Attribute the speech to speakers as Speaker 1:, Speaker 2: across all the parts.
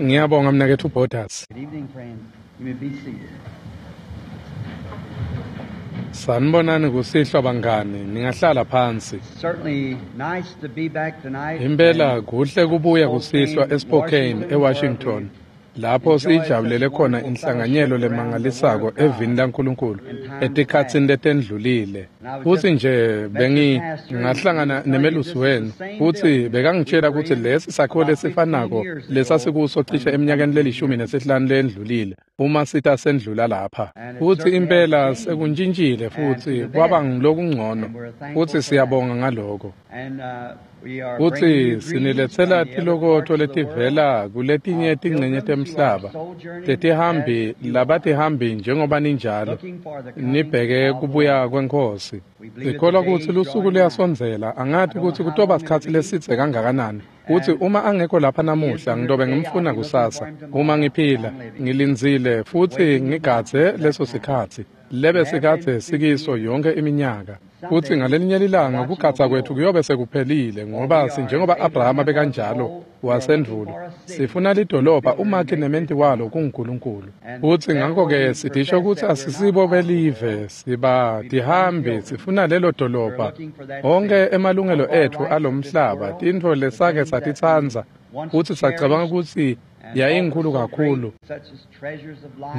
Speaker 1: Ngiyabonga mnaketfu Borders.
Speaker 2: Good evening, friends. You may be seated.
Speaker 1: Sanibonani kusihlwa bangani, ningahlala phansi.
Speaker 2: Certainly nice to be back tonight.
Speaker 1: Impela kuhle kubuya kusihlwa eSpokane, eWashington, lapho siyijabulele khona inhlanganyelo lemangalisako evini laNkulunkulu etikhatsini letendlulile. Futsi nje bengingahlangana nemelusi wenu, futsi bekangitshela kutsi lesi sakhiwo lesifanako lesasikuso cishe eminyakeni le-15 lendlulile uma sita sendlula lapha. Futsi impela sekuntshintshile futsi kwaba ngulokungcono, futsi siyabonga ngaloko.
Speaker 2: And we are
Speaker 1: Futsi
Speaker 2: bringing you greetings
Speaker 1: siniletsela
Speaker 2: from the other
Speaker 1: tilokotfo
Speaker 2: parts of the
Speaker 1: letivela
Speaker 2: world,
Speaker 1: kuletinye
Speaker 2: of
Speaker 1: tincenye
Speaker 2: pilgrims who are
Speaker 1: temhlaba
Speaker 2: sojourning
Speaker 1: tetihambi
Speaker 2: as you are,
Speaker 1: labatihambi njengoba ninjalo
Speaker 2: looking for the coming
Speaker 1: nibheke
Speaker 2: of the
Speaker 1: kubuya
Speaker 2: Lord.
Speaker 1: kweNkhosi.
Speaker 2: We believe that the
Speaker 1: Sikholwa
Speaker 2: day
Speaker 1: kutsi
Speaker 2: is
Speaker 1: lusuku
Speaker 2: drawing nigh.
Speaker 1: luyasondzela,
Speaker 2: I
Speaker 1: angati
Speaker 2: don't know
Speaker 1: kutsi
Speaker 2: how
Speaker 1: kutoba
Speaker 2: long it'll
Speaker 1: sikhatsi
Speaker 2: be,
Speaker 1: lesidze kangakanani. Kutsi
Speaker 2: and
Speaker 1: uma angekho lapha
Speaker 2: if he
Speaker 1: namuhla
Speaker 2: isn't here
Speaker 1: ngitobe
Speaker 2: today, I'll
Speaker 1: ngimfuna
Speaker 2: be looking for
Speaker 1: kusasa.
Speaker 2: him
Speaker 1: Uma
Speaker 2: tomorrow if
Speaker 1: ngiphila,
Speaker 2: I'm living,
Speaker 1: ngilindzile futhi
Speaker 2: waiting and
Speaker 1: ngigadze
Speaker 2: watching for that
Speaker 1: leso
Speaker 2: time.
Speaker 1: sikhatsi
Speaker 2: We
Speaker 1: lebe
Speaker 2: have been
Speaker 1: sikadze
Speaker 2: through
Speaker 1: sikiso
Speaker 2: years.
Speaker 1: yonke iminyaka. Futsi
Speaker 2: Someday
Speaker 1: ngalelinye
Speaker 2: the
Speaker 1: lilanga
Speaker 2: watching will
Speaker 1: kugadza
Speaker 2: be
Speaker 1: kwethu
Speaker 2: over.
Speaker 1: kuyobe sekuphelile
Speaker 2: For we
Speaker 1: ngoba
Speaker 2: are, as
Speaker 1: sinjengoba Abrahama
Speaker 2: Abraham was of
Speaker 1: bekanjalo
Speaker 2: old, we are looking
Speaker 1: wasendvulo.
Speaker 2: for a city
Speaker 1: Sifuna
Speaker 2: whose
Speaker 1: lidolobha
Speaker 2: builder and
Speaker 1: umakhi
Speaker 2: maker is
Speaker 1: nementi walo
Speaker 2: God.
Speaker 1: kunguNkulunkulu.
Speaker 2: And
Speaker 1: Futsi
Speaker 2: therefore
Speaker 1: ngakho-ke
Speaker 2: we
Speaker 1: sitisho
Speaker 2: profess
Speaker 1: kutsi
Speaker 2: that we're not
Speaker 1: asisibo
Speaker 2: of the
Speaker 1: belive,
Speaker 2: world.
Speaker 1: siba
Speaker 2: We become
Speaker 1: tihambi,
Speaker 2: pilgrims.
Speaker 1: sifuna lelo
Speaker 2: We're
Speaker 1: dolobha.
Speaker 2: looking for that
Speaker 1: Onke
Speaker 2: city. All
Speaker 1: emalungelo
Speaker 2: of our
Speaker 1: etfu
Speaker 2: rights of this
Speaker 1: alomhlaba,
Speaker 2: world,
Speaker 1: tintfo
Speaker 2: the
Speaker 1: lesake
Speaker 2: things that we
Speaker 1: satitsandza
Speaker 2: once
Speaker 1: futsi sacabanga
Speaker 2: cherished
Speaker 1: kutsi
Speaker 2: and thought were
Speaker 1: yayinkhulu
Speaker 2: so great,
Speaker 1: kakhulu
Speaker 2: such as treasures of life,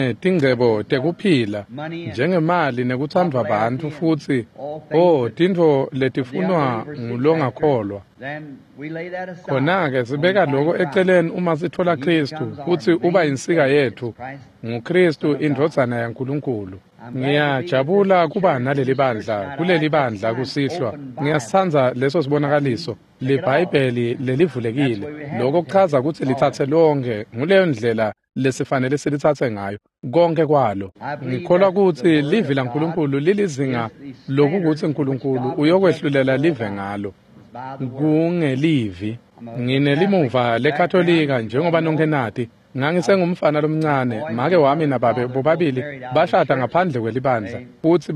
Speaker 1: njengetingcebo
Speaker 2: such as
Speaker 1: tekuphila,
Speaker 2: money and
Speaker 1: njengemali nekutsandvwa bantfu
Speaker 2: popularity and
Speaker 1: futsi
Speaker 2: all things
Speaker 1: oh
Speaker 2: that
Speaker 1: tintfo
Speaker 2: the
Speaker 1: letifunwa
Speaker 2: unbeliever seeks after,
Speaker 1: ngulongakholwa.
Speaker 2: then we lay that aside
Speaker 1: Khona-ke
Speaker 2: when we
Speaker 1: sibeka
Speaker 2: find
Speaker 1: loko
Speaker 2: Christ.
Speaker 1: eceleni uma sithola
Speaker 2: And He
Speaker 1: Kristu
Speaker 2: becomes our
Speaker 1: futsi uba
Speaker 2: main
Speaker 1: insika
Speaker 2: thing. It's
Speaker 1: yetfu
Speaker 2: Christ, the
Speaker 1: nguKristu
Speaker 2: Son of God.
Speaker 1: indvodzana yaNkulunkulu.
Speaker 2: I'm glad to be with this
Speaker 1: Ngiyajabula kuba
Speaker 2: church in
Speaker 1: naleli
Speaker 2: this church
Speaker 1: bandla
Speaker 2: tonight. I like
Speaker 1: kuleli
Speaker 2: that
Speaker 1: bandla
Speaker 2: sign,
Speaker 1: kusihlwa.
Speaker 2: Open Bible.
Speaker 1: Ngiyasitsandza leso
Speaker 2: That means
Speaker 1: sibonakaliso
Speaker 2: take it all.
Speaker 1: liBhayibheli
Speaker 2: That's the
Speaker 1: lelivulekile.
Speaker 2: way we have
Speaker 1: Loko
Speaker 2: to take
Speaker 1: kuchaza
Speaker 2: it.
Speaker 1: kutsi
Speaker 2: All of
Speaker 1: litsatse
Speaker 2: it.
Speaker 1: lonke nguleyo ndlela lesifanele silitsatse ngayo konke kwalo.
Speaker 2: I believe
Speaker 1: Ngikholwa
Speaker 2: that the
Speaker 1: kutsi
Speaker 2: Word
Speaker 1: livi
Speaker 2: of God
Speaker 1: laNkulunkulu lilizinga
Speaker 2: is the
Speaker 1: lokukuthi
Speaker 2: standard which
Speaker 1: uNkulunkulu
Speaker 2: God will judge the
Speaker 1: uyokwehlulela
Speaker 2: world
Speaker 1: live
Speaker 2: by.
Speaker 1: ngalo.
Speaker 2: It's by the Word.
Speaker 1: Kungelivi.
Speaker 2: I'm a Catholic
Speaker 1: Nginelimuva
Speaker 2: background,
Speaker 1: leKatolika
Speaker 2: you all
Speaker 1: njengoba nonke
Speaker 2: know.
Speaker 1: nati.
Speaker 2: I was
Speaker 1: Ngangisengumfana
Speaker 2: a
Speaker 1: lomncane,
Speaker 2: boy, my
Speaker 1: make wami
Speaker 2: mother and
Speaker 1: nababe
Speaker 2: father both
Speaker 1: bobabili
Speaker 2: married out of the
Speaker 1: bashada
Speaker 2: church.
Speaker 1: ngaphandle kwelibandla.
Speaker 2: They
Speaker 1: Futsi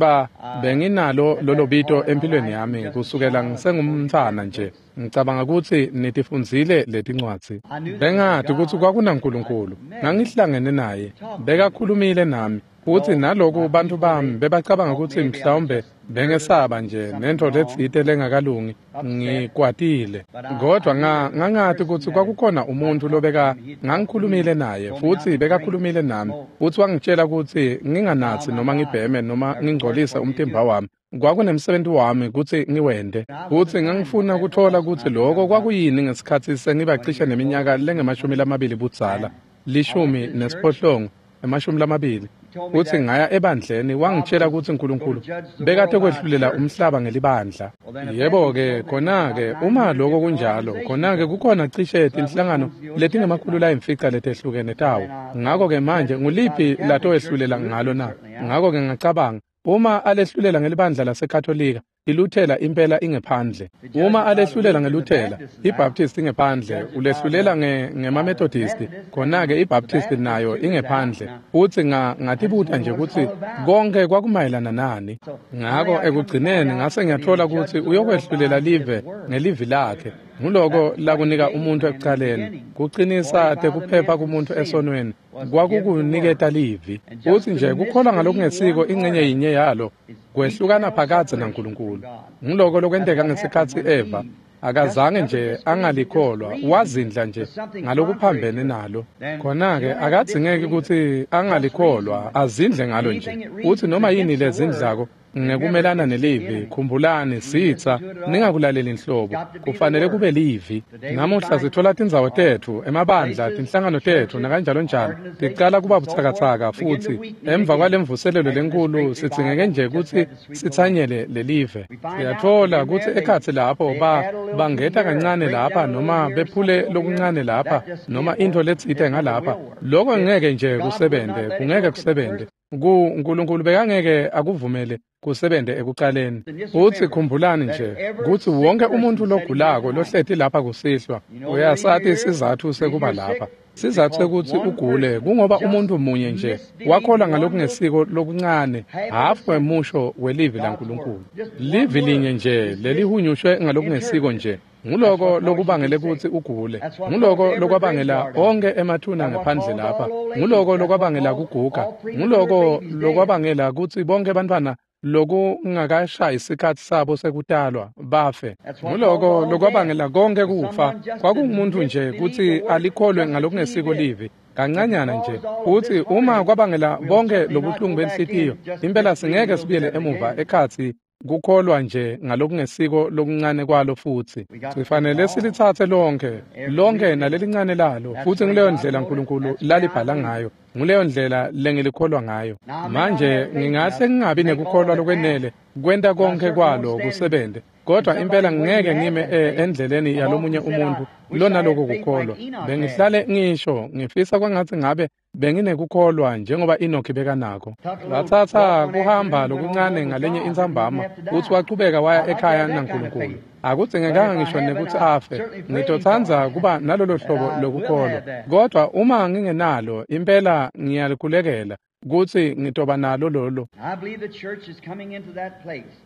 Speaker 1: benginalo
Speaker 2: had
Speaker 1: lolo
Speaker 2: that
Speaker 1: bito
Speaker 2: all in my
Speaker 1: empilweni
Speaker 2: life from
Speaker 1: yami
Speaker 2: just a
Speaker 1: kusukela
Speaker 2: child. I was supposed to
Speaker 1: ngisengumntfwana
Speaker 2: read
Speaker 1: nje.
Speaker 2: books.
Speaker 1: Ngicabanga kutsi nitifundzile letincwadzi.
Speaker 2: I knew there was a
Speaker 1: Bengati kutsi
Speaker 2: God. I
Speaker 1: kwakunaNkulunkulu.
Speaker 2: met him,
Speaker 1: Ngangihlangene naye.
Speaker 2: talked to him.
Speaker 1: Bekakhulumile nami. Futsi
Speaker 2: Though
Speaker 1: naloku
Speaker 2: my
Speaker 1: bantfu
Speaker 2: people,
Speaker 1: bami
Speaker 2: they
Speaker 1: bebacabanga
Speaker 2: thought
Speaker 1: kutsi
Speaker 2: maybe I was
Speaker 1: mhlawumbe
Speaker 2: just nervous,
Speaker 1: bengesaba nje
Speaker 2: something
Speaker 1: nentfo
Speaker 2: wrong,
Speaker 1: letsite lengakalungi
Speaker 2: upset.
Speaker 1: ngikwatile.
Speaker 2: But I
Speaker 1: Kodwa
Speaker 2: knew there was a
Speaker 1: ngangati
Speaker 2: person
Speaker 1: kutsi
Speaker 2: that had,
Speaker 1: kwakukhona
Speaker 2: I
Speaker 1: umuntfu
Speaker 2: talked to
Speaker 1: lobeka
Speaker 2: him. He had talked to me
Speaker 1: ngangikhulumile
Speaker 2: and
Speaker 1: naye
Speaker 2: told me not
Speaker 1: futsi
Speaker 2: to drink,
Speaker 1: bekakhulumile nami
Speaker 2: smoke,
Speaker 1: futsi wangitshela kutsi nginganatsi
Speaker 2: defile my
Speaker 1: noma
Speaker 2: body.
Speaker 1: ngibheme noma
Speaker 2: There was work
Speaker 1: ngingcolise
Speaker 2: for me to
Speaker 1: umtimba
Speaker 2: do.
Speaker 1: wami. Kwakunemsebenti wami kutsi ngiwente.
Speaker 2: And I wanted
Speaker 1: Futsi
Speaker 2: to find what
Speaker 1: ngangifuna
Speaker 2: that
Speaker 1: kuthola
Speaker 2: was when
Speaker 1: kutsi
Speaker 2: I
Speaker 1: loko
Speaker 2: become about
Speaker 1: kwakuyini ngesikhatsi sengiba
Speaker 2: 20
Speaker 1: cishe
Speaker 2: years old,
Speaker 1: neminyaka
Speaker 2: 19,
Speaker 1: lengemashumi
Speaker 2: 20.
Speaker 1: lamabili budzala,
Speaker 2: And I went
Speaker 1: 10
Speaker 2: to the church.
Speaker 1: nesiphohlongo, emashumi lamabili.
Speaker 2: He told me
Speaker 1: Futsi
Speaker 2: that
Speaker 1: ngaya ebandleni
Speaker 2: God
Speaker 1: wangitshela
Speaker 2: was
Speaker 1: kutsi
Speaker 2: going to
Speaker 1: uNkulunkulu
Speaker 2: judge the
Speaker 1: bekate
Speaker 2: world by a
Speaker 1: kwehlulela
Speaker 2: church.
Speaker 1: umhlaba ngelibandla.
Speaker 2: Well, then, if that, he
Speaker 1: Yebo-ke
Speaker 2: told me there was
Speaker 1: khona-ke
Speaker 2: about
Speaker 1: uma
Speaker 2: 900
Speaker 1: loko
Speaker 2: different
Speaker 1: kunjalo,
Speaker 2: organizations
Speaker 1: khona-ke
Speaker 2: of them.
Speaker 1: kukhona cishe
Speaker 2: So which
Speaker 1: tinhlangano
Speaker 2: one's the old judge it
Speaker 1: letingemakhulu
Speaker 2: by?
Speaker 1: layimfica letehlukene
Speaker 2: So
Speaker 1: tawo.
Speaker 2: then I thought
Speaker 1: Ngakho-ke
Speaker 2: if
Speaker 1: manje
Speaker 2: judges by the
Speaker 1: nguliphi
Speaker 2: Catholic Church,
Speaker 1: latoyehlulela
Speaker 2: the
Speaker 1: ngalo
Speaker 2: Lutherans
Speaker 1: na?
Speaker 2: certainly out.
Speaker 1: Ngakho-ke ngacabanga uma alehlulela ngelibandla laseKatolika, iLuthela impela ingephandle.
Speaker 2: To judge
Speaker 1: Uma
Speaker 2: it by the
Speaker 1: alehlulela
Speaker 2: Luther, the
Speaker 1: ngeLuthela,
Speaker 2: Baptist is out.
Speaker 1: iBaptist ingephandle,
Speaker 2: Judge it by
Speaker 1: ulehlulela
Speaker 2: the by the
Speaker 1: ngemaMethodist,
Speaker 2: Methodist, then
Speaker 1: khona-ke
Speaker 2: the
Speaker 1: iBaptist
Speaker 2: Baptist
Speaker 1: nayo
Speaker 2: too is out.
Speaker 1: ingephandle.
Speaker 2: Now,
Speaker 1: Futsi
Speaker 2: I just
Speaker 1: ngatibuta
Speaker 2: wonder
Speaker 1: nje
Speaker 2: what it's
Speaker 1: kutsi
Speaker 2: all about.
Speaker 1: konke kwakumayelana nani.
Speaker 2: So
Speaker 1: Ngako
Speaker 2: finally, I come to find
Speaker 1: ekugcineni
Speaker 2: out
Speaker 1: ngase
Speaker 2: that he'll
Speaker 1: ngiyathola
Speaker 2: judge
Speaker 1: kutsi
Speaker 2: the world
Speaker 1: uyokwehlulela
Speaker 2: by his
Speaker 1: live
Speaker 2: word.
Speaker 1: ngelivi lakhe. Nguloko
Speaker 2: That was what he
Speaker 1: lakunika
Speaker 2: gave the
Speaker 1: umuntu
Speaker 2: man in the
Speaker 1: ekucaleni,
Speaker 2: beginning.
Speaker 1: kucinisa
Speaker 2: Fortify the
Speaker 1: tekuphepha
Speaker 2: man from
Speaker 1: kumuntu
Speaker 2: sin
Speaker 1: esonweni,
Speaker 2: was to give the word.
Speaker 1: kwakukuniketa livi.
Speaker 2: And just
Speaker 1: Futsi
Speaker 2: to
Speaker 1: nje kukholwa
Speaker 2: misbelieve
Speaker 1: ngalokungesiko
Speaker 2: one part
Speaker 1: incenye
Speaker 2: of it
Speaker 1: yinye yalo
Speaker 2: is
Speaker 1: kwehlukana
Speaker 2: eternal
Speaker 1: phakadze
Speaker 2: separation from
Speaker 1: naNkulunkulu.
Speaker 2: God.
Speaker 1: Nguloko
Speaker 2: That's
Speaker 1: lokwenteka
Speaker 2: what happened
Speaker 1: ngesikhatsi
Speaker 2: when
Speaker 1: Eva
Speaker 2: Eve just
Speaker 1: akazange
Speaker 2: never
Speaker 1: nje
Speaker 2: disbelieved and just
Speaker 1: angalikholwa,
Speaker 2: reasoned
Speaker 1: wazindla
Speaker 2: to
Speaker 1: nje
Speaker 2: something contrary
Speaker 1: ngalokuphambene
Speaker 2: to it.
Speaker 1: nalo.
Speaker 2: Then you
Speaker 1: Khona-ke
Speaker 2: don't have to
Speaker 1: akadzingeki
Speaker 2: disbelieve it.
Speaker 1: kutsi
Speaker 2: Just reason
Speaker 1: angalikholwa,
Speaker 2: with it.
Speaker 1: azindle ngalo nje.
Speaker 2: Anything that
Speaker 1: Futsi
Speaker 2: reasons
Speaker 1: noma yini
Speaker 2: against the word,
Speaker 1: lezindlako
Speaker 2: remember
Speaker 1: ngekumelana
Speaker 2: it's the
Speaker 1: nelivi,
Speaker 2: enemy.
Speaker 1: khumbulani
Speaker 2: You listen
Speaker 1: sitsa,
Speaker 2: to it at all.
Speaker 1: ningakulaleli
Speaker 2: It's
Speaker 1: nhlobo,
Speaker 2: got to be the
Speaker 1: kufanele
Speaker 2: word.
Speaker 1: kube livi.
Speaker 2: Today we
Speaker 1: Namuhla
Speaker 2: find
Speaker 1: sithola tindzawo tetfu, emabandla,
Speaker 2: places,
Speaker 1: tinhlangano tetfu
Speaker 2: churches,
Speaker 1: nakanjalonjalo, ticala
Speaker 2: organizations,
Speaker 1: kuba
Speaker 2: and so forth
Speaker 1: butsakatsaka
Speaker 2: begin to
Speaker 1: futsi
Speaker 2: weaken
Speaker 1: emva
Speaker 2: again
Speaker 1: kwalemvuselelo
Speaker 2: after this
Speaker 1: lenkulu
Speaker 2: great
Speaker 1: sidzingeke
Speaker 2: revival
Speaker 1: nje
Speaker 2: we just
Speaker 1: kutsi
Speaker 2: had to sweep away.
Speaker 1: sitsanyele lelive.
Speaker 2: We find out that
Speaker 1: Siyatfola
Speaker 2: in
Speaker 1: kutsi
Speaker 2: there they
Speaker 1: ekhatsi lapho
Speaker 2: they add a little to
Speaker 1: bangeta
Speaker 2: here,
Speaker 1: kancane
Speaker 2: break
Speaker 1: lapha
Speaker 2: down a little
Speaker 1: noma
Speaker 2: here,
Speaker 1: bephule
Speaker 2: something over here.
Speaker 1: lokuncane lapha
Speaker 2: That just
Speaker 1: noma
Speaker 2: can't
Speaker 1: intfo
Speaker 2: work.
Speaker 1: letsite
Speaker 2: It never
Speaker 1: ngalapha.
Speaker 2: will work.
Speaker 1: Loko
Speaker 2: It
Speaker 1: ngeke nje
Speaker 2: God would not
Speaker 1: kusebente,
Speaker 2: let it
Speaker 1: kungeke
Speaker 2: work at the
Speaker 1: kusebente.
Speaker 2: first.
Speaker 1: uNkulunkulu bekangeke akuvumele kusebente ekucaleni.
Speaker 2: And just
Speaker 1: Futsi
Speaker 2: remember
Speaker 1: khumbulani
Speaker 2: that
Speaker 1: nje
Speaker 2: every
Speaker 1: kutsi
Speaker 2: sick
Speaker 1: wonke umuntfu
Speaker 2: person sitting here
Speaker 1: logulako
Speaker 2: tonight,
Speaker 1: lohleti lapha kusihlwa
Speaker 2: you know the reason
Speaker 1: uyasati
Speaker 2: you're here,
Speaker 1: sizatfu
Speaker 2: reason
Speaker 1: sekuba
Speaker 2: you're
Speaker 1: lapha.
Speaker 2: sick is
Speaker 1: Sizatfu
Speaker 2: because
Speaker 1: sekutsi
Speaker 2: one
Speaker 1: ugule
Speaker 2: person
Speaker 1: kungoba
Speaker 2: just
Speaker 1: umuntfu munye nje
Speaker 2: misbelieved
Speaker 1: wakholwa
Speaker 2: one little
Speaker 1: ngalokungesiko lokuncane
Speaker 2: half of a
Speaker 1: hafu
Speaker 2: sentence
Speaker 1: wemusho welivi
Speaker 2: God's
Speaker 1: laNkulunkulu.
Speaker 2: word. Just one
Speaker 1: Livi linye
Speaker 2: word
Speaker 1: nje
Speaker 2: is
Speaker 1: lelihunyushwe ngalokungesiko
Speaker 2: misinterpreted.
Speaker 1: nje Nguloko lokubangele kutsi ugule. Nguloko lokwabangela onke emathuna ngaphandle lapha. Nguloko lokwabangela kuguga. Nguloko lokwabangela kutsi bonke bantfwana lokungakashayi isikhatsi sabo sekutalwa bafe. Nguloko lokwabangela konke kufa. Kwakungumuntu nje kutsi alikholwe ngalokungesiko livi. Kancanyana nje utsi uma kwabangela bonke lobuhlungu benhlitiyo, impela singeke sibuyele emuva ekhatsi kukholwa nje ngalokungesiko lokuncane kwalo futsi. Sifanele silitsatse lonke, lonke nalelincane lalo, futsi nguleyo ndlela uNkulunkulu lalibhala ngayo. Nguleyo ndlela lengilikholwa ngayo. Manje ngingahle ngingabi nekukholwa lokwenele kwenta konke kwalo kusebente, kodwa impela ngeke ngime endleleni yalomunye umuntu lona lokho kukholwa. Bengihlale ngisho ngifisa kwangathi ngabe benginekukholwa njengoba Enoki bekanako. Watsatsa kuhamba lokuncane ngalenye intsambama futsi wachubeka waya ekhaya naNkulunkulu. Akudzingekanga ngisho nekutsi afe. Ngitotsandza kuba nalolo hlobo lokukholwa, kodwa uma ngingenalo impela ngiyalikhulekela kutsi ngitoba nalo lolo.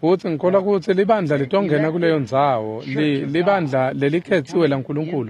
Speaker 1: Futsi ngikholwa kutsi libandla litongena kuleyo ndzawo, libandla lelikhetsiwe laNkulunkulu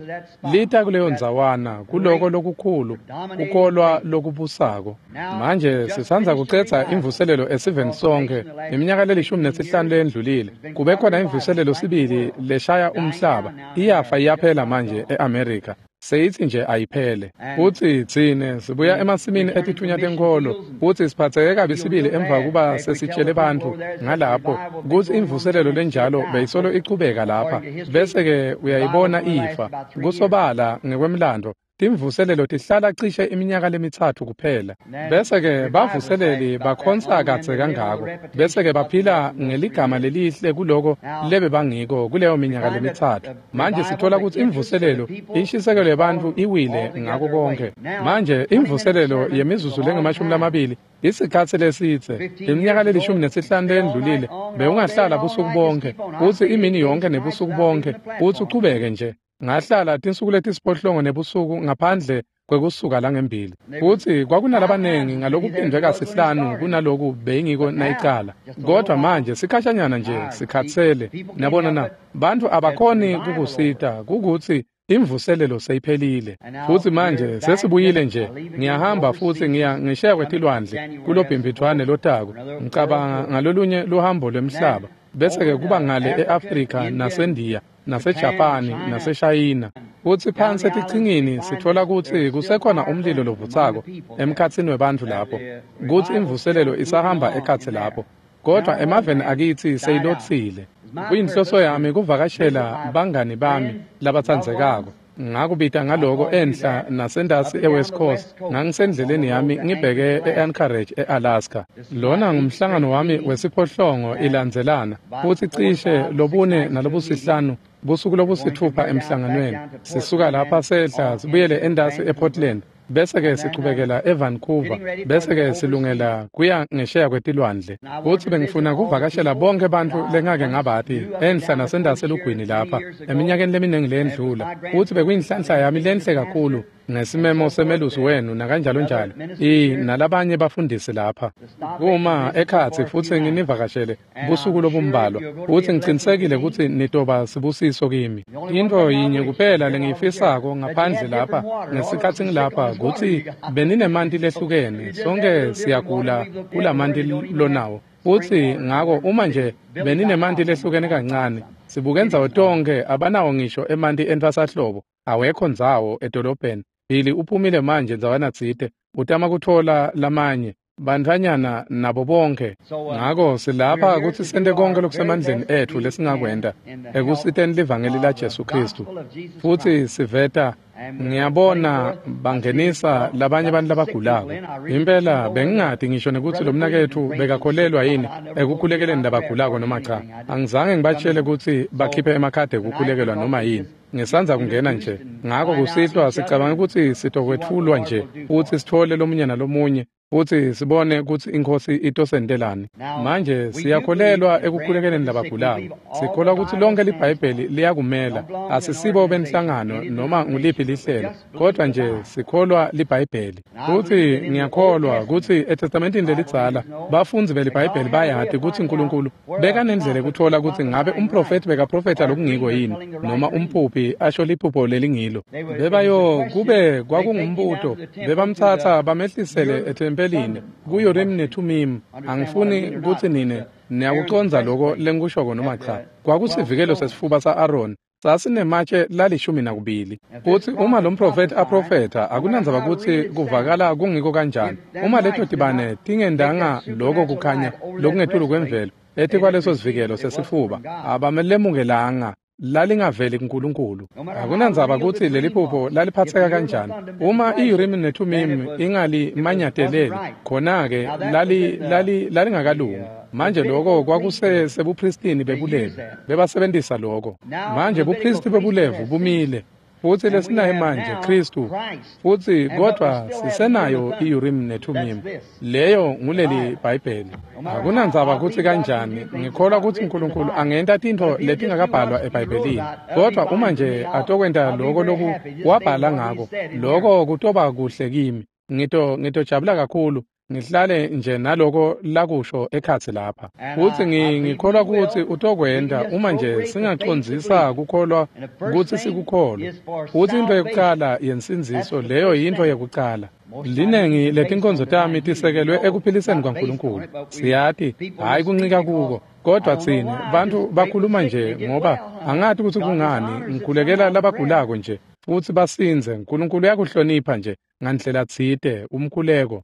Speaker 1: lita kuleyo ndzawana, kuloko lokukhulu kukholwa lokubusako. Manje sisandza kucedza imvuselelo esiveni sonke iminyaka le-15 leyendlulile. Kube khona imvuselelo sibili leshaya umhlaba, iyafa iyaphela manje e-Amerika. Seyithi nje ayiphele. Futsi tsine sibuya emasimini etithunya tenkholo, futsi siphatheke kabi sibili emva kuba sesitshele bantfu ngalapho kutsi imvuselelo lenjalo beyisolo ichubeka lapha, bese-ke uyayibona ifa. Kusobala ngekwemlando, timvuselelo tihlala cishe iminyaka lemitsatfu kuphela. Bese-ke bavuseleli bakhonsa kadze kangako, bese-ke baphila ngeligama lelihle kuloko lebebangiko kuleyo minyaka lemitsatfu. Manje sithola kutsi imvuselelo, inshisekelo yebantfu iwile ngako konke. Manje imvuselelo yemizuzu lengama-20 isikhatsi lesidze, iminyaka le-15 leyendlulile, bewungahlala busuku bonke, futsi imini yonke nebusuku bonke, futsi uchubeke nje. Ngahlala tinsuku letisiphohlongo nebusuku ngaphandle kwekusuka langembili. Futsi kwakunalabanengi ngalokuphindwe kasihlanu kunaloku beyingiko nayicala. Kodwa manje sikhashanyana nje sikhatsele. Niyabona na, bantfu abakhoni kukusita kukutsi imvuselelo seyiphelile. Futsi manje sesibuyile nje. Ngiyahamba futsi ngiya ngisheya kwetilwandle kulobhimbidvwane lotako. Ngicabanga ngalolunye luhambo lwemhlaba. Bese-ke kuba ngale e-Afrika naseNdiya, naseJapani, naseShayina. Futsi phansi etichingini sitfola kutsi kusekhona umlilo lovutsako emkhatsini webantfu lapho, kutsi imvuselelo isahamba ekhatsi lapho. Kodwa emaveni akitsi seyilotsile. Kuyinhloso yami kuvakashela bangani bami labatsandzekako. Ngakubita ngaloko enhla nasentasi eWest Coast. Ngangisendleleni yami ngibheke e-Anchorage e-Alaska. Lona ngumhlangano wami wesiphohlongo ilandzelana, futsi cishe lobune nalobusihlanu busuku lobusithupha emhlanganweni. Sisuka lapha sehla sibuyele entasi ePortland, bese-ke sichubekela eVancouver, bese-ke silungela kuya ngesheya kwetilwandle. Futsi bengifuna kuvakashela bonke bantfu lengake ngabati enhla nasentasi elugwini lapha eminyakeni leminingi leyendlula. Futsi bekuyinhlanhla yami lenhle kakhulu ngesimemo semelusi wenu nakanjalo njalo, nalabanye bafundisi lapha, kuma ekhatsi futsi nginivakashele busuku lobumbalwa. Futsi ngicinisekile kutsi nitoba sibusiso kimi. Intfo yinye kuphela lengiyifisako ngaphandle lapha ngesikhatsi ngilapha kutsi beninemanti lehlukene. Sonke siyagula kulamanti lonawo. Futsi ngako uma nje beninemanti lehlukene kancane, sibuke ndzawo tonke abanawo ngisho emanti entfwasahlobo, awekho ndzawo edolobheni. Billy uphumile manje ndzawana tsite, utama kutfola lamanye bantfwanyana nabo bonke. Ngako silapha kutsi sente konke lokusemandleni etfu lesingakwenta ekusiteni livangeli laJesu Khristu. Futsi siveta, ngiyabona bangenisa labanye abantu labagulako. Impela bengingati ngisho nekutsi lo mnaketfu bekakholelwa yini ekukhulekeleni labagulako noma cha. Angizange ngibatshele kutsi bakhiphe emakhadi ekukhulekelwa noma yini. Ngisandza kungena nje. Ngako kusihlwa sicabanga kutsi sitokwetfulwa nje futsi sitfole lomunye nalomunye. Futsi sibone kutsi iNkhosi itosentelani. Manje siyakholelwa ekukhulekeleni labagulako. Sikholwa kutsi lonke liBhayibheli liyakumela. Asisibo benhlangano noma nguliphi lihlelo, kodwa nje sikholwa liBhayibheli. Futsi ngiyakholwa kutsi eTestamentini lelidzala bafundzi beliBhayibheli bayati kutsi Nkulunkulu bekanendlela yekutfola kutsi ngabe umprofethi bekaprofetha lokungiko yini noma umphuphi asho liphupho lelingilo. Bebayo kube kwakungumbuto bebamtsatsa bamehlisele ethempelini ku-Urim neThumim. Angifuni kutsi nine niyakucondza loko lengikushoko noma cha. Kwakusivikelo sesifuba sa-Aroni sasinematshe la12. Futsi uma lo mprofethi aprofetha, akunandzaba kutsi kuvakala kungiko kanjani, uma leto tibane tingendanga loko kukhanya lokungetulu kwemvelo etikwaleso sivikelo sesifuba, abamelemukelanga. Lalingaveli kuNkulunkulu. Akunandzaba kutsi leliphupho laliphatseka kanjani, uma i-Urim neThumim ingalimanyateleli, khona-ke lalingakalungi. Manje loko kwakusesebupristini bebulevu, bebasebentisa loko. Manje bupristi bebulevu bumile, futsi lesinayo manje Khristu, futsi kodwa sisenayo i-Urim neThumim. Leyo nguleli Bhayibheli. Akunandzaba kutsi kanjani, ngikholwa kutsi Nkulunkulu angenta tintfo letingakabhalwa eBhayibhelini, kodwa uma nje atokwenta loko loku wabhala ngako, loko kutoba kuhle kimi. Ngitojabula kakhulu ngihlale nje naloko lakusho ekhatsi lapha. Futsi ngikholwa kutsi utokwenta uma nje singacondzisa kukholwa kutsi sikukholwe. Futsi intfo yekucala yensindziso, leyo yintfo yekucala. Linengi letinkonzo tami tisekelwe ekuphiliseni kwaNkulunkulu. Siyati, hhayi kuncika kuko, kodwa tsine bantfu bakhuluma nje ngoba angati kutsi kungani ngikhulekela labagulako nje futsi basindze. Nkulunkulu uyakuhlonipha nje ngandlela tsite umkhuleko.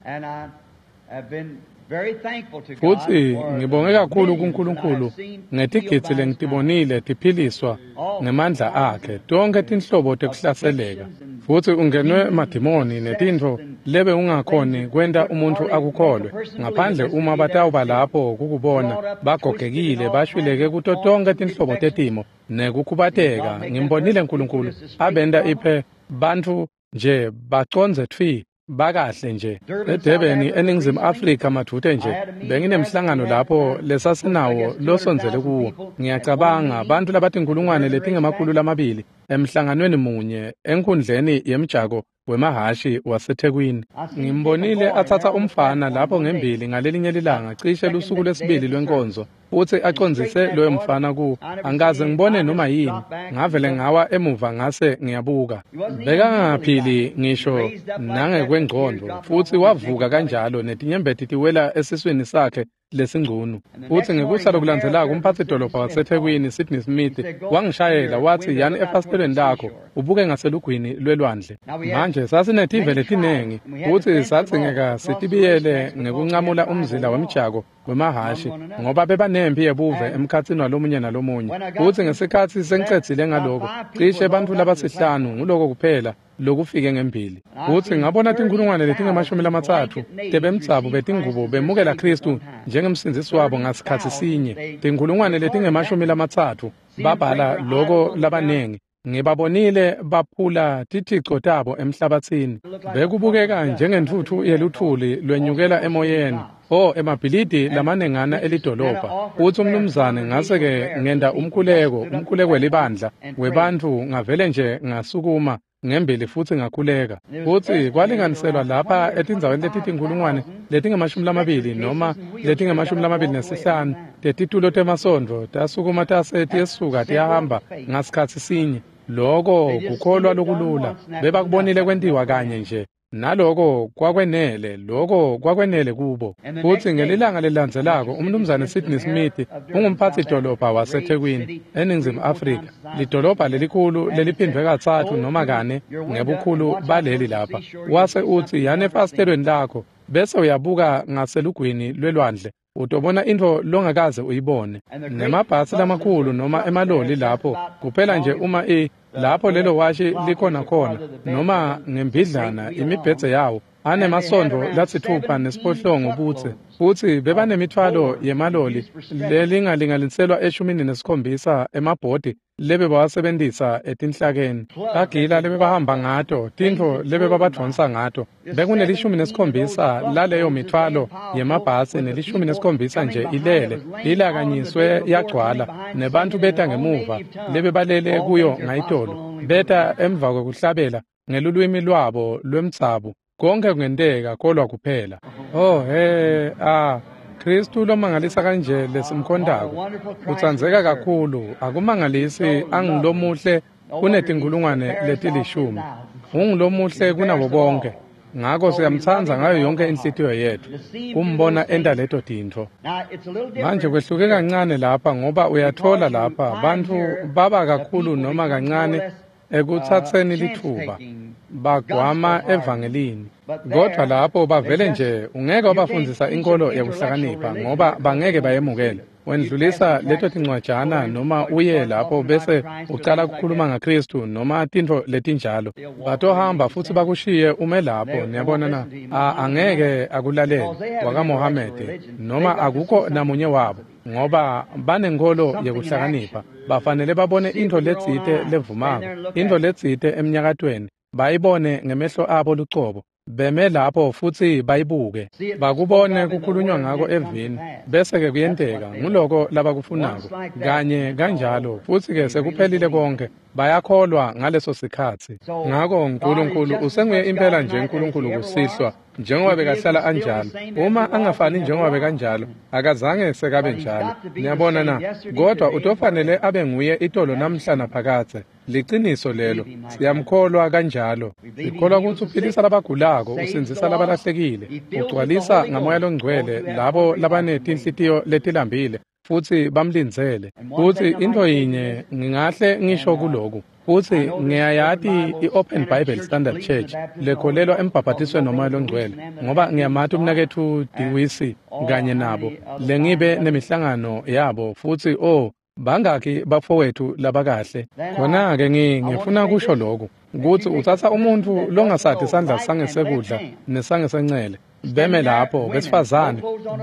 Speaker 1: Futsi ngibonge kakhulu kuNkulunkulu ngetigidzi lengitibonile tiphiliswa ngemandla akhe, tonkhe tinhlobo tekuhlaseleka. Futsi ungenwe madimoni netintfo lebe ungakhoni kwenta umuntfu akukholwe, ngaphandle uma batawuba lapho kukubona bagogekile bashwileke kuto tonkhe tinhlobo tetimo nekukhubateka. Ngimbonile Nkulunkulu abenta iphe bantfu nje bacondze tfi bakahle nje. eDurban eNingizimu Afrika madvute nje benginemhlangano lapho lesasinawo losondzele kuwo. Ngiyacabanga bantfu labatinkhulungwane letingama-200 emhlanganweni munye enkhundleni yemjako wemahhashi waseThekwini. Ngimbonile atsatsa umfana lapho ngembili ngalelinye lilanga cishe lusuku lwesibili lwenkonzo, futsi acondzise loyo mfana ku angikaze ngibone noma yini. Ngavele ngawa emuva ngase ngiyabuka. Bekangaphili ngisho nangekwengcondvo, futsi wavuka kanjalo netinyembeti tiwela esiswini sakhe lesingcunu. Futsi ngekusa lokulandzelako umphatsi-dolobha waseThekwini Sydney Smith wangishayela watsi, yani efasitelweni lakho ubuke ngaselugwini lwelwandle. Manje sasinetive letinengi futsi sadzingeka sitibiyele ngekuncamula umzila wemjako wemahhashi ngoba bebanemphi yebuve emkhatsini walomunye nalomunye. Futsi ngesikhatsi sengicedzile ngaloko, cishe bantfu labasihlanu nguloko kuphela lokufike ngembili. Futsi ngabona tinkhulungwane letingama-30 tebemdzabu betingubo bemukela Khristu njengemsindzisi wabo ngasikhatsi sinye. Tinkhulungwane letingama-30 babhala loko labanengi. Ngibabonile baphula tithico tabo emhlabatsini. Bekubukeka njengentfutfu yeluthuli lwenyukela emoyeni. O, emabhilidi lamanengana elidolobha. Futsi umnumzane ngase-ke ngenta umkhuleko welibandla webantfu, ngavele nje ngasukuma ngembili futsi ngakhuleka. Futsi kwalinganiselwa lapha etindzaweni letitinkhulungwane letingama-20 noma letingama-25 tetitulo temasondvo tasukuma tase tiyesuka tiyahamba ngasikhatsi sinye. Loko kukholwa lokulula. Bebakubonile kwentiwa kanye nje. Naloko kwakwenele, loko kwakwenele kubo. Futsi ngelilanga lelilandzelako umnumzane Sydney Smith ungumphatsi-dolobha waseThekwini eNingizimu Afrika, lidolobha lelikhulu leliphindvwe 3 noma 4 ngebukhulu baleli lapha. Wase utsi, yani efasitelweni lakho bese uyabuka ngaselugwini lwelwandle, utobona intfo longakaze uyibone. Nemabhasi lamakhulu noma emaloli lapho kuphela nje uma lapho lelo washi likhona khona noma ngembidlana imibhedze yawo Anemasondvo lasitfupha nesiphohlongo budze, futsi bebanemithwalo yemaloli lelingalinganiselwa 17 emabhodi lebebawasebentisa etinhlakeni. Tagila lebebahamba ngato, tintfo lebebabadvonsa ngato. Bekune-17 laleyo mithwalo yemabhasi ne-17 nje ilele, ilakanyiswe yagcwala, nebantfu beta ngemuva lebebalele kuyo ngayitolo, beta emva kwekuhlabela ngelulwimi lwabo lwemdzabu. Konke kungenteka kolwa kuphela. Oh he ah, Kristu lomangalisa kanje lesimkhondako utsandzeka kakhulu, akumangalisi angilomuhle kunetinkulungwane leti-10, ungulomuhle kunabo bonke. Ngako siyamtsandza ngayo yonke inhlitiyo yetfu kumbona enta leto tintfo. Manje kwehluke kancane lapha, ngoba uyatfola lapha bantfu baba kakhulu noma kancane ekutsatseni litfuba bagwama evangelini, kodvwa lapho bavele nje ungeke wabafundzisa inkholo yekuhlakanipha ngoba bangeke bayemukele. Wendlulisa leto tincwajana noma uye lapho bese ucala kukhuluma ngaKristu noma tintfo letinjalo, batohamba futsi bakushiye ume lapho. Niyabona na? Angeke akulalele wakaMohamede noma akukho namunye wabo, ngoba banenkholo yekuhlakanipha. Bafanele babone intfo letsite levumako, intfo letsite emnyakatweni, bayibone ngemehlo abo lucobo, beme lapho futsi bayibuke, bakubone kukhulunywa ngako evini, bese-ke kuyenteka. Nguloko labakufunako kanye kanjalo, futsi-ke sekuphelile konke. Bayakholwa ngaleso sikhatsi. Ngako Nkulunkulu usenguye impela nje Nkulunkulu kusihlwa, njengoba bekahlala anjalo. Uma angafani njengoba bekanjalo, akazange sekabe njalo. Niyabona na? Kodwa utofanele abe nguye itolo namhla naphakadze. Liciniso lelo, siyamkholwa kanjalo. Sikholwa kutsi uphilisa labagulako, usindzisa labalahlekile, ugcwalisa ngaMoya Longcwele labo labanetinhlitiyo letilambile futsi bamlindzele. Futsi intfo yinye ngingahle ngisho kuloku, futsi ngiyayati i-Open Bible Standard Church lekholelwa embhabhatisweni noMoya Longcwele, ngoba ngiyamati umnaketfu Dewisi kanye nabo lengibe nemihlangano yabo, futsi oh bangakhi bafowethu labakahle. Khona-ke ngifuna kusho lokhu, kutsi utsatsa umuntfu longasati sandla sangesekudla nesangesencele, beme lapho besifazane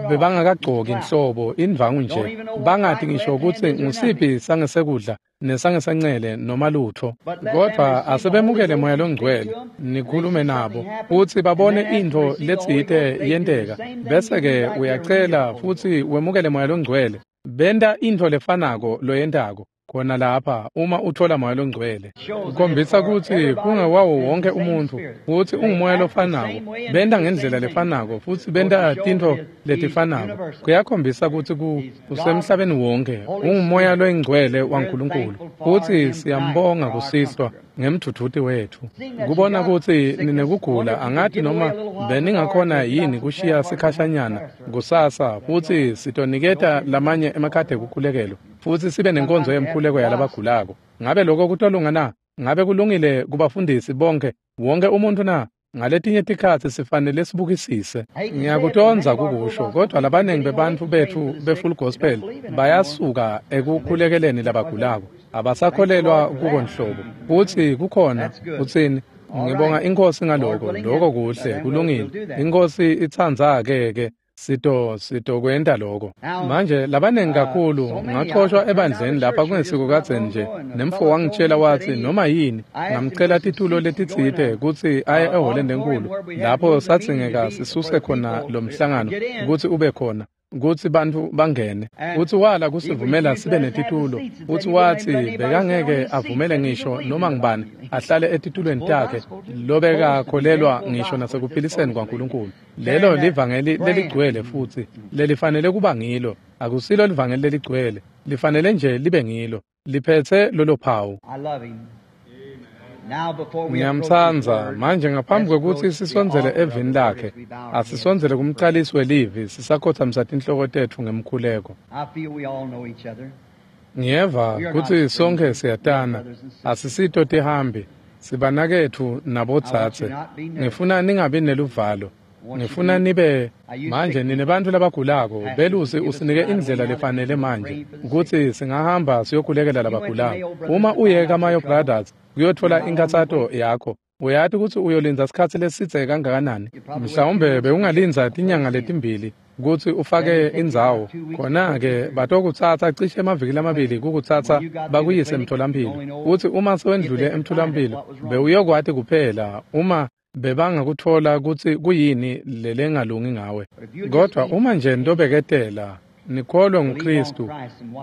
Speaker 1: bebangakagcoki nhlobo indvangu nje, bangati ngisho kutsi ngusiphi sangesekudla nesangesencele noma lutfo, kodvwa asebemukele Moya Longcwele, nikhulume nabo futsi babone intfo letsite yenteka, bese-ke uyacela futsi wemukele Moya Longcwele. Benta intfo lefanako loyentako khona lapha uma utfola Moya Longcwele. Kukhombisa kutsi kungewawo wonke umuntfu, kutsi ungumoya lofanako, benta ngendlela lefanako futsi benta tintfo letifanako. Kuyakhombisa kutsi usemhlabeni wonke, ungumoya loyingcwele waNkulunkulu, futsi siyambonga kusihlwa ngemdvudvuti wetfu. Kubona kutsi ninekugula, angati noma beningakhona yini kushiya sikhashanyana kusasa, futsi sitoniketa lamanye emakhadi ekukhulekelwa, futsi sibe nenkonzo yemkhuleko yalabagulako. Ngabe lokho kutolunga na? Ngabe kulungile kubafundisi bonke, wonke umuntfu na? Ngaletinye tikhatsi sifanele sibukisise. Ngiyakutondza kukusho, kodvwa labaningi bebantfu betfu be-Full Gospel bayasuka ekukhulekeleni labagulako, abasakholelwa kuko nhlobo. Futsi kukhona utsini? Ngibonga iNkhosi ngaloko, loko kuhle, kulungile. INkhosi itsandza-ke sitokwenta loko. Manje labaningi kakhulu ngaxoshwa ebandleni lapha kungesiko kadzeni nje, nemfo wangitshela watsi noma yini, ngamcela titulo letitsite kutsi aye ehholeni lenkulu lapho sadzingeka sisuse khona lo mhlangano kutsi ube khona, kutsi bantfu bangene. Futsi wala kusivumela sibe netitulo, futsi watsi bekangeke avumele ngisho noma ngubani ahlale etitulweni takhe lobekakholelwa ngisho nasekuphiliseni kwaNkulunkulu. Lelo livangeli leligcwele futsi lelifanele kuba ngilo, akusilo livangeli leligcwele, lifanele nje libe ngilo, liphetse lolo phawu. Ngiyamtsandza. Manje ngaphambi kwekutsi sisondzele evini lakhe, asisondzele kumcalisi welivi sisakhotsamisa tinhloko tetfu ngemkhuleko. Ngiyeva kutsi sonkhe siyatana, asisito tihambi, sibanaketfu nabodzadze. Ngifuna ningabi neluvalo, ngifuna nibe manje nine bantfu labagulako. Belusi usinike indlela lefanele manje kutsi singahamba siyokhulekela labagulako. Uma uye kaMayo Brothers kuyotfola inkhatsato yakho, Uyati kutsi uyolindza sikhatsi lesidze kangakanani? Mhlawumbe bewungalindza tinyanga letimbili kutsi ufake indzawo. Khona-ke batokutsatsa cishe emaviki lamabili kukutsatsa bakuyise emtholampilo. Utsi uma sewendlule emtholampilo, bewuyokwati kuphela uma bebangakutfola kutsi kuyini lelengalungi ngawe. Kodvwa uma nje nitobeketela, nikholwe nguKhristu,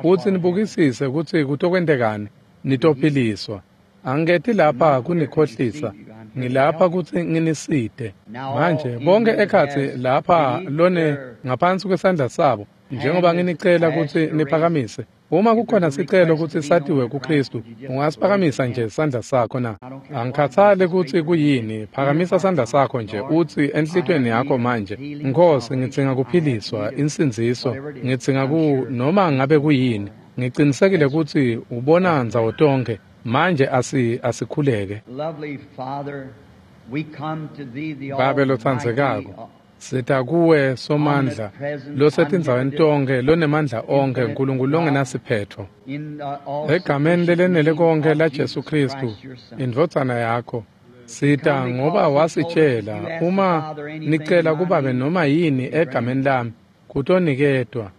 Speaker 1: futsi nibukisise kutsi kutokwentekani, nitophiliswa. Angiketi lapha kunikhohlisa, ngilapha kutsi nginisite. Manje bonke ekhatsi lapha lone ngaphansi kwesandla sabo, njengoba nginicela kutsi niphakamise. Uma kukhona sicelo kutsi satiwe kuKhristu, ungasiphakamisa nje sandla sakho na? Angikhathali kutsi kuyini, phakamisa sandla sakho nje utsi enhlitiyweni yakho manje, Nkhosi, ngidzinga kuphiliswa, insindziso, ngidzinga ku noma ngabe kuyini. Ngicinisekile kutsi ubona ndzawo tonkhe. Manje asikhuleke. Babe lotsandzekako, sita kuwe Somandla, losetindzaweni tonkhe, lonemandla onkhe, Nkulunkulu longenasiphetfo. Egameni lelenele konkhe laJesu Khristu, indvodzana yakho, sita ngoba wasitshela, uma nicela kubabe noma yini egameni lami, kutoniketwa.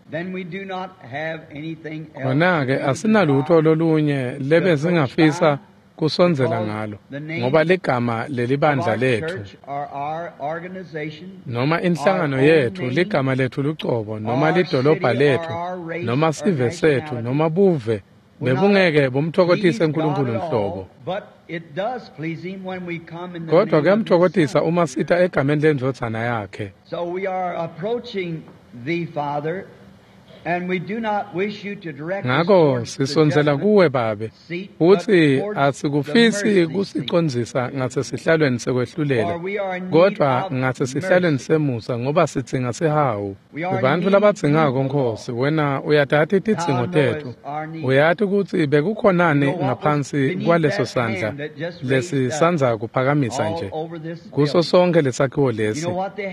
Speaker 1: Khona-ke asinalutho lolunye lebesingafisa kusondzela ngalo, ngoba ligama lelibandla letfu noma inhlangano yetfu, ligama letfu lucobo, noma lidolobha letfu, noma sive setfu, noma buve, bebungeke bumtfokotise Nkulunkulu nhlobo. Kodwa kuyamtfokotisa uma sita egameni lendvodzana yakhe. Ngako sisondzela kuwe Babe, futsi asikufisi kusicondzisa ngasesihlalweni sekwehlulela, kodvwa ngasesihlalweni semusa, ngoba sidzinga sihawu. Bantfu labadzingako, Nkhosi, wena uyatati tidzingo tetfu. Uyati kutsi bekukhonani ngaphansi kwaleso sandla lesisandza kuphakamisa nje kuso sonke lesakhiwo lesi.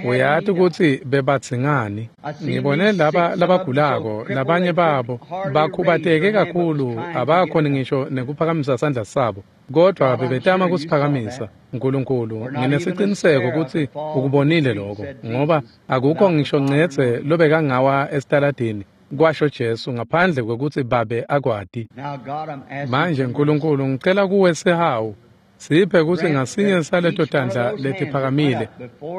Speaker 1: Uyati kutsi bebadzingani. Ngibone laba labagulako, labanye babo bakhubateke kakhulu abakhoni ngisho nekuphakamisa sandla sabo, kodvwa bebetama kusiphakamisa. Nkulunkulu, nginesiciniseko kutsi ukubonile lokho, ngoba akukho ngisho ncedze lobekangawa esitaladini, kwasho Jesu, ngaphandle kwekutsi Babe akwati. Manje Nkulunkulu, ngicela kuwe sihawu, siphe kutsi ngasinye saleto tandla letiphakamile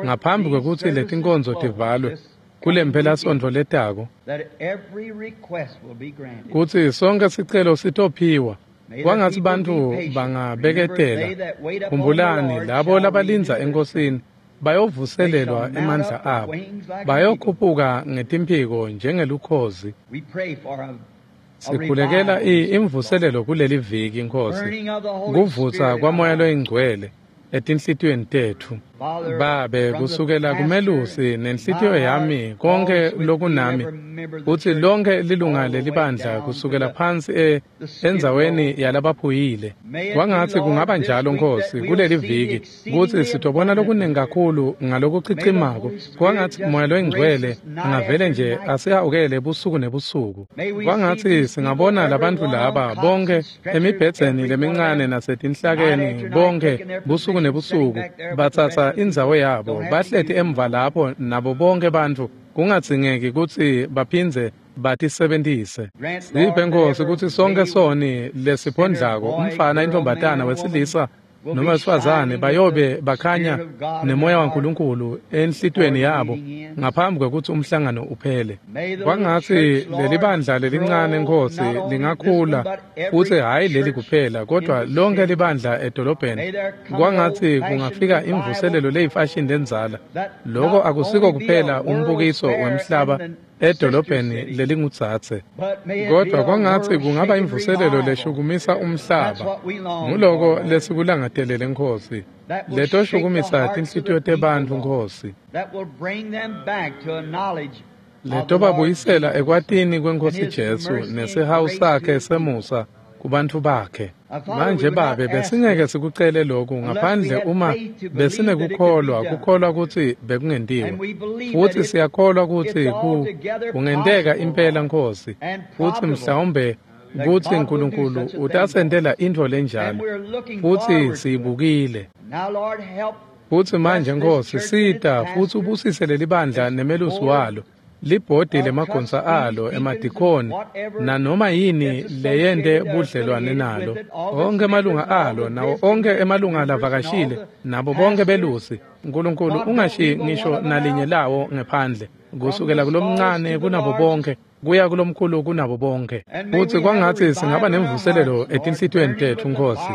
Speaker 1: ngaphambi kwekutsi letinkonzo tivalwe kulemphelasontfo letako, kutsi sonke sicelo sitophiwa. Kwangatsi bantfu bangabeketela. Khumbulani, labo labalindza eNkosini bayovuselelwa emandla abo, bayokhuphuka ngetimphiko njengelukhozi. Sikhulekela imvuselelo kuleli viki, Nkhosi, kuvutsa kwaMoya loyiNgcwele etinhlitiyweni tetfu. Babe, kusukela kumelusi nenhlitiyo yami, konke lokunami, kutsi lonke lilunga lelibandla kusukela phansi endzaweni yalabaphuyile. Kwangatsi kungaba njalo, Nkhosi, kuleli viki, kutsi sitobona lokuningi kakhulu ngalokuchichimako. Kwangatsi Moya loyiNgcwele angavele nje asihawukele busuku nebusuku. Kwangatsi singabona labantfu laba bonke emibhedzeni lemincane nasetinhlakeni, bonke busuku nebusuku batsatsa indzawo yabo, bahleti emva lapho nabo bonke bantfu, kungadzingeki kutsi baphindze batisebentise. Siphe, Nkhosi, kutsi sonke soni lesiphondlako, umfana, intombatana, wesilisa noma wesifazane, bayobe bakhanya nemoya waNkulunkulu enhlitiyweni yabo ngaphambi kwekutsi umhlangano uphele. Kwangatsi lelibandla lelincane, Nkhosi, lingakhula, futsi hhayi leli kuphela, kodvwa lonke libandla edolobheni. Kwangatsi kungafika imvuselelo leyifashini lendzala. Loko akusiko kuphela umbukiso wemhlaba edolobheni lelingudzadze, kodvwa kwangatsi kungaba imvuselelo leshukumisa umhlaba. Nguloko lesikulangatelele, Nkhosi, letoshukumisa tinhlitiyo tebantfu, Nkhosi, letobabuyisela ekwatini kweNkhosi Jesu nesihawu sakhe semusa kubantfu bakhe. Manje Babe, besingeke sikucele lokhu ngaphandle uma besinekukholwa, kukholwa kutsi bekungentiwa. Futsi siyakholwa kutsi kungenteka impela, Nkhosi, futsi mhlawumbe kutsi Nkulunkulu utasentela intfo lenjalo, futsi siyibukile. Futsi manje, Nkosi, sita futsi ubusise lelibandla nemelusi walo, libhodi lemagonsa alo, emadikoni, nanoma yini leyente budlelwane nalo, onke emalunga alo, nawo onke emalunga lavakashile, nabo bonke belusi. Nkulunkulu, ungashiyi ngisho nalinye lawo ngephandle, kusukela kulomncane kunabo bonke kuya kulomkhulu kunabo bonke. Futsi kwangatsi singaba nemvuselelo etinhlitiyweni tetfu, Nkosi,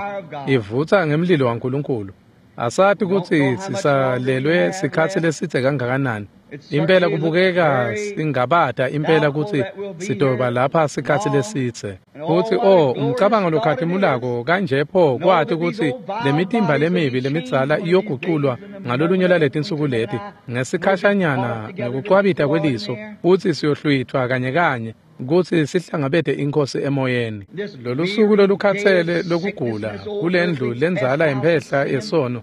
Speaker 1: ivutsa ngemlilo waNkulunkulu. Asati kutsi sisalelwe sikhatsi lesidze kangakanani. Impela kubukeka singabata impela kutsi sitoba lapha sikhatsi lesidze. Futsi umcabango lokhatimulako kanje pho kwati kutsi lemitimba lemibi lemidzala iyoguculwa ngalolunye lwaletinsuku leti ngesikhashanyana ngekucwabita kweliso, futsi siyohlwithwa kanye kanye kutsi sihlangabete iNkhosi emoyeni. Lolusuku lolukhatsele lokugula kulendlu lendzala yemphehla yesono,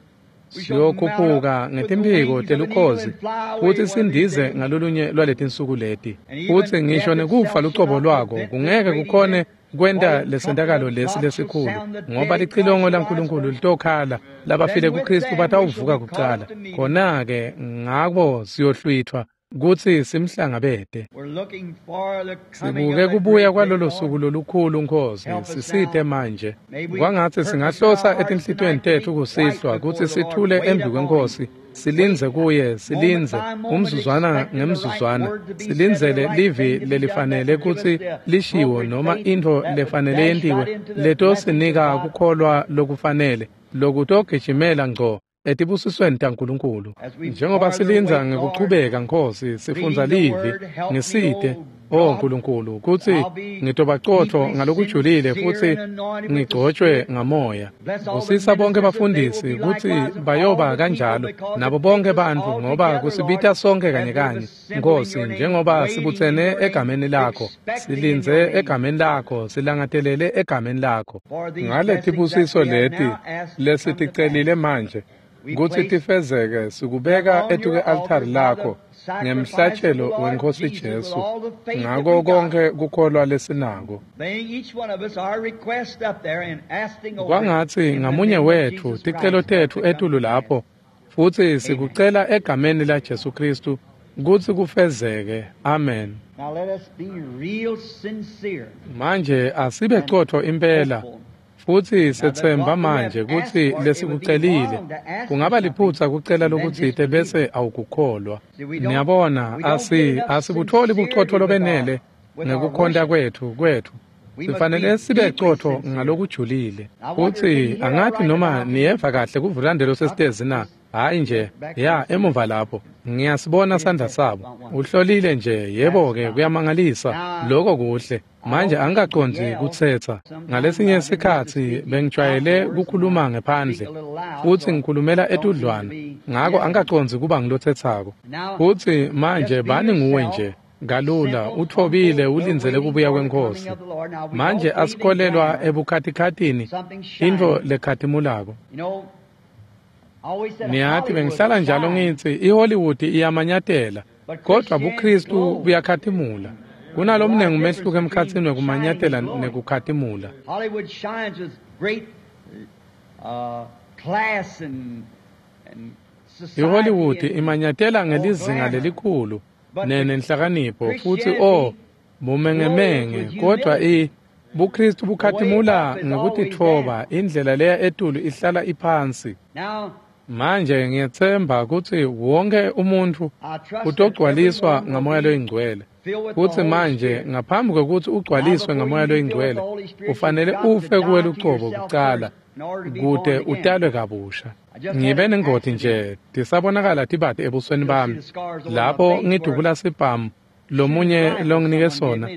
Speaker 1: siyokhuphuka ngetimphiko telukhozi futsi sindize ngalolunye lwaletinsuku leti. Futsi ngisho nekufa lucobo lwako kungeke kukhone kwenta lesentakalo lesi lesikhulu, ngoba licilongo laNkulunkulu litokhala, labafile kuKristu batawuvuka kucala. Khona-ke ngako siyohlwithwa kutsi simhlangabete. Sibuke kubuya kwalolo suku lolukhulu, Nkosi, sisite manje. Kwangatsi singahlosa etinhlitiyweni tetfu kusihlwa kutsi sithule embi kweNkhosi, silindze kuye, silindze umzuzwana ngemzuzwana, silindzele livi lelifanele kutsi lishiwo noma intfo lefanele yentiwe letosinika kukholwa lokufanele lokutogijimela ngco etibusisweni taNkulunkulu. Njengoba silindza ngekuchubeka, Nkosi, sifundza livi, ngisite, O Nkulunkulu, kutsi ngitobacotfo ngalokujulile futsi ngigcotshwe ngamoya. Busisa bonke bafundisi kutsi bayoba kanjalo nabo bonke bantfu, ngoba kusibita sonke kanye kanye, Nkosi, njengoba sibutsene egameni lakho, silindze egameni lakho, silangatelele egameni lakho. Ngaletibusiso leti lesiticelile manje kutsi tifezeke, sikubeka etuke-altari lakho ngemhlatshelo weNkhosi Jesu, ngako konke kukholwa lesinako. Kwangatsi ngamunye wetfu ticelo tetfu etulu lapho, futsi sikucela egameni la Jesu Kristu kutsi kufezeke. Amen. Manje asibe cotfo impela, futsi sethemba manje kutsi lesikucelile. Kungaba liphutsa kucela lokutsite bese awukukholwa. Niyabona, asibutfoli bucotfo lobenele ngekukhonta kwetfu. Sifanele sibe cotfo ngalokujulile. Futsi angathi noma niyeva kahle kuvulandelo sesitezi na. Hayi nje, ya emuva lapho ngiyasibona sandla sabo. Uhlolile nje, yebo-ke, kuyamangalisa. Lokho kuhle. Manje angikacondzi kutsetsa. Ngalesinye sikhatsi bengijwayele kukhuluma ngephandle futsi ngikhulumela etudlwana, ngako angikacondzi kuba ngilotsetsako. Futsi manje bani nguwe nje kalula, utfobile, ulindzele kubuya kweNkhosi. Manje asikholelwa ebukhatikhatini, intfo lekhatimulako. Niyati, bengihlala njalo ngitsi iHollywood iyamanyatela, kodwa buKristu buyakhatimula. Kunalomnengi umehluko emkhatsini wekumanyatela nekukhatimula. IHollywood imanyatela ngelizinga lelikhulu nenhlakanipho futsi bumengemenge, kodwa buKristu bukhatimula ngekutitfoba. Indlela leya etulu ihlala iphansi. Manje ngiyetsemba kutsi wonke umuntfu utogcwaliswa ngaMoya loyiNgcwele. Futsi manje ngaphambi kwekutsi ugcwaliswe ngaMoya loyiNgcwele, ufanele ufe kuwe lucobo kucala kute utalwe kabusha. Ngibe nengoti nje tisabonakala tibati ebusweni bami lapho ngidubula sibhamu lomunye longinike sona,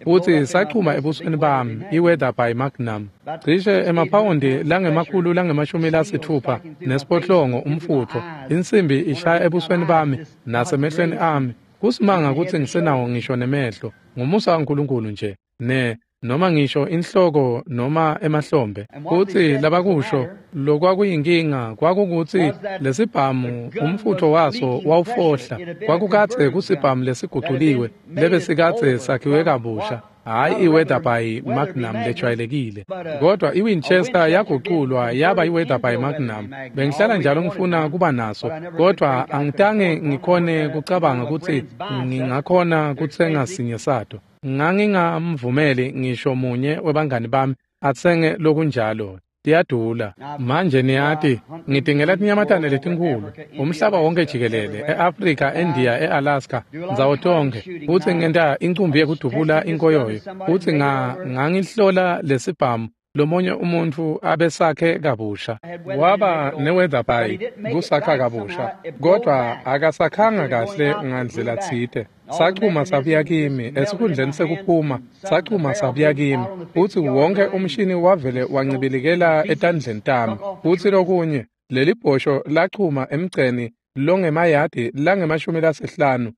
Speaker 1: futsi sachuma ebusweni bami i-Weather by Magnum, cishe emaphawundi langemakhulu langemashumi lasitfupha nesiphohlongo umfutfo. Insimbi ishaya ebusweni bami nasemehlweni ami. Kusimanga kutsi ngisenawo ngisho nemehlo, ngumusa waNkulunkulu nje, ne noma ngisho inhloko noma emahlombe. Futsi labakusho lokwakuyinkinga kwakukutsi lesibhamu umfutfo waso wawufohla. Kwakukadze kusibhamu lesiguculiwe lebesikadze sakhiwe kabusha. Hhayi i-Weatherby Magnum lejwayelekile, kodwa i-Winchester yaguculwa yaba i-Weatherby Magnum. Bengihlala njalo ngifuna kuba naso, kodwa angitange ngikhone kucabanga kutsi ngingakhona kutsenga sinye sato. Ngangingamvumeli ngisho munye webangani bami atsenge lokunjalo. Tiyadula. Manje niyati, ngitingela tinyamatane letinkhulu umhlaba wonke jikelele, e-Afrika, eNdiya, e-Alaska, ndzawo tonkhe, futsi ngenta incumbi yekudubula inkoyoyo, futsi ngangihlola lesibhamu lomunye umuntfu abesakhe kabusha. Waba ne-Weatherby kusakha kabusha, kodwa akasakhanga kahle ngandlela tsite. Sachuma sabuya kimi esikhundleni sekuphuma, sachuma sabuya kimi, futsi wonke umshini wavele wancibilikela etandleni tami. Futsi lokunye, leli bhosho lachuma emgceni longemayadi langama-50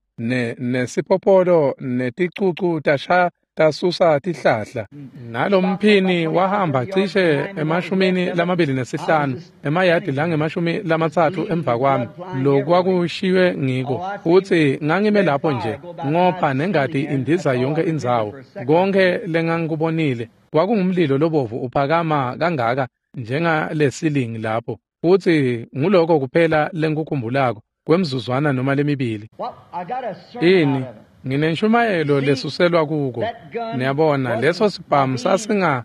Speaker 1: nesiphopholo neticucu tasha tasusa tihlahla. Nalomphini wahamba cishe 25 emayadi langama-30 emva kwami lokwakushiywe ngiko. Futsi ngangime lapho nje ngopha nengati indiza yonke indzawo. Konke lengangikubonile kwakungumlilo lobovu uphakama kangaka njengalesilingi lapho. Futsi nguloko kuphela lengikukhumbulako kwemzuzwana noma lemibili. Ini? Nginenshumayelo lesuselwa kuko. Niyabona, leso sibhamu sasinga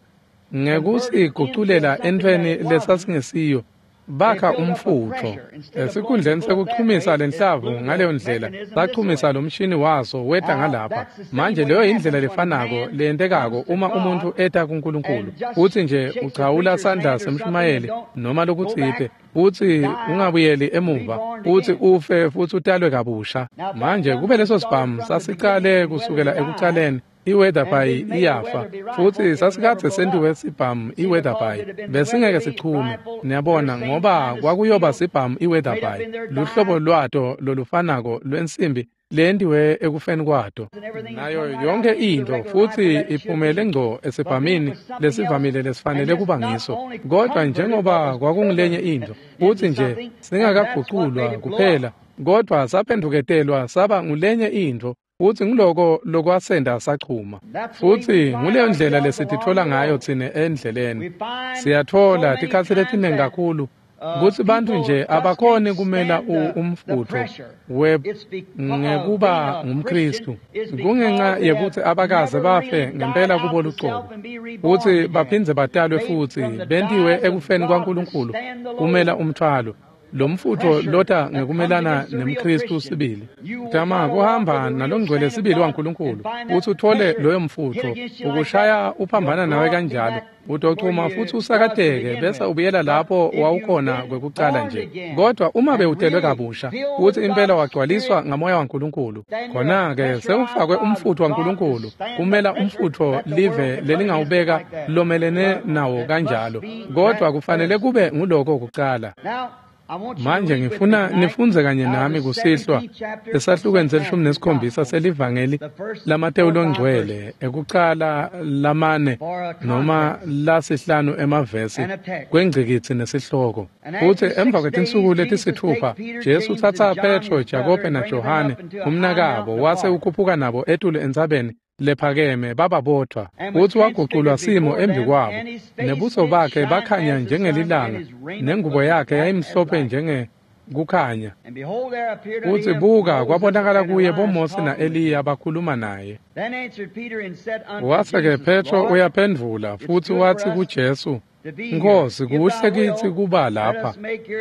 Speaker 1: ngekusiguculela entfweni lesasingesiyo. Bakha umfutfo. Esikhundleni sekuchumisa lenhlavu ngaleyo ndlela, sachumisa lomshini waso weta ngalapha. Manje leyo indlela lefanako leyentekako uma umuntfu eta kuNkulunkulu. Futsi nje uchawula sandla semshumayeli noma lokutsite, futsi ungabuyeli emuva, futsi ufe futsi utalwe kabusha. Manje kube leso sibhamu sasicale kusukela ekucaleni, i-Weatherby iyafa, futsi sasikadze sentiwe sibhamu i-Weatherby, besingeke sichume. Niyabona, ngoba kwakuyoba sibhamu i-Weatherby, luhlobo lwato lolufanako lwensimbi leyentiwe ekufeni kwato, nayo yonke intfo, futsi iphumele ngco esibhamini lesivamile lesifanele kuba ngiso. Kodwa njengoba kwakungulenye intfo, futsi nje singakaguculwa kuphela, kodwa saphendvuketelwa saba ngulenye intfo, futsi nguloko lokwasenda sachuma. Futsi nguleyo ndlela lesititfola ngayo tsine endleleni. Siyatfola tikhatsi letiningi kakhulu kutsi bantfu nje abakhoni kumela umfutfo ngekuba ngumKhristu, kungenxa yekutsi abakaze bafe ngempela kubo lucobo, futsi baphindze batalwe futsi bentiwe ekufeni kwaNkulunkulu kumela umthwalo. Lo mfutfo lota ngekumelana nemKhristu sibili. Tama kuhamba nalongcwele sibili waNkulunkulu, futsi uthole loyo mfutfo ukushaya uphambana nawe kanjalo, utochuma futsi usakateke bese ubuyela lapho wawukhona kwekucala nje. Kodwa uma bewutelwe kabusha futsi impela wagcwaliswa ngamoya waNkulunkulu, khona-ke sewufakwe umfutfo waNkulunkulu kumela umfutfo live lelingawubeka lomelene nawo kanjalo. Kodwa kufanele kube nguloko kucala. Manje ngifuna nifunze kanye nami kusihlwa esahlukweni se-17 selivangeli laMateyu longcwele, ekucala lamane noma lasihlanu emavesi kwengcikitsi nesihloko. Futsi emva kwetinsuku letisitfupha Jesu utsatsa Petro, Jakobe naJohane umnakabo, wase ukhuphuka nabo etulu entsabeni lephakeme bababodvwa. Futsi waguculwa simo embi kwabo, nebuso bakhe bakhanya njengelilanga, nengubo yakhe yayimhlophe njengekukhanya. Futsi buka, kwabonakala kuye boMose na-Eliya bakhuluma naye. Wase-ke Petro uyaphendvula futsi watsi kuJesu, Nkhosi, kuhle kitsi kuba lapha.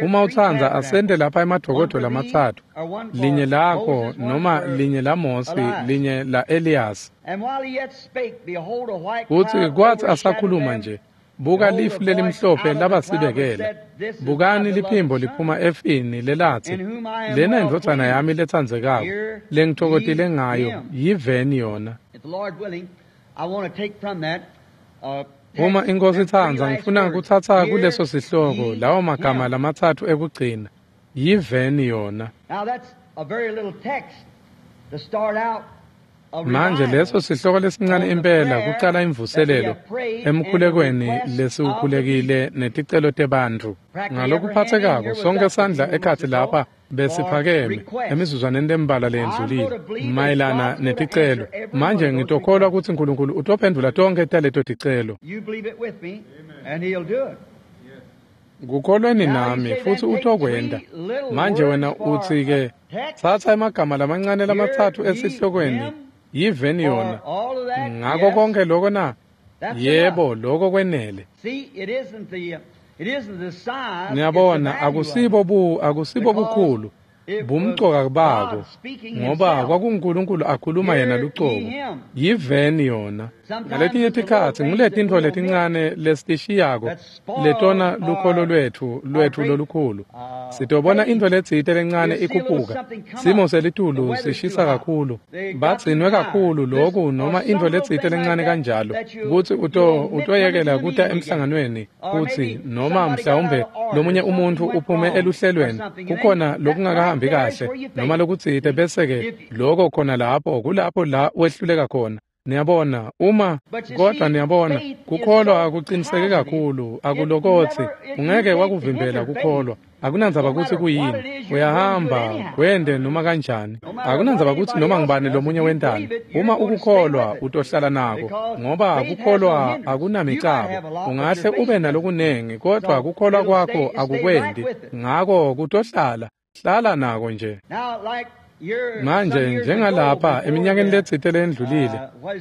Speaker 1: Uma utsandza asente lapha emadokodo lamatsatfu, linye lakho noma linye laMose, linye la-Eliyasi. Futsi kwatsi asakhuluma nje, buka lifu lelimhlophe labasibekela. Bukani liphimbo liphuma efini lelatsi, lena indvodzana yami letsandzekako, lengitfokotile ngayo, yiveni yona. Uma iNkhosi itsandza, ngifuna kutsatsa kuleso sihloko lawo magama lamatsatfu ekugcina, yiveni yona. Manje leso sihloko lesincane impela kucala imvuselelo emkhulekweni lesiwukhulekile neticelo tebantfu. Ngalokuphathekako sonke sandla ekhatsi lapha besiphakeme emizuzwaneni lembalwa leyendlulile mayelana neticelo. Manje ngitokholwa kutsi uNkulunkulu utophendvula tonkhe taleto ticelo. Kukholweni nami futsi utokwenta. Manje wena utsi-ke tsatsa emagama lamancane lamatsatfu esihlokweni yiveni yona. Ngako konke loko na? Yebo, loko kwenele. Niyabona, akusibo bukhulu bumcoka bako, ngoba kwakunguNkulunkulu akhuluma yena lucobo. Yiveni yona. Ngaletinye tikhatsi nguletintfo letincane lesitishiyako letona lukholo lwetfu lolukhulu. Sitobona intfo letsite lencane ikhuphuka. Simo selitulu sishisa kakhulu, bagcinwe kakhulu loku noma intfo letsite lencane kanjalo kutsi utoyekela kuta emhlanganweni kutsi noma mhlawumbe lomunye umuntfu uphume eluhlelweni kukhona lokungakahambi kahle noma lokutsite, bese-ke loko khona lapho kulapho la wehluleka khona. Niyabona, uma kodwa niyabona kukholwa akuqiniseke kakhulu, akulokotsi ungeke wakuvimbela kukholwa. Akunandzaba kutsi kuyini, uyahamba kwende noma kanjani. Akunandzaba kutsi noma ngubani lomunye wentani. Uma ukukholwa utohlala nako, ngoba kukholwa akunamicabo. Ungahle ube nalokunengi, kodwa kukholwa kwakho akukwendi. Ngako kutohlala, hlala nako nje. Manje njengalapha eminyakeni letsite lendlulile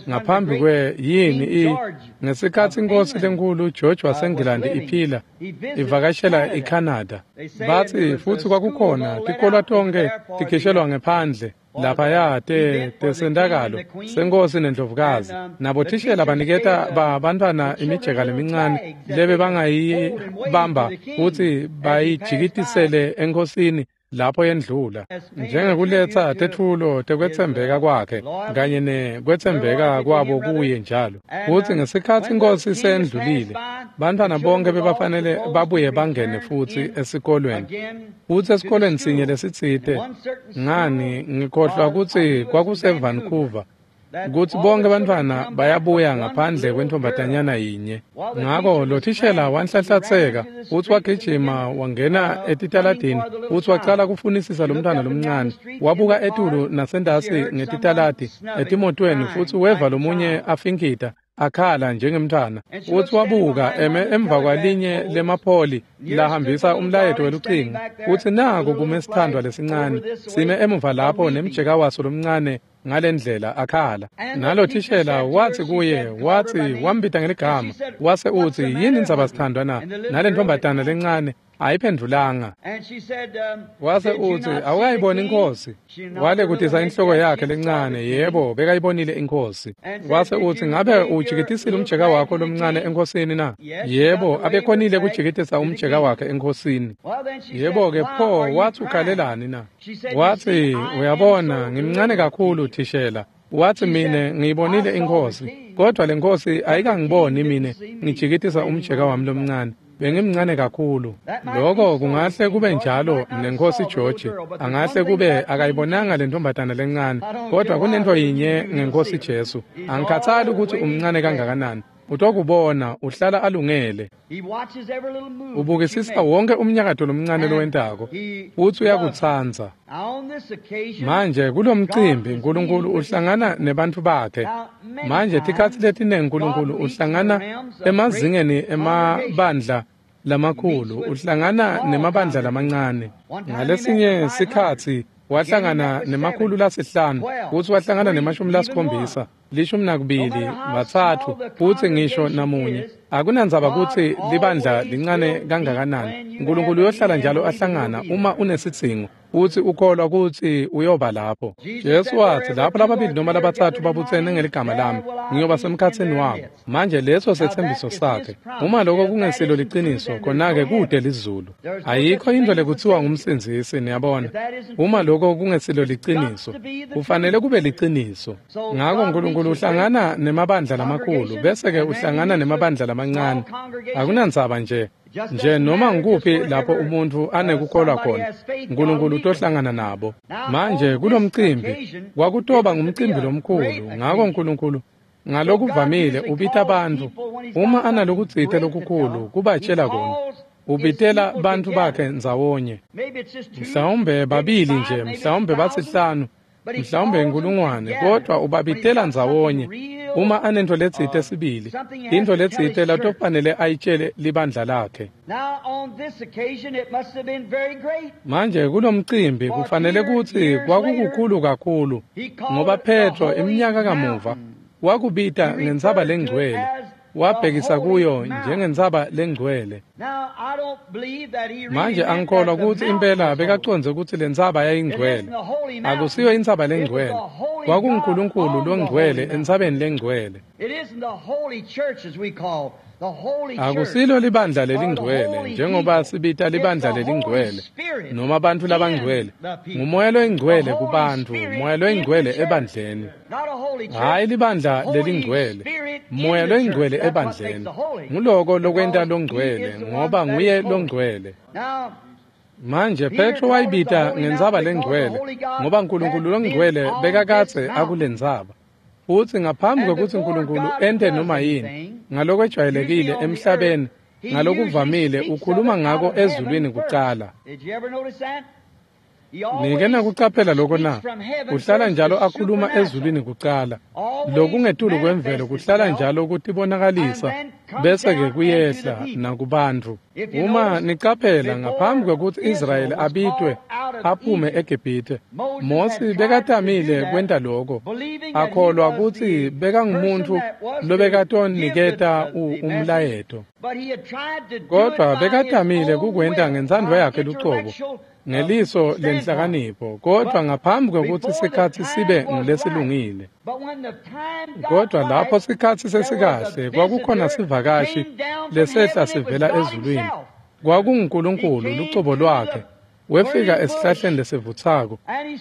Speaker 1: ngaphambi kwe yini ngesikhatsi inkosi lenkulu George waseNgilandi iphila ivakashela iCanada, batsi futsi kwakukhona tikolwa tonkhe tikhishelwa ngephandle laphaya tesentakalo senkosi nendlovukazi. Nabothishela baniketa bantfwana imijeka lemincane lebe bangayibamba futsi bayijikitisele enkhosini lapho yendlula, njengekuletsa tetfulo tekwetsembeka kwakhe kanye nekwetsembeka kwabo kuye njalo. Futsi ngesikhatsi inkosi sendlulile, bantfwana bonke bebafanele babuye bangene futsi esikolweni. Futsi esikolweni sinye lesitsite, ngani ngikhohlwa kutsi kwakuse-Vancouver, kutsi bonke bantfwana bayabuya ngaphandle kwentfombatanyana yinye. Ngako lo thishela wanhlanhlatseka futsi wagijima wangena etitaladini futsi wacala kufunisisa lo mntfwana lomncane. Wabuka etulu nasentasi ngetitaladi etimotweni futsi weva lomunye afinkita akhala njengemntfwana. Futsi wabuka eme emva kwalinye lemapholi lahambisa umlayeto welucingo, futsi naku kume sithandwa lesincane sime emuva lapho nemjeka waso lomncane ngalendlela akhala. Nalo thishela watsi kuye, watsi wambita ngeligama, wase utsi yini indzaba sithandwa na? Nalentfombatana lencane ayiphendvulanga. Wase utsi awukayiboni inkosi? Wale kutisa inhloko yakhe lencane, yebo bekayibonile inkosi. Wase utsi ngabe ujikitisile umjeka wakho lomncane enkosini na? Yebo, abekhonile kujikitisa umjeka wakhe enkosini. Yebo-ke pho watsi ukhalelani na? Watsi uyabona ngimncane kakhulu thishela. Watsi mine ngiyibonile inkosi, kodwa le nkosi ayikangiboni mine ngijikitisa umjeka wami lomncane. Bengimncane kakhulu. Loko kungahle kube njalo nenkosi George angahle kube akayibonanga lentombatana lencane, kodwa kunento yinye ngenkosi Jesu, angikhathali ukuthi umncane kangakanani, utokubona uhlala alungele. Ubukisisa wonke umnyakato lomncane lowentako futsi uyakutsandza. Manje kulomcimbi uNkulunkulu uhlangana nebantfu bakhe. Manje tikhatsi letinengi uNkulunkulu uhlangana emazingeni emabandla lamakhulu, uhlangana nemabandla lamancane. Ngalesinye sikhatsi wahlangana nemakhulu lasihlanu futsi wahlangana nemashumi lasikhombisa, 12, 3 futsi ngisho namunye. Akunandzaba kutsi libandla lincane kangakanani, uNkulunkulu uyohlala njalo ahlangana uma unesidzingo futsi ukholwa kutsi uyoba lapho. Jesu watsi lapho lababili noma labatsatfu babutsene ngeligama lami, ngiyoba semkhatsini wabo. Manje leso setsembiso sakhe. Uma lokho kungesilo liciniso, khona-ke kude lizulu. Ayikho into lekutsiwa ngumsindzisi, niyabona. Uma lokho kungesilo liciniso, kufanele kube liciniso. Ngako uNkulunkulu uhlangana nemabandla lamakhulu, bese-ke uhlangana nemabandla lamancane. Akunandzaba nje. Nje noma ngikuphi lapho umuntfu anekukholwa khona, Nkulunkulu utohlangana nabo. Manje kulomcimbi kwakutoba ngumcimbi lomkhulu, ngako Nkulunkulu ngalokuvamile ubita bantfu uma analokutsite lokukhulu kubatjela kona. Ubitela bantfu bakhe ndzawonye. Mhlawumbe babili nje, mhlawumbe basihlanu, mhlawumbe inkulungwane, kodwa ubabitela ndzawonye uma anento letsite sibili, intfo letsite latofanele ayitjele libandla lakhe. Manje kulomcimbi kufanele kutsi kwakukukhulu kakhulu, ngoba Petro iminyaka kamuva wakubita ngentsaba lengcwele, wabhekisa kuyo njengentsaba lengcwele. Manje angikholwa kutsi impela bekacondze kutsi lentsaba yayingcwele. Akusiyo intsaba lengcwele, kwakunguNkulunkulu longcwele entsabeni lengcwele. Akusilo libandla lelingcwele njengoba sibita libandla lelingcwele noma bantfu labangcwele. Ngumoya loyingcwele kubantfu, moya loyingcwele ebandleni. Hhayi libandla lelingcwele, moya loyingcwele ebandleni. Nguloko lokwenta longcwele, ngoba nguye longcwele. Manje Petro wayibita ngentsaba lengcwele ngoba Nkulunkulu longcwele bekakadze akulentsaba. Futsi ngaphambi kwekutsi Nkulunkulu ente noma yini ngalokwejwayelekile emhlabeni, ngalokuvamile ukhuluma ngako ezulwini kucala. Nike nakucaphela loko na? Uhlala njalo akhuluma ezulwini kucala. Lokungetulu kwemvelo kuhlala njalo kutibonakalisa bese-ke kuyehla nakubantfu. Uma nicaphela, ngaphambi kwekutsi Israyeli abitwe aphume eGibhithe, Mosi bekatamile kwenta loko, akholwa kutsi bekangumuntfu lobekatoniketa umlayeto. Kodvwa bekatamile kukwenta ngentsandvo yakhe lucobo, ngeliso lenhlakanipho, kodvwa ngaphambi kwekutsi sikhatsi sibe ngulesilungile. Kodvwa lapho sikhatsi sesikahle, kwakukhona sivakashi lesehla sivela ezulwini. KwakunguNkulunkulu lucobo lwakhe. Wefika esihlahleni lesivutsako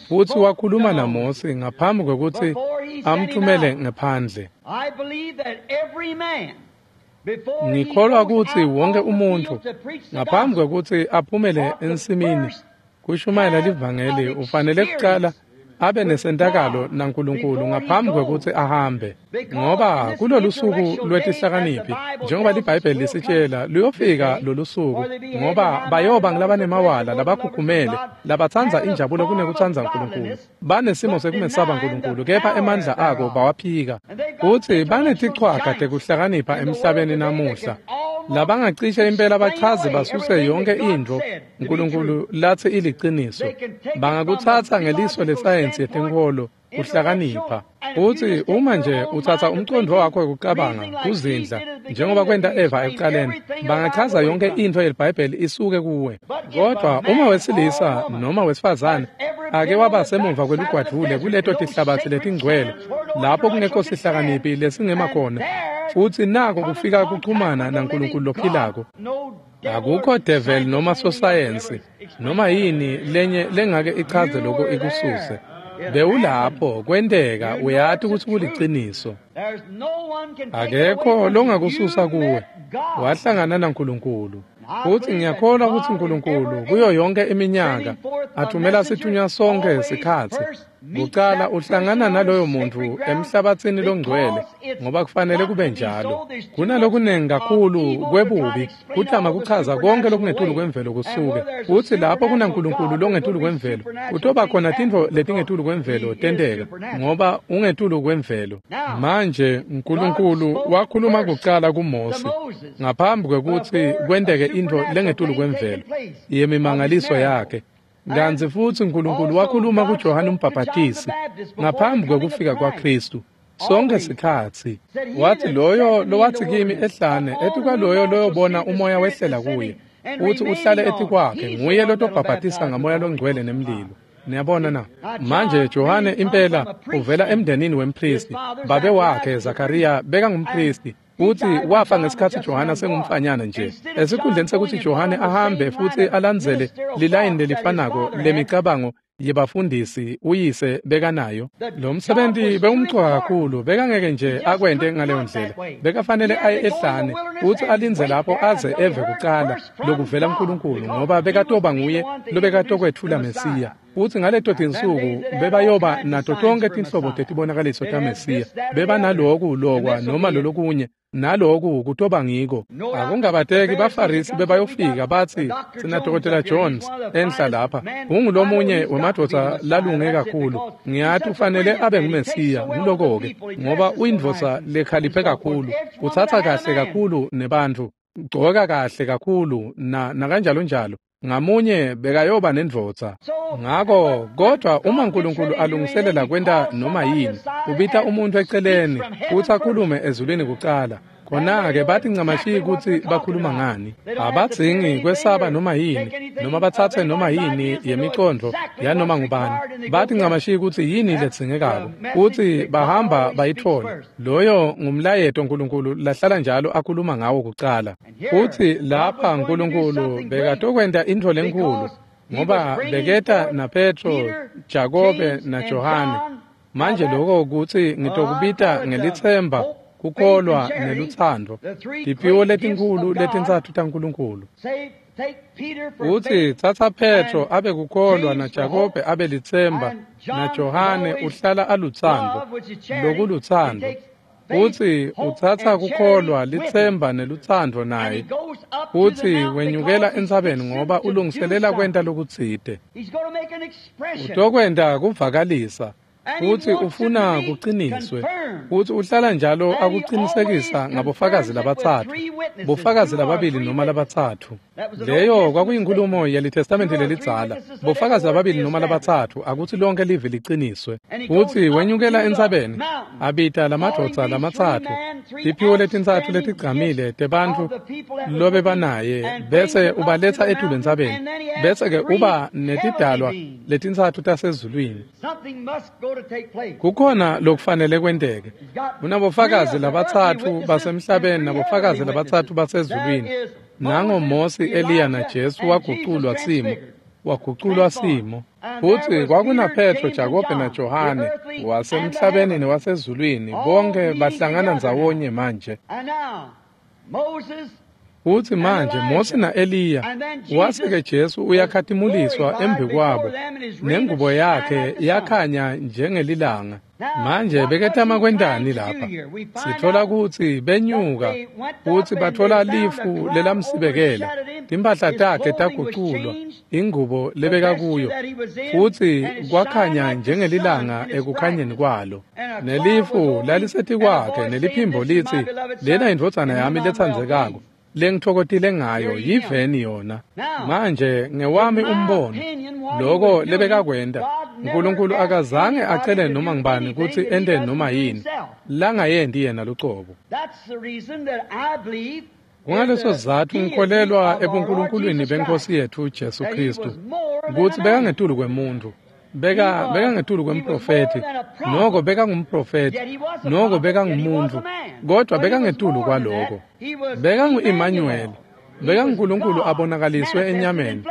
Speaker 1: futsi wakhuluma naMosi ngaphambi kwekutsi amthumele ngephandle. Ngikholwa kutsi wonke umuntfu ngaphambi kwekutsi aphumele ensimini kushumayela livangeli ufanele kucala abe nesentakalo naNkulunkulu ngaphambi kwekutsi ahambe, ngoba kulolu suku lwetihlakaniphi, njengoba liBhayibheli lisitshela, luyofika lolu suku, ngoba bayoba ngulabanemawala, labakhukhumele, labatsandza injabulo kunekutsandza Nkulunkulu, banesimo sekumesaba Nkulunkulu, kepha emandla ako bawaphika. Futsi banetichwaga tekuhlakanipha emhlabeni namuhla, labangacishe impela bachaze basuse yonke intfo Nkulunkulu latsi iliciniso. Bangakutsatsa ngeliso lesayensi yetenkholo kuhlakanipha. Futsi uma nje utsatsa umcondvo wakho wekucabanga kuzindla njengoba kwenta Eva ekucaleni, bangachaza yonke intfo yeliBhayibheli isuke kuwe. Kodvwa uma wesilisa noma wesifazane ake waba semuva kwelugwadvule kuleto tihlabatsi letingcwele lapho kungekho sihlakaniphi lesingema khona, futsi nako kufika kuchumana naNkulunkulu lophilako. Akukho devil noma sosayensi noma yini lenye lengake ichaze lokho ikususe. Bewulapho kwenteka, uyati kutsi kuliciniso. Akekho longakususa kuwe. Wahlangana naNkulunkulu. Futsi ngiyakholwa kutsi Nkulunkulu kuyo yonke iminyaka athumela sithunywa sonke sikhatsi. Kucala uhlangana naloyo muntfu emhlabatsini longcwele, ngoba kufanele kube njalo. Kunalokunengi kakhulu kwebubi kutama kuchaza konke lokungetulu kwemvelo kusuke. Futsi lapho kunaNkulunkulu longetulu kwemvelo, kutoba khona tintfo letingetulu kwemvelo tenteka, ngoba ungetulu kwemvelo. Manje Nkulunkulu wakhuluma kucala kuMosi ngaphambi kwekutsi kwenteke intfo lengetulu kwemvelo yemimangaliso yakhe. Kantsi futsi Nkulunkulu wakhuluma kuJohane uMbhabhatisi ngaphambi kwekufika kwaKhristu. Sonke sikhatsi wathi, loyo lowathi kimi ehlane, etikwaloyo loyobona umoya wehlela kuye uthi uhlale etikwakhe, nguye lotobhabhatisa ngamoya longcwele nemlilo. Niyabona na? Manje Johane impela uvela emndenini wempristi. Babe wakhe Zakariya bekangumpristi, futsi wafa ngesikhatsi Johane sengumfanyana nje. Esikhundleni sekuthi Johane ahambe futsi alandzele lilayini lelifanako lemicabango yebafundisi uyise bekanayo. Lo msebenzi bewumcoka kakhulu, bekangeke nje akwente ngaleyo ndlela. Bekafanele aye ehlane futsi alindze lapho aze eve kucala lokuvela kuNkulunkulu, ngoba bekatoba nguye lobekatokwetfula Mesiya. Futsi ngaleto tinsuku bebayoba nato tonkhe tinhlobo tetibonakaliso taMesiya. Bebanaloku lokwa noma lolokunye, naloku kutoba ngiko. Akungabateki baFarisi bebayofika batsi, sina Dr. Jones enhla lapha, ungulomunye wemadvodza lalunge kakhulu. Ngiyati ufanele abe nguMesiya, nguloko-ke, ngoba uyindvodza lekhaliphe kakhulu, utsatsa kahle kakhulu nebantfu, ugcoka kahle kakhulu nakanjalo njalo. Ngamunye bekayoba nendvodza. Ngako kodwa uma uNkulunkulu alungiselela kwenta noma yini, ubita umuntu eceleni futsi akhulume ezulwini kucala. Khona-ke bathi ncamashi kutsi bakhuluma ngani. Abadzingi kwesaba noma yini, noma batsatse noma yini yemicondvo yanoma ngubani. Bathi ncamashi kutsi yini ledzingekako, futsi bahamba bayitfole. Loyo ngumlayeto uNkulunkulu lahlala njalo akhuluma ngawo kucala. Futsi lapha uNkulunkulu bekatokwenta intfo lenkhulu, ngoba beketa naPetro, Jakobe naJohane. Manje lokho kutsi ngitokubita ngelitsemba, kukholwa nelutsandvo, tiphiwo letinkhulu letintsatfu taNkulunkulu. Utsi tsatsa Petro abe kukholwa, naJakobe abe litsemba, naJohane uhlala alutsandvo, lokulutsandvo. Utsi utsatsa kukholwa, litsemba nelutsandvo naye. Utsi wenyukela entsabeni ngoba ulungiselela kwenta lokutsite. Utokwenta kuvakalisa. Futsi ufuna kuqiniswe, futsi uhlala njalo akuqinisekisa ngabofakazi labatsatfu, bofakazi lababili noma labatsatfu. Leyo kwakuyinkulumo yeliTestamenti lelidzala, bofakazi lababili noma labatsatfu, akutsi lonke live liqiniswe. Futsi wenyukela entsabeni, abita lamadvodza lamatsatfu, tiphiwo letintsatfu letigcamile tebantfu lobebanaye, bese ubaletsa etulu entsabeni, bese-ke uba netidalwa letintsatfu tasezulwini. Kukhona lokufanele kwenteke. Kunabofakazi labatsatfu basemhlabeni nabofakazi labatsatfu basezulwini. Nango Mosi, Eliya naJesu waguculwa simo. Waguculwa simo. Futsi kwakunaPetro, Jakobe naJohane wasemhlabeni newasezulwini, bonke bahlangana ndzawonye manje. Futsi manje Mosi na-Eliya, wase-ke Jesu uyakhatimuliswa embi kwabo, nengubo yakhe yakhanya njengelilanga. Manje beketama kwentani lapha? Sitfola kutsi benyuka futsi batfola lifu lelamsibekela, timphahla takhe taguculwa, ingubo lebekakuyo, futsi kwakhanya njengelilanga ekukhanyeni kwalo. Nelifu lalisetikwakhe, neliphimbo litsi, lena indvodzana yami letsandzekako, lengitfokotile ngayo, yiveni yona. Manje ngewami umbono, loko lebekakwenta, uNkulunkulu akazange acele noma ngubani kutsi ente noma yini langayenti yena lucobo. Kungaleso sizatfu ngikholelwa ebunkulunkulwini beNkosi yetfu Jesu Khristu, kutsi bekangetulu kwemuntfu, bekangetulu kwemprofethi, noko bekangumprofethi, noko bekangumuntu, kodwa bekangetulu kwaloko. Bekangu-Emmanuel, bekanguNkulunkulu abonakaliswe enyameni.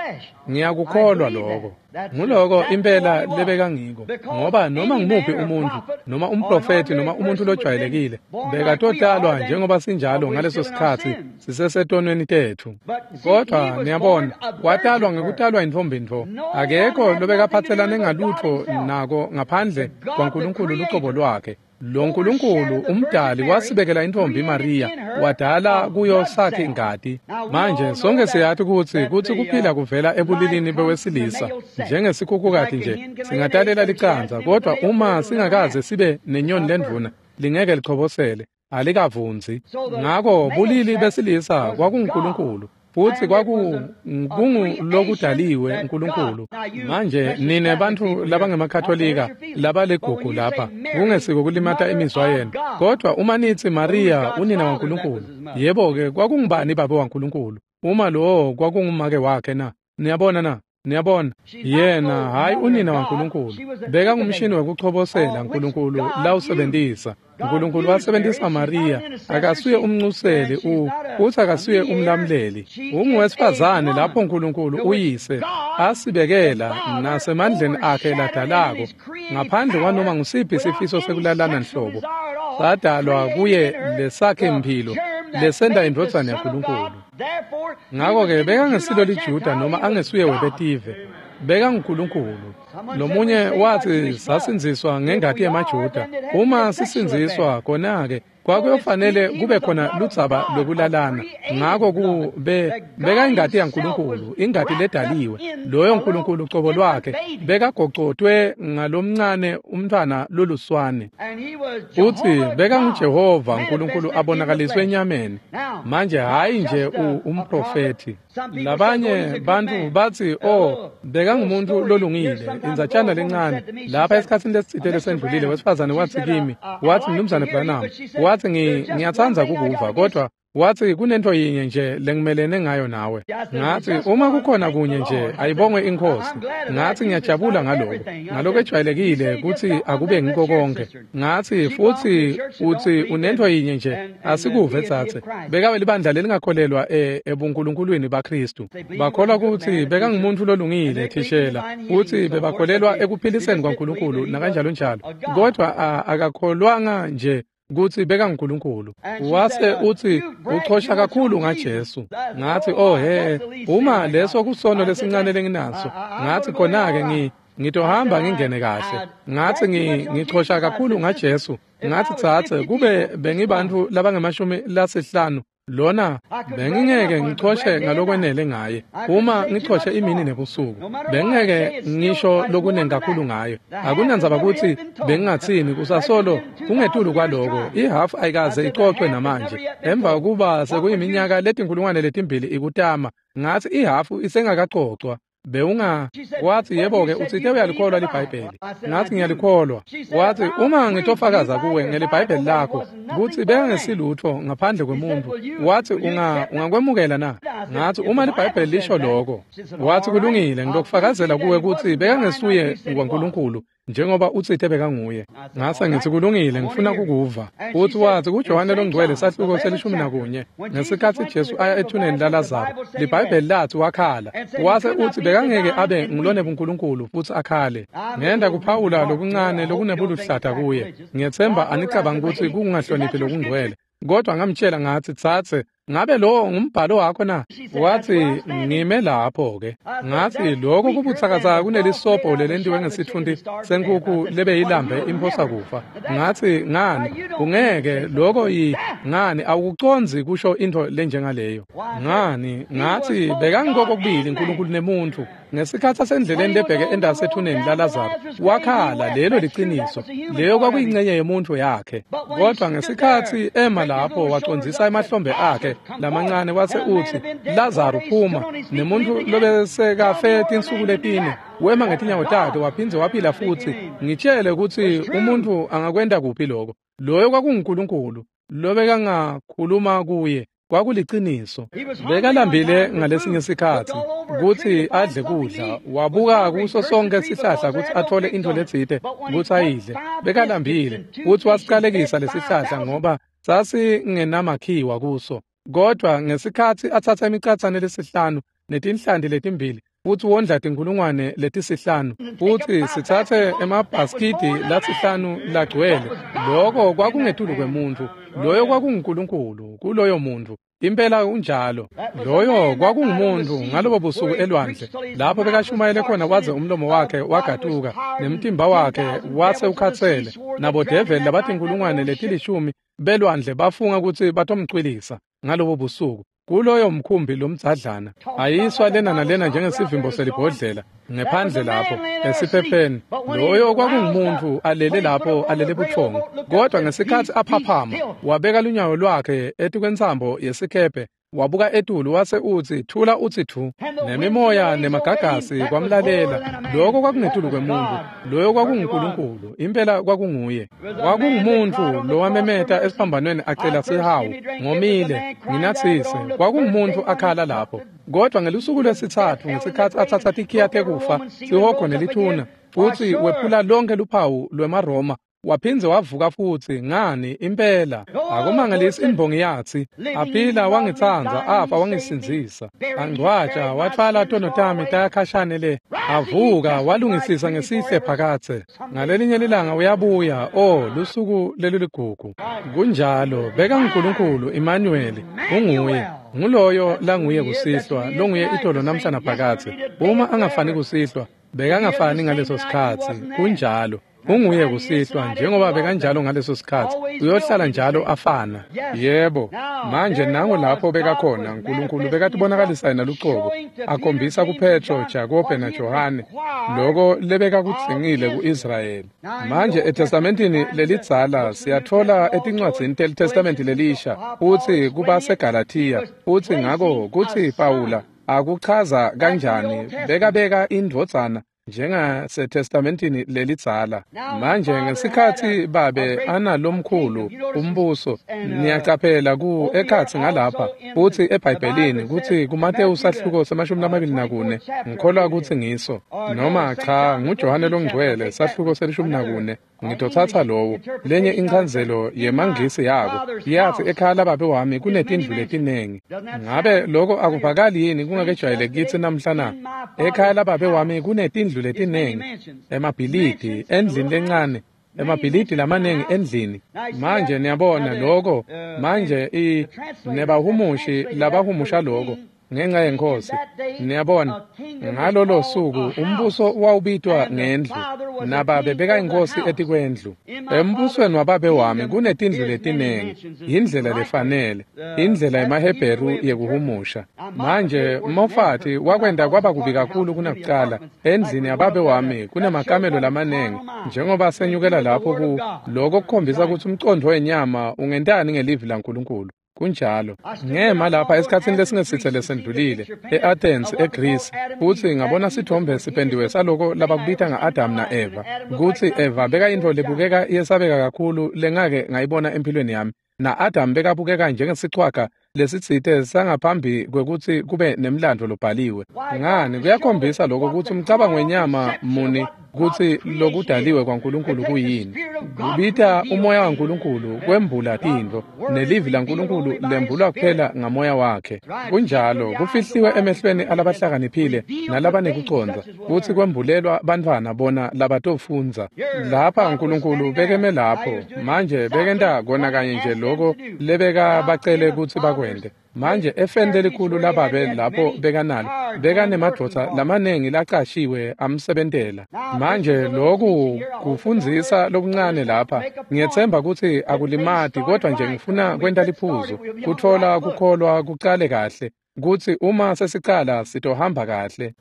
Speaker 1: Ngiyakukholwa lokho. Nguloko impela lebekangiko, ngoba noma ngumuphi umuntu, noma umprofethi, noma umuntu lojwayelekile, bekatotalwa njengoba sinjalo ngaleso sikhatsi sisesetonweni tetfu. Kodwa niyabona, watalwa ngekutalwa intfombi ntfo. Akekho lobekaphatselane ngalutfo nako ngaphandle kwaNkulunkulu lucobo lwakhe. Lo Nkulunkulu umdali wasibekela intfombi Maria, wadala kuyo sakhe ingati. Manje sonke siyati kutsi kuphila kuvela ebulilini bewesilisa, njengesikhukhukati nje singatalela licandza, kodwa uma singakaze sibe nenyoni lendvuna, lingeke lichobosele, alikavunzi. Ngako bulili besilisa kwakunguNkulunkulu, futsi kwakungulokudaliwe uNkulunkulu. Manje nine bantfu labangemakatholika labaligugu lapha, kungesiko kulimata imizwa yenu, kodwa uma nitsi Maria unina waNkulunkulu, yebo-ke kwakungubani babe waNkulunkulu uma lowo kwakungumake wakhe na? Niyabona na? Niyabona, yena hhayi unina waNkulunkulu, bekangumshini wekuchobosela Nkulunkulu lawusebentisa. Nkulunkulu wasebentisa Mariya, akasuye umncuseli uthi akasuye umlamleli. Unguwesifazane lapho Nkulunkulu uyise asibekela nasemandleni akhe ladalako, ngaphandle kwanoma ngusiphi sifiso sekulalana nhlobo. Sadalwa kuye lesakhe mphilo lesenta indvodzana yaNkulunkulu. Ngakho-ke bekangesilo liJuda noma angesuye webetive, bekanguNkulunkulu. Lomunye wathi sasindziswa ngengati yemaJuda. Uma sisindziswa khona-ke kwakuyofanele kube khona ludzaba lwekulalana. Ngakho bekayingati yaNkulunkulu, ingati ledaliwe. Loyo Nkulunkulu cobo lwakhe bekagocotwe ngalomncane umntfwana loluswane. Uthi bekanguJehova uNkulunkulu abonakaliswe enyameni. Manje hhayi nje umprofethi. Labanye bantfu batsi, oh, bekangumuntu lolungile, indzatshana lencane. Lapha esikhatsini lesitsite lesendlulile, wesifazane watsi kimi, watsi, Mnumzane Branham, watsi ngiyatsandza kukuva, kodwa wathi kunento yinye nje lengimelene ngayo nawe. Ngathi uma kukhona kunye nje ayibongwe iNkhosi. Ngathi ngiyajabula ngaloko, ngaloko ejwayelekile kuthi akube ngiko konke. Ngathi futhi uthi unento yinye nje asikuve tsatse. Bekabe libandla lelingakholelwa ebunkulunkulwini baKristu. Bakholwa ukuthi bekangumuntu lolungile thishela, uthi bebakholelwa ekuphiliseni kwaNkulunkulu nakanjalo njalo. Kodwa akakholwanga nje kutsi bekanguNkulunkulu. Wase uthi uchosha kakhulu ngaJesu. Ngathi oh he, uma leso kusono lesincane lenginaso, ngathi khona-ke ngitohamba ngingene kahle. Ngathi ngichosha kakhulu ngaJesu. Ngathi tsatse kube bengibantfu labangemashumi lasihlanu lona bengingeke ngichoshe ngalokwenele ngaye. Uma ngichoshe imini nebusuku, bengingeke ngisho lokunengi kakhulu ngayo. Akunandzaba kutsi bengingatsini, kusasolo kungetulu kwaloko. Ihafu ayikaze icocwe namanje. Emva kokuba sekuyiminyaka letinkulungwane letimbili ikutama, ngathi ihafu isengakacocwa. Bewunga wathi yebo-ke utsite uyalikholwa liBhayibheli. Ngathi ngiyalikholwa. Wathi uma ngitofakaza kuwe ngeliBhayibheli lakho kutsi bekangesilutfo ngaphandle kwemuntfu, wathi ungakwemukela na? Ngathi uma liBhayibheli lisho lokho. Wathi kulungile, ngitokufakazela kuwe kutsi bekangesuye waNkulunkulu njengoba utsite bekanguye. Ngase ngithi kulungile, ngifuna kukuva. Uthi wathi kuJohane longcwele sahluko se-11, ngesikhatsi Jesu aya ethuneni laLazaro, liBhayibheli lathi wakhala. Wase uthi bekangeke abe ngulonebunkulunkulu futhi akhale. Ngenda kuphawula lokuncane lokunebuluhlata kuye. Ngiyethemba anicabangi kutsi kungahloniphi lokungcwele. Kodwa ngamtshela ngathi tsatse, ngabe lowo ngumbhalo wakho na? Wathi ngime lapho-ke. Ngathi lokho kubutsakatsaka kunelisobho lelentiwe ngesitfunti senkukhu lebeyilambe imphosa kufa. Ngathi ngani ungeke lokho ngani awukucondzi kusho into lenjengaleyo. Ngani ngathi bekangikho kokubili uNkulunkulu nemuntu. Ngesikhatsi asendleleni lebheke endasethuneni laLazaro, wakhala. Lelo liciniso, leyo kwakuyingcenye yemuntu yakhe. Kodwa ngesikhatsi ema lapho wacondzisa emahlombe akhe lamancane wase utsi, Lazaro phuma, nemuntu lobesekafe tinsuku letine wema ngetinyawo takhe waphindze waphila futhi. Ngitshele kutsi umuntu angakwenta kuphi lokho. Loyo kwakunguNkulunkulu lobekangakhuluma kuye. Kwakuliciniso. Bekalambile ngalesinye sikhatsi kutsi adle kudla, wabuka kuso sonke sihlahla kutsi athole intfo letsite kutsi ayidle. Bekalambile kutsi wasiqalekisa lesihlahla ngoba sasingenamakhiwa kuso. Kodwa ngesikhatsi atsatsa imicatsane lesihlanu netinhlanti letimbili futsi wondla tinkulungwane letisihlanu, futsi sitsatse emabhaskidi lasihlanu lagcwele, loko kwakungetulu kwemuntfu. Loyo kwakunguNkulunkulu kuloyo muntfu. Impela unjalo. Loyo kwakungumuntu ngalobo busuku elwandle lapho bekashumayele khona waze umlomo wakhe wagatuka nemtimba wakhe wase ukhatsele, nabodeveli labatinkulungwane letilishumi belwandle bafunga kutsi batomcwilisa ngalobo busuku kuloyo mkhumbi lomdzadlana, ayiswa lena nalena njengesivimbo selibhodlela ngephandle lapho esiphepheni. Loyo kwakungumuntu alele lapho, alele buthongo. Kodwa ngesikhatsi aphaphama, wabeka lunyawo lwakhe etikwentsambo yesikhephe, Wabuka etulu wase utsi, thula utsi thu. Nemimoya nemagagasi kwamlalela. Lokho kwakungetulu kwemuntu. Loyo kwakunguNkulunkulu. Impela kwakunguye. Kwakungumuntu lowamemeta esiphambanweni acela sihawu. Ngomile, nginatsise. Kwakungumuntu akhala lapho. Kodwa ngelusuku lwesitsatfu ngesikhatsi atsatsa tikhiya tekufa, sihogo nelithuna, futsi wephula lonke luphawu lwemaRoma, waphindze wavuka futsi. Ngani impela akumangalisi imbongi yatsi, aphila wangitsandza, afa wangisindzisa, angcwatsha wathwala tono tami tayakhashane le, avuka walungisisa ngesihle phakatse. Ngalelinye lilanga uyabuya. Oh, lusuku leliligugu. Kunjalo, beka nguNkulunkulu Emmanuel, unguye. Nguloyo languye kusihlwa, longuye itolo namhla naphakatse. Uma angafani kusihlwa, bekangafani ngaleso sikhatsi. Kunjalo. Unguye kusihlwa njengoba bekanjalo ngaleso sikhatsi, uyohlala njalo afana. Yebo, manje nango lapho bekakhona uNkulunkulu bekatibonakalisa yena lucobo, akhombisa kuPetro, Jakobe naJohane loko lebekakudzingile ku-Israyeli. Manje eTestamentini lelidzala siyatfola etincwadzini teliTestamenti lelisha futsi kubaseGalathiya, futsi ngako kutsi Pawula akuchaza kanjani bekabeka indvodzana njengaseTestamentini lelidzala. Manje ngesikhatsi babe analomkhulu umbuso, niyacaphela ku ekhatsi ngalapha futsi eBhayibhelini kutsi kuMatewu sahluko se-24, ngikholwa kutsi ngiso, noma cha, nguJohane longcwele sahluko se-14. Ngitotsatsa lowo lenye inchazelo yemangisi yako yathi, ekhaya lababe wami kunetindlu letinengi. Ngabe loko akuvakali yini kungakejwayeleki kitsi namhla na? Ekhaya lababe wami kunetindlu letinengi, emabhilidi endlini lencane, emabhilidi lamanengi endlini. Manje niyabona loko manje nebahumushi labahumusha loko ngenxa yeNkhosi. Niyabona, ngalolo suku umbuso wawubitwa ngendlu, nababe bekayinkosi etikwendlu. Embusweni wababe wami kunetindlu letinengi. Indlela lefanele, indlela yemaHebheru yekuhumusha. Manje Mofati wakwenta kwaba kubi kakhulu kunakucala. Endlini yababe wami kunemakamelo lamanengi, njengoba senyukela lapho ku lokho kukhombisa kutsi umcondvo wenyama ungentani ngelivi laNkulunkulu. Kunjalo. Ngema lapha esikhatsini lesingesitse lesendlulile e-Athens eGreece, futsi ngabona sithombe sipendiwe saloko labakubita nga-Adam na-Eva, kutsi Eva bekayintfo lebukeka yesabeka kakhulu lengake ngayibona empilweni yami, na-Adam bekabukeka njengesichwaga lesitsite sangaphambi kwekutsi kube nemlandvo lobhaliwe. Ngani, kuyakhombisa lokho kutsi umcabango wenyama muni kutsi lokudaliwe kwaNkulunkulu kuyini. Kubita umoya waNkulunkulu kwembula tintfo, nelivi laNkulunkulu lembulwa kuphela ngamoya wakhe. Kunjalo, kufihliwe emehlweni alabahlakaniphile nalabanekucondza, kutsi kwembulelwa bantfwana bona labatofundza. Lapha uNkulunkulu bekeme lapho, manje bekenta kona kanye nje loko lebekabacele kutsi bakwente. Manje efeni lelikhulu lababe lapho bekanalo, bekanemadvodza lamanengi lacashiwe amsebentela. Manje loku kufundzisa lokuncane lapha, ngiyetsemba kutsi akulimati, kodwa nje ngifuna kwenta liphuzu, kutfola kukholwa kucale kahle, kutsi uma sesicala sitohamba kahle.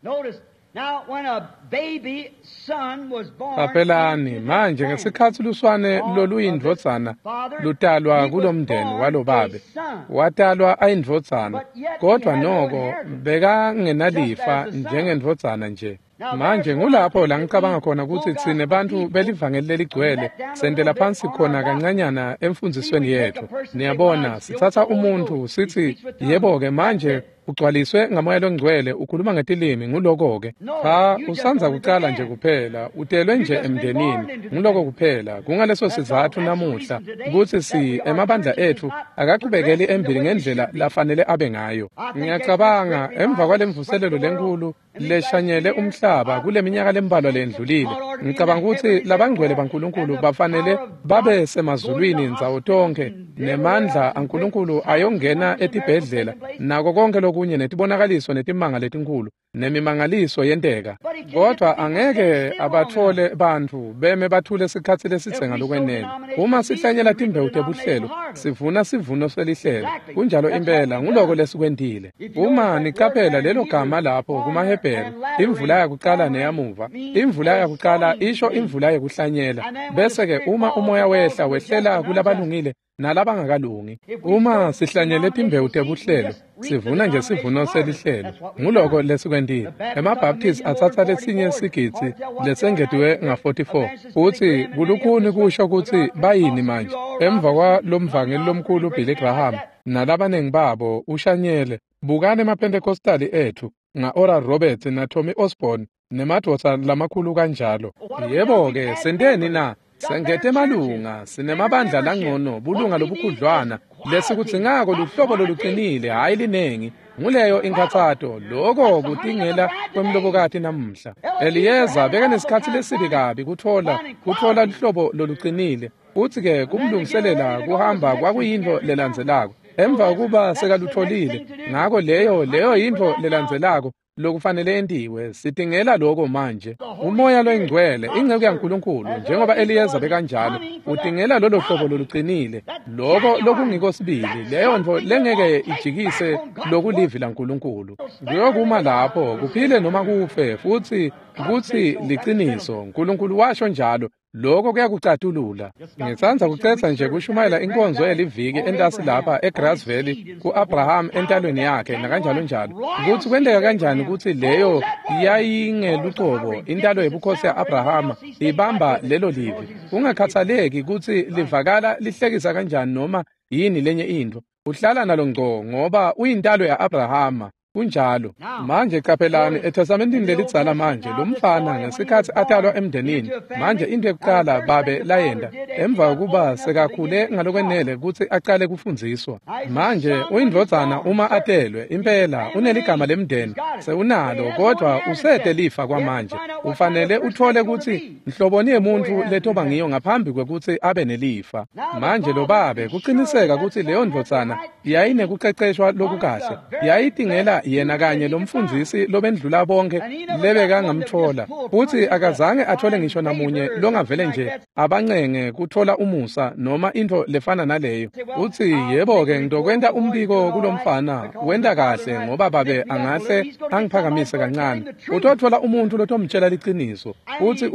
Speaker 1: Qaphelani manje ngesikhatsi luswane loluyindvodzana lutalwa kulomndeni walobabe, watalwa ayindvodzana, kodwa noko bekangenalifa njengendvodzana nje. Manje ngulapho la ngicabanga khona kutsi tsine bantfu belivangeli leligcwele sentela phansi khona kancanyana emfundzisweni yetfu. Niyabona, sitsatsa umuntfu sitsi, yebo-ke manje ugcwaliswe ngamoya longcwele, ukhuluma ngetilimi, nguloko-ke. Cha, usandza kucala nje kuphela, utelwe nje emndenini, nguloko kuphela. Kungaleso sizatfu namuhla kutsi emabandla etfu akachubekeli embili ngendlela lafanele abe ngayo. Ngiyacabanga emva kwalemvuselelo lenkulu leshanyele umhlaba kuleminyaka lembalwa lendlulile, ngicabanga kutsi labangcwele baNkulunkulu bafanele babe semazulwini ndzawo tonkhe, nemandla aNkulunkulu ayongena etibhedlela nako konke lokunye, netibonakaliso netimanga letinkhulu nemimangaliso yenteka. Kodwa angeke abatfole bantfu beme bathule sikhatsi lesidze ngalokwenele. Uma sihlanyela timbewu tebuhlelo, sivuna sivuno selihlelo. Kunjalo impela, nguloko lesikwentile. Uma nicaphela lelo gama lapho kumaHebheru, imvula yakucala neyamuva, imvula yakucala Imvula isho imvula yekuhlanyela, bese-ke uma umoya wehla wehlela kulabalungile nalabangakalungi. Uma sihlanyele timbewu tebuhlelo, sivuna nje sivuno selihlelo. Nguloko lesikwentile. EmaBaptist atsatsa lesinye sigidzi lesengetiwe nga-44 futsi kulukhuni kusho kutsi bayini manje. Emva kwalomvangeli lomkhulu Billy Graham nalabanengi babo ushanyele. Bukani emaPentecostali ethu nga-Oral Roberts na-Tommy Osborne nemadvodza lamakhulu kanjalo. Yebo-ke, senteni na? Sengete emalunga, sinemabandla langcono, bulunga lobukhudlwana. Lesikudzingako luhlobo loluqinile, hhayi linengi. Nguleyo inkhatsato, loko kutingela kwemlobokati namuhla. Eliyeza bekanesikhatsi lesibi kabi kutfola luhlobo loluqinile. Futsi-ke kumlungiselela kuhamba kwakuyintfo lelandzelako. Emva kokuba sekalutfolile, ngako leyo yintfo lelandzelako lokufanele entiwe. Sitingela lokho manje. Umoya loyingcwele, inceku yaNkulunkulu, njengoba Eliyeza bekanjalo, utingela lolo hlobo loluqinile, loko lokungiko sibili, leyo ntfo lengeke ijikise lokulivi laNkulunkulu. Kuyokuma lapho, kuphile noma kufe, futsi kutsi liciniso. Nkulunkulu washo njalo. Lokho kuyakucatulula. Ngitsandza kucetsa nje kushumayela inkonzo yeliviki entasi lapha eGrass Valley ku-Abraham entalweni yakhe nakanjalo njalo. Kutsi kwenteka kanjani kutsi leyo yayingelucobo intalo yebukhosi ya-Abrahama ibamba lelo livi. Kungakhathaleki kutsi livakala lihlekisa kanjani noma yini lenye intfo. Uhlala nalo ngco ngoba uyintalo ya-Abrahama. Kunjalo. Manje qaphelani eTestamentini lelidzala manje lo mfana ngesikhatsi atalwa emndenini. Manje into yokuqala babe layenta emva kokuba sekakhule ngalokwenele kutsi aqale kufundziswa. Manje uyindvodzana uma atelwe impela uneligama lemndeni sewunalo kodwa usete lifa kwamanje. Ufanele uthole kutsi nhloboni yemuntfu letoba ngiyo ngaphambi kwekutsi abe nelifa. Manje lo babe kuqiniseka kutsi leyo ndvodzana yayinekuqeqeshwa lokukahle. Yayitingela yena kanye lomfundzisi lobendlula bonke lebekangamtfola, futsi akazange athole ngisho namunye longavele nje abancenge kutfola umusa noma intfo lefana naleyo. Utsi yebo-ke ngitokwenta umbiko kulomfana, wenta kahle ngoba babe angahle angiphakamise kancane. Utotfola umuntfu lotomtjela liciniso. Utsi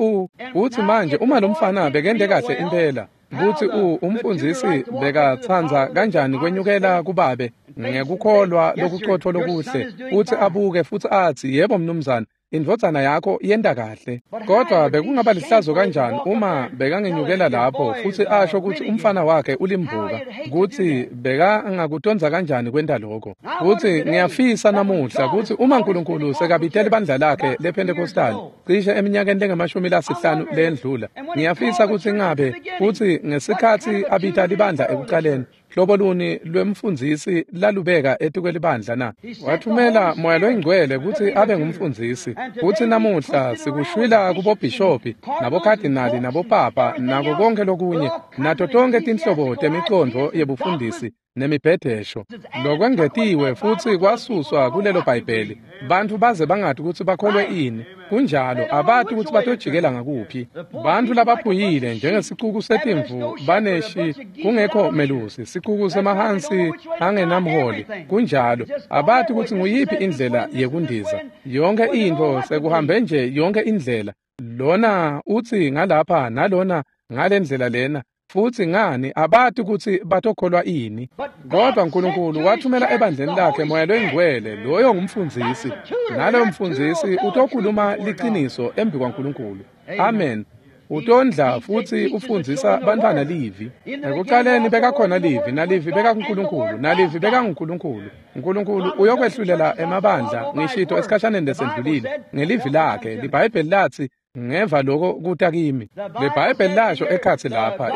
Speaker 1: utsi manje uma lomfana bekente kahle impela, kutsi umfundzisi bekatsandza kanjani kwenyukela kubabe ngekukholwa lokucotfo lokuhle, utsi abuke futsi atsi yebo mnumzane, indvodzana yakho yenta kahle. Kodwa bekungaba lihlazo kanjani uma bekangenyukela lapho futsi asho kutsi umfana wakhe ulimbuka, kutsi bekangakutonza kanjani kwenta lokho. Futsi ngiyafisa namuhla kutsi uma Nkulunkulu sekabitela ibandla lakhe lePentecostal cishe eminyakeni lengama-50 leyendlula, ngiyafisa kutsi ngabe futsi ngesikhatsi abita libandla ekuqaleni, hlobo luni lwemfundzisi lalubeka etikwelibandla na? Wathumela Moya loyingcwele kutsi abe ngumfundzisi. Futsi namuhla sikushwila kubobhishobhi nabokhadinali nabopapa nako konke lokunye nato tonke tinhlobo temicondvo yebufundisi nemibhedesho. Lokwengetiwe futsi kwasuswa kulelo Bhayibheli. Bantfu baze bangati kutsi bakholwe ini. Kunjalo, abati kutsi batojikela ngakuphi. Bantfu labaphuyile njengesicuku setimvu baneshi kungekho melusi, sicuku semahansi angenamholi. Kunjalo, abati kutsi nguyiphi indlela yekundiza. Yonke intfo sekuhambe nje yonke indlela. Lona utsi ngalapha nalona ngalendlela lena. Futsi ngani abati kutsi batokholwa ini. Kodwa Nkulunkulu wathumela ebandleni lakhe Moya loyingcwele, loyo ngumfundzisi. Naloyo mfundzisi utokhuluma liciniso embi kwaNkulunkulu. Amen. Utondla futsi ufundzisa bantfwana livi. Ekuqaleni bekakhona livi, nalivi bekakuNkulunkulu, nalivi bekanguNkulunkulu. Nkulunkulu uyokwehlulela emabandla ngishito esikhashaneni lesendlulile ngelivi lakhe. LiBhayibheli latsi ngeva lokho kuta kimi. LeBhayibheli lasho ekhatsi lapha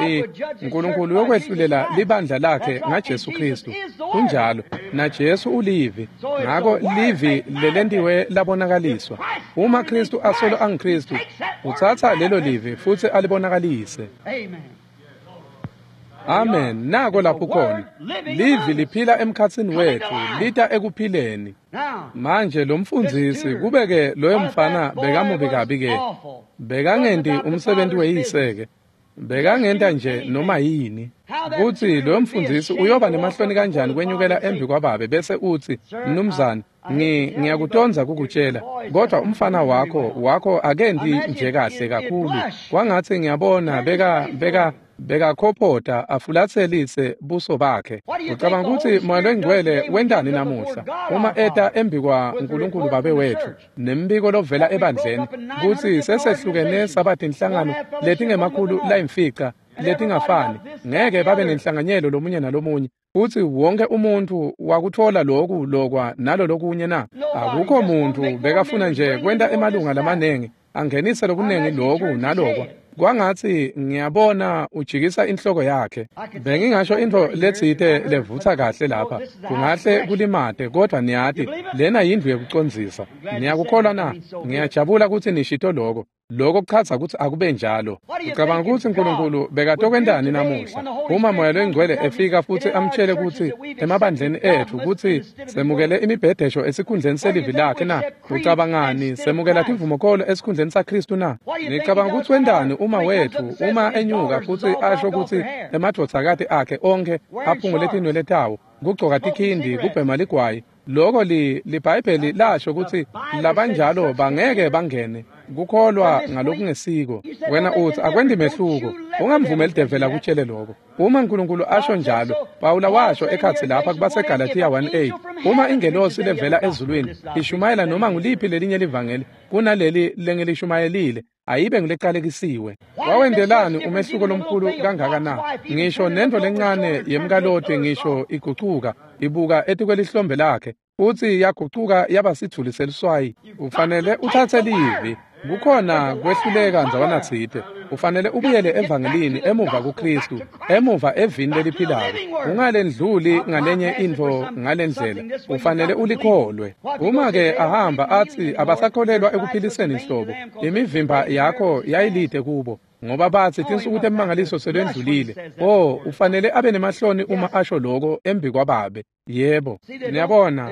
Speaker 1: Nkulunkulu uyokwehlulela libandla lakhe ngaJesu Kristu. Kunjalo, naJesu ulivi. Ngako livi lelentiwe labonakaliswa. Uma Kristu asolo angiKristu, utsatsa lelo livi futsi alibonakalise. Amen. Nako lapho khona. Livi liphila emkhatsini wetfu, lita ekuphileni. Manje lo mfundzisi kubeke loyo mfana bekamubi kabi ke. Bekangenti umsebenzi weyise ke. Bekangenta nje noma yini. Kutsi loyo mfundisi uyoba nemahloni kanjani kwenyukela embi kwababe bese utsi, "Mnumzane, ngiyakutondza kukutshela, kodwa umfana wakho akendi nje kahle kakhulu. Kwangatsi ngiyabona bekakhophota afulatselise buso bakhe." Ucabanga kutsi Moya Longcwele wentani namuhla uma eta embi kwa Nkulunkulu Babe wetfu nembiko lovela ebandleni kutsi sesehlukene saba tinhlangano letingemakhulu layimfica letingafani, ngeke babe nenhlanganyelo lomunye nalomunye, futsi wonke umuntfu wakutfola loku lokwa nalo lokunye na? Akukho muntfu, bekafuna nje kwenta emalunga lamanengi, angenise lokunengi loku nalokwa. Kwangatsi ngiyabona ujikisa inhloko yakhe. Bengingasho intfo letsite levutsa kahle lapha, kungahle kulimate, kodwa niyati lena yindlu yekucondzisa. Niyakukholwa na? Ngiyajabula kutsi nishito loko. Lokho kuchaza kutsi akube njalo. Ucabanga kutsi Nkulunkulu bekatokwentani namuhla uma Moya Longcwele efika futsi amtshele kutsi emabandleni etfu kutsi semukele imibhedesho esikhundleni selivi lakhe na? Ucabangani semukela timvumokolo esikhundleni saKhristu na? Nicabanga kutsi wentani uma wetfu uma enyuka futsi asho kutsi emadvodzakati akhe onkhe aphungule tinwele tawo, kugcoka tikhindi, kubhema ligwayi, loko liBhayibheli lasho kutsi labanjalo bangeke bangene kukholwa ngalokungesiko? Wena utsi akwendi mehluko. Ungamvumeli devela akutshele lokho. Uma Nkulunkulu asho njalo, Pawula washo ekhatsi lapha kubaseGalathiya 1:8, uma ingelosi levela ezulwini ishumayela noma nguliphi lelinye livangeli kunaleli lengilishumayelile, ayibe ngulecalekisiwe. Wawendelani umehluko lomkhulu kangaka na? Ngisho nento lencane yemkaloti, ngisho igucuka ibuka etikwelihlombe lakhe, futsi yagucuka yaba sithuli seluswayi. Ufanele uthathe livi. Kukhona kwehluleka ndzawana tsite. Ufanele ubuyele evangelini, emuva kuKristu, emuva evini leliphilako. Ungalendluli ngalenye intfo ngalendlela. Ufanele ulikholwe. Uma-ke ahamba atsi abasakholelwa ekuphiliseni nhlobo, imivimba yakho yayilide kubo, ngoba batsi tinsuku temangaliso selwendlulile. Oh, ufanele abe nemahloni uma asho loko embi kwababe. Yebo, niyabona,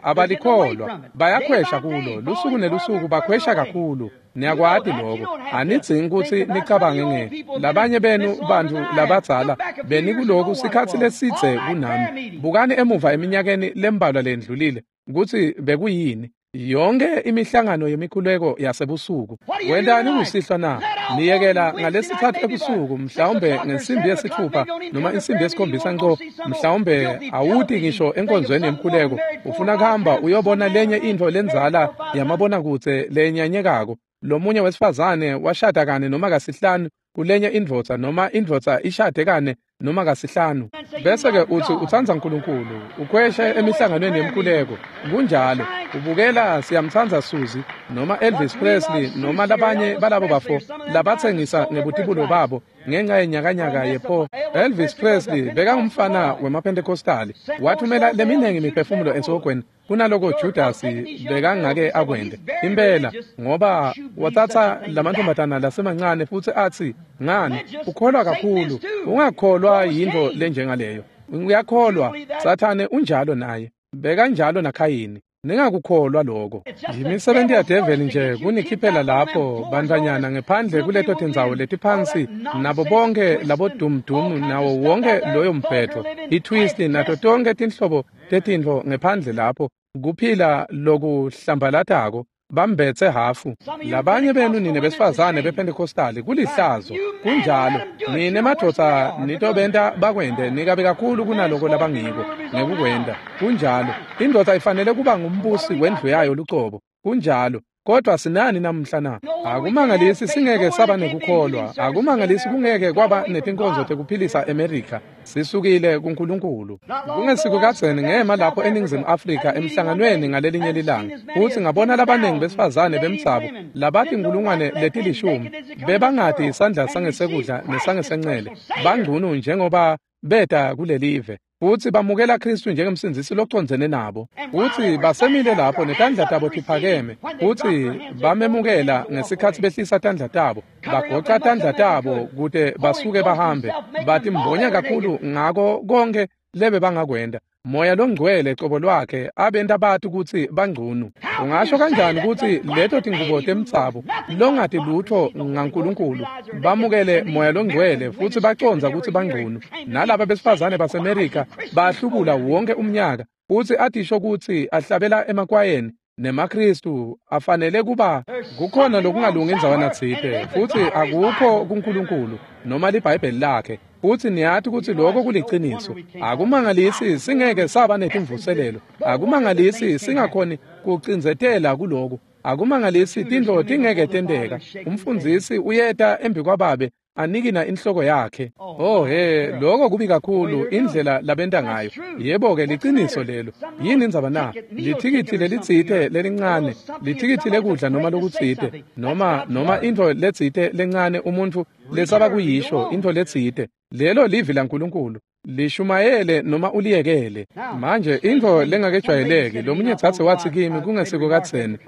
Speaker 1: abalikholwa, bayakhwesha kulo, lusuku nelusuku bakhwesha kakhulu. Niyakwati lokho, anidzingi kutsi nicabange nge labanye benu bantfu labadzala benikuloku sikhatsi lesidze kunami. Bukani emuva eminyakeni lembalwa lendlulile kutsi bekuyini. Yonke imihlangano yemikhuleko yasebusuku. Wentani kusihlwa na? Niyekela ngalesithathu ebusuku, mhlawumbe ngensimbi yesithupha noma insimbi yesikhombisa nco, mhlawumbe awuti ngisho enkonzweni yemkhuleko. Ufuna kuhamba uyobona lenye intfo lendzala yamabonakudze lenyanyekako. Lomunye wesifazane washada kane noma kasihlanu kulenye indvodza, noma indvodza ishade kane noma kasihlanu, bese-ke utsi utsandza Nkulunkulu, ukhweshe emihlanganweni yemkhuleko. Kunjalo. Ubukela Siyamtsandza Susie noma Elvis Presley noma labanye balabo bafo labatsengisa ngebutibulo babo ngenxa yenyakanyaka yepho. Elvis Presley bekangumfana wemaPentecostali, wathumela leminingi imiphefumulo esihogweni kunaloko Judasi bekangake akwente impela, ngoba watsatsa lamantfombatana lasemancane futsi atsi, "Ngani, ukholwa kakhulu." Ungakholwa yintfo lenjengaleyo? Uyakholwa Sathane unjalo naye, bekanjalo naKhayini. Ningakukholwa lokho. Yimisebenti yadeveli nje kunikhiphela lapho bantfwanyana ngephandle kuleto tindzawo letiphansi nabo bonke labodumdumu nawo wonke loyo mbhedvo, i-twist nato tonke tinhlobo tetintfo ngephandle lapho, kuphila lokuhlambalatako, bambetse hafu. Labanye benu nine besifazane bePentecostali, kulihlazo. Kunjalo. Nine madvodza nitobenta bakwente nikabe kakhulu kunaloko labangiko ngekukwenta. Kunjalo. Indvodza ifanele kuba ngumbusi wendlu yayo lucobo. Kunjalo. Kodwa sinani namuhla na? Akumangalisi singeke saba nekukholwa. Akumangalisi kungeke kwaba netinkonzo tekuphilisa eMerica. Sisukile kuNkulunkulu. Kungesiko kadzeni ngema lapho eNingizimu Afrika emhlanganweni ngalelinye lilanga, futsi ngabona labaningi besifazane bemdzabu labatinkulungwane letilishumi bebangati isandla sangesekudla nesangesencele, bangcunu njengoba beta kulelive, futsi bamukela Khristu njengemsindzisi locondzene nabo, futsi basemile lapho netandla tabo tiphakeme, futsi bamemukela ngesikhatsi behlisa tandla tabo, bagoca tandla tabo kute basuke bahambe, batimbonya kakhulu ngako konkhe lebe bangakwenta. Moya longcwele cobo lwakhe abenta bati kutsi bangcunu. Ungasho kanjani kutsi leto tingubo temtsabu longati lutho ngaNkulunkulu bamukele Moya longcwele futsi bacondza kutsi bangcunu? Nalaba besifazane baseMerika bahlubula wonke umnyaka futsi atisho kutsi ahlabela emakwayeni nemaKristu afanele kuba kukhona lokungalungi indzawana tsite, futsi akukho kuNkulunkulu noma liBhayibheli lakhe. Futsi niyati kutsi lokho kuliciniso. Akumangalisi singeke saba netimvuselelo. Akumangalisi singakhoni kucindzetela kuloku. Akumangalisi tintfo tingeke tenteka. Umfundzisi uyeta embi kwababe anikina inhloko yakhe. Oh he, lokho kubi kakhulu indlela labenta ngayo. Yebo-ke liciniso lelo. Yini indzaba na? Lithikithi lelitsite lelincane, lithikithi lekudla noma lokutsite, noma intfo letsite lencane umuntfu lesaba kuyisho, intfo letsite. Lelo livi laNkulunkulu. Lishumayele noma uliyekele. Manje intfo lengakejwayeleki, lomunye dzadze watsi kimi kungesiko kadzeni,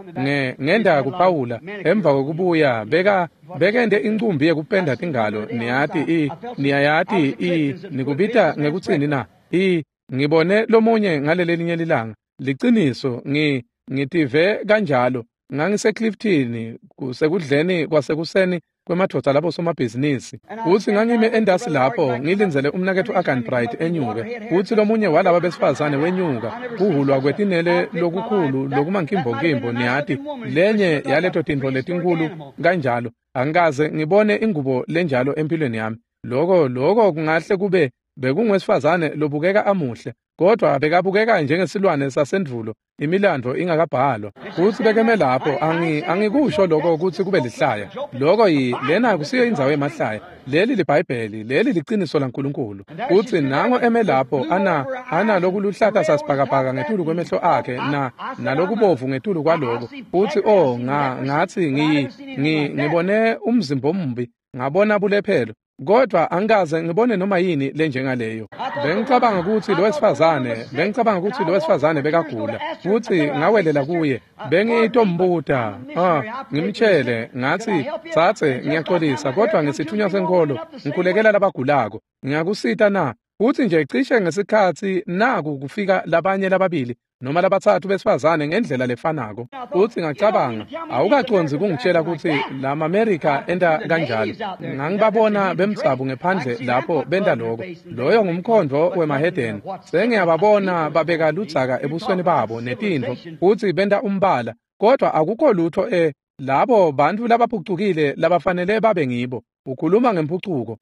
Speaker 1: ngenda kuPawula emva kwekubuya bekente incumbi yekupenda tingalo, niyati niyayati nikubita ngekutsini na? Ngibone lomunye ngalelelinye lilanga. Liciniso, ngitive kanjalo. NgangiseClifton kusekudleni kwasekuseni kwemadvodza labo somabhizinisi. Futsi ngangime endasi lapho ngilindzele umnaketfu Agan Bright enyuke. Futsi lomunye walaba besifazane wenyuka kuhulwa kwetinele lokukhulu lokumankimbonkimbo, niyati lenye yaleto tintfo letinkulu kanjalo. Angikaze ngibone ingubo lenjalo empilweni yami. Loko kungahle kube bekungwesifazane lobukeka amuhle, kodwa bekabukeka njengesilwane sasendvulo, imilandvo ingakabhalwa. Futsi bekeme lapho, angikusho lokho kutsi kube lihlaya. Lokho lena kusiyo indzawo yemahlaya. Leli liBhayibheli, leli liciniso laNkulunkulu. Futsi nango eme lapho ana lokuluhlata sasibhakabhaka ngetulu kwemehlo akhe nalokubovu ngetulu kwaloko. Futsi ngathi ngibone umzimba ombi, ngabona bulephelo. Kodwa angikaze ngibone noma yini lenjengaleyo. Bengicabanga kutsi lo wesifazane bekagula, futsi ngawelela kuye. Bengitombuta, ngimtshele ngathi, "Tsatse, ngiyaxolisa, kodwa ngisithunywa senkolo, ngikhulekela labagulako. Ngiyakusita na?" Futsi nje cishe ngesikhatsi naku kufika labanye lababili noma labatsatfu besifazane ngendlela lefanako. Futsi ngacabanga, awukacondzi kungitshela kutsi lama-Amerika enta kanjalo. Ngangibabona bemdzabu ngephandle lapho benta loko. Loyo ngumkhondvo wemahedeni. Sengiyababona babeka ludzaka ebusweni babo netintfo, futsi benta umbala, kodwa akukho lutho labo bantfu labaphucukile labafanele babe ngibo. Ukhuluma ngemphucuko.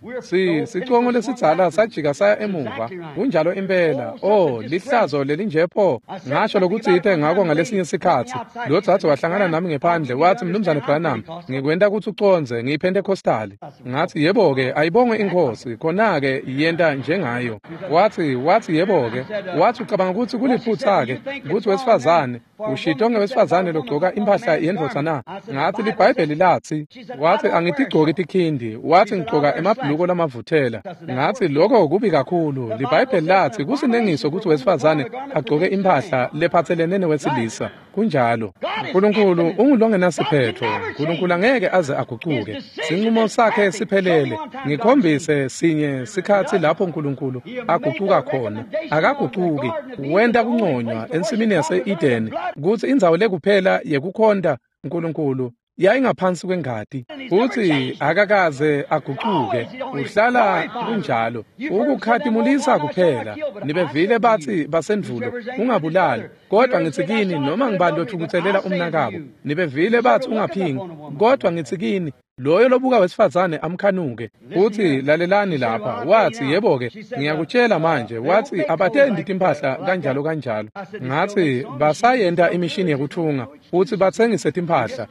Speaker 1: Sicongo lesidzala sajika saya emuva. Kunjalo impela. Oh, lihlazo lelinjepho. Ngasho lokutsite ngako ngalesinye sikhatsi. Lo dzadze wahlangana nami ngephandle wathi, "Mnumzane Branham, ngikwenta kutsi ucondze, ngiyiPentecostali." Ngathi, "Yebo-ke, ayibongwe iNkhosi, khona-ke yenta njengayo." Wathi yebo-ke. Wathi, "Ucabanga kutsi kuliphutsa-ke kutsi wesifazane ushito ngewesifazane logcoka impahla yendvodza na?" Ngathi, "LiBhayibheli lathi." Wathi, "Angitigcoki tikhindi." Wathi, "Ngigcoka emabhuluko lamavuthela." Ngathi, "Lokho kubi kakhulu. LiBhayibheli lathi kusinengiso kutsi wesifazane agcoke impahla lephatselene newesilisa." Kunjalo. Nkulunkulu ungulongenasiphetho. Nkulunkulu angeke aze agucuke. Sinqumo sakhe siphelele. Ngikhombise sinye sikhatsi lapho Nkulunkulu agucuka khona. Akagucuki. Wenta kunconywa ensimini yase-Edeni kutsi indzawo lekuphela yekukhonta Nkulunkulu yayingaphansi kwengati. Futsi akakaze agucuke. Uhlala kunjalo. Ukukhatimulisa kuphela. Nibevile bathi basendvulo, "Ungabulali." Kodwa ngitsi kini, noma ngibani lothukutselela umnakabo. Nibevile bathi ungaphingi. Kodwa ngitsi kini, loyo lobuka wesifazane amkhanuke. Futsi lalelani lapha. Wathi, "Yebo-ke, ngiyakutshela manje." Wathi, "Abatendi timphahla kanjalo kanjalo." Ngathi, "Basayenta imishini yekuthunga futsi batsengise timphahla.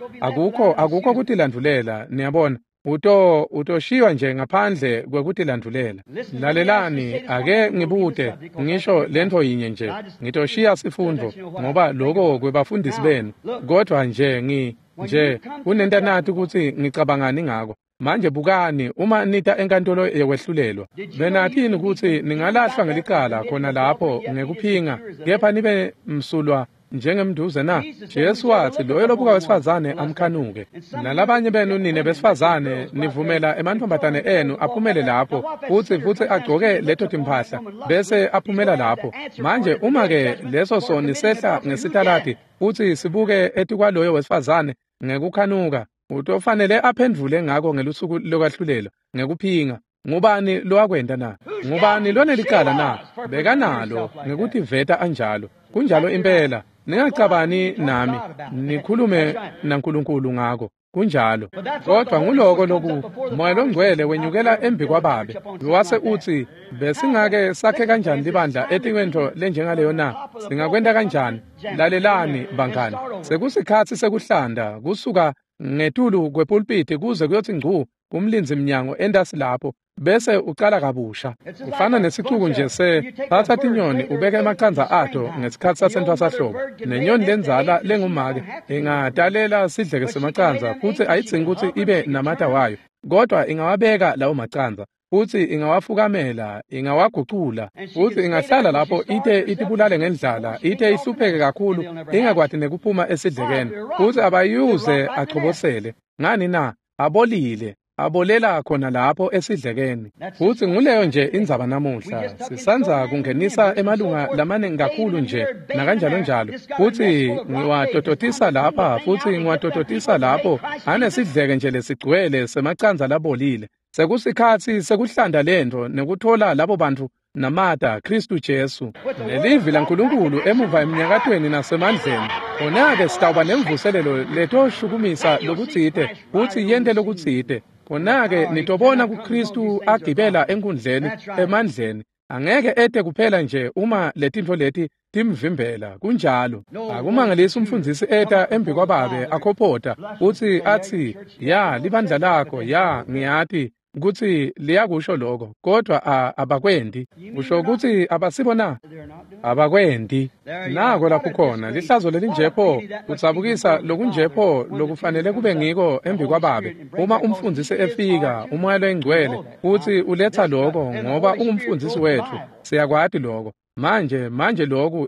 Speaker 1: Akukho kutilandvulela, niyabona. Utoshiywa nje ngaphandle kwekutilandvulela." Lalelani, ake ngibute ngisho lentfo yinye nje. Ngitoshiya sifundvo ngoba lokho kwebafundisi benu. Kodwa nje kunentanati kutsi ngicabangani ngako. Manje bukani, uma nita enkantolo yekwehlulelwa, benathini kutsi ningalahlwa ngelicala khona lapho ngekuphinga, kepha nibe msulwa njengemnduze na? Jesu watsi loyo lobuka wesifazane amkhanuke. Nalabanye benu nine besifazane nivumela emantfombatane enu aphumele lapho futsi agcoke leto timphahla bese aphumela lapho. Manje uma ke leso soni sehla ngesitaladi futsi sibuke etikwaloyo wesifazane ngekukhanuka, utofanele aphendvule ngako ngelusuku lokwahlulelwa ngekuphinga. Ngubani lowakwenta na? Ngubani lonelicala na? Bekanalo ngekutiveta anjalo. Kunjalo impela. Ningacabani nami, nikhulume naNkulunkulu ngako. Kunjalo. Kodwa nguloko loku Moya loNgcwele wenyukela embi kwababe. Wase utsi besingake sakhe kanjani libandla etikwentfo lenjengaleyo na? Singakwenta kanjani? Lalelani bangani. Sekusikhatsi sekuhlanda kusuka ngetulu kwepulpiti kuze kuyotsi ngcu kumlindzi mnyango entasi lapho bese ucala kabusha. Ufana nesicuku nje se thatha tinyoni ubeke emacandza ato ngesikhatsi sasentfwasahlobo. Nenyoni lendzala lengumake ingatalela sidleke semacandza futsi ayidzingi kutsi ibe namata wayo, kodwa ingawabeka lawo macandza futsi ingawafukamela, ingawagucula futsi ingahlala lapho ite itibulale ngendlala, ite ihlupheke kakhulu ingakwati nekuphuma esidlekeni futsi abayuze achobosele. Ngani na? Abolile. Abolela khona lapho esidlekeni. Futsi nguleyo nje indzaba namuhla. Sisandza kungenisa emalunga lamaningi kakhulu nje nakanjalo njalo. Futsi ngiwatototisa lapha futsi ngiwatototisa lapho anesidleke nje lesigcwele semacandza labolile. Sekusikhatsi sekuhlanda lentfo nekuthola labo bantfu namata Khristu Jesu. Nelivi laNkulunkulu emuva eminyakatweni nasemandleni. Khona-ke sitawuba nemvuselelo letoshukumisa lokutsite futsi yente lokutsite. Khona-ke nitobona kuKhristu agibela enkundleni emandleni. Angeke ete kuphela nje uma letintfo leti timvimbela. Kunjalo. Akumangalisi umfundzisi eta embi kwababe akhophota futsi atsi ya libandla lakho, ya ngiyati kutsi liyakusho lokho, kodwa abakwendi. Usho kutsi abasibo na? Abakwendi. Nako lapho khona lihlazo lelinjepho, kudzabukisa lokunjepho lokufanele kube ngiko embi kwababe. Uma umfundzisi efika, uMoya loyiNgcwele futsi uletha lokho ngoba ungumfundzisi wetfu, siyakwati lokho. Manje lokhu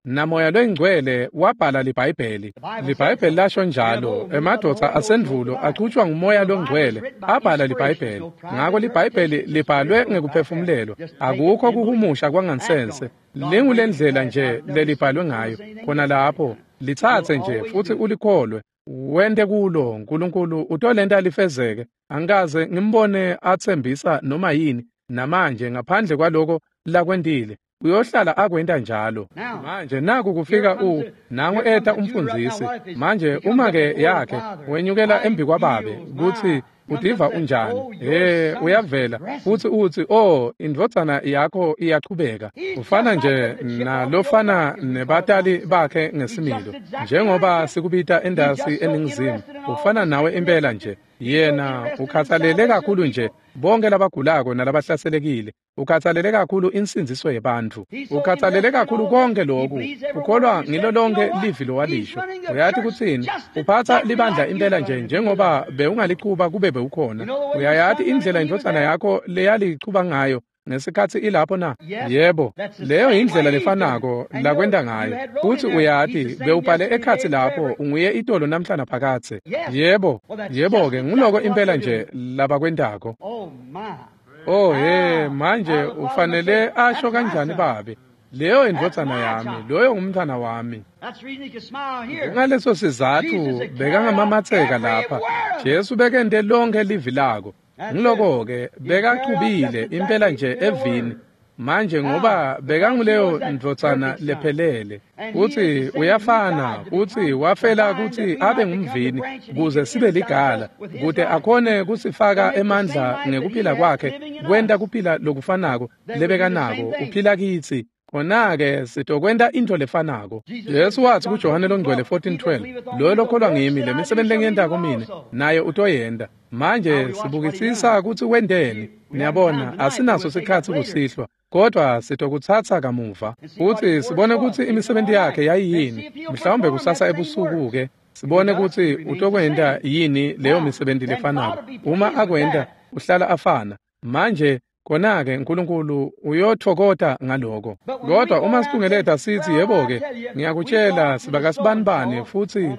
Speaker 1: naMoya loyiNgcwele wabhala liBhayibheli. LiBhayibheli lasho njalo. Emadvodza asendvulo achutshwa nguMoya loNgcwele abhala liBhayibheli. Ngako liBhayibheli libhalwe ngekuphefumulelwa. Akukho kuhumusha kwangansense. Lingulendlela nje lelibhalwe ngayo. Khona lapho litsatse nje futsi ulikholwe. Wente kulo uNkulunkulu utolenta lifezeke. Angikaze ngimbone atsembisa noma yini namanje ngaphandle kwaloko lakwentile. Uyohlala akwenta njalo. Manje naku kufika nangu eta umfundzisi. Manje uma ke yakhe wenyukela embi kwababe kutsi utiva unjani. Uyavela futsi utsi oh indvodzana yakho iyachubeka. Ufana nje nalofana nebatali bakhe ngesimilo. Njengoba sikubita endasi eningizimu, ufana nawe impela nje. Yena ukhathalele kakhulu nje bonke labagulako nalabahlaselekile. Ukhathalele kakhulu insindziso yebantfu. Ukhathalele kakhulu konke lokhu. Ukholwa ngilo lonke livi lowalisho. Uyati kutsini? Uphatha libandla impela nje njengoba bewungalichuba kube bewukhona. Uyayati indlela indvodzana yakho leyalichuba ngayo ngesikhatsi ilapho na? Yebo, leyo indlela lefanako lakwenta ngayo. Futsi uyati bewubhale ekhatsi lapho unguye itolo namhla naphakadze. Yebo, yebo-ke nguloko impela nje labakwentako. Oh he, manje ufanele asho kanjani babe? Leyo indvodzana yami, loyo ngumntfwana wami. Ngaleso sizatfu bekangamamatseka lapha. Jesu bekente lonke livi lako. Ngiloko-ke bekachubile impela nje evini. Manje ngoba bekanguleyo ndvodzana lephelele, utsi uyafana, utsi wafela kutsi abe ngumvini kuze sibe ligala, kute akhone kusifaka emandla ngekuphila kwakhe, kwenta kuphila lokufanako lebekanako uphila kitsi. Khona-ke sitokwenta intfo lefanako. Jesu watsi kuJohane loNgcwele 14:12, loyo lokholwa ngimi, lemisebenti lengiyentako mine, naye utoyenta. Manje sibukisisa kutsi wenteni. Niyabona, asinaso sikhatsi kusihlwa, kodwa sitokutsatsa kamuva futsi sibone kutsi imisebenti yakhe yayiyini. Mhlawumbe kusasa ebusuku-ke sibone kutsi utokwenta yini leyo misebenti lefanako. Uma akwenta, uhlala afana. Manje Khona-ke Nkulunkulu uyotfokota ngaloko. Kodwa uma situngeleta sithi yebo-ke, ngiyakutshela sibakasibanibani futhi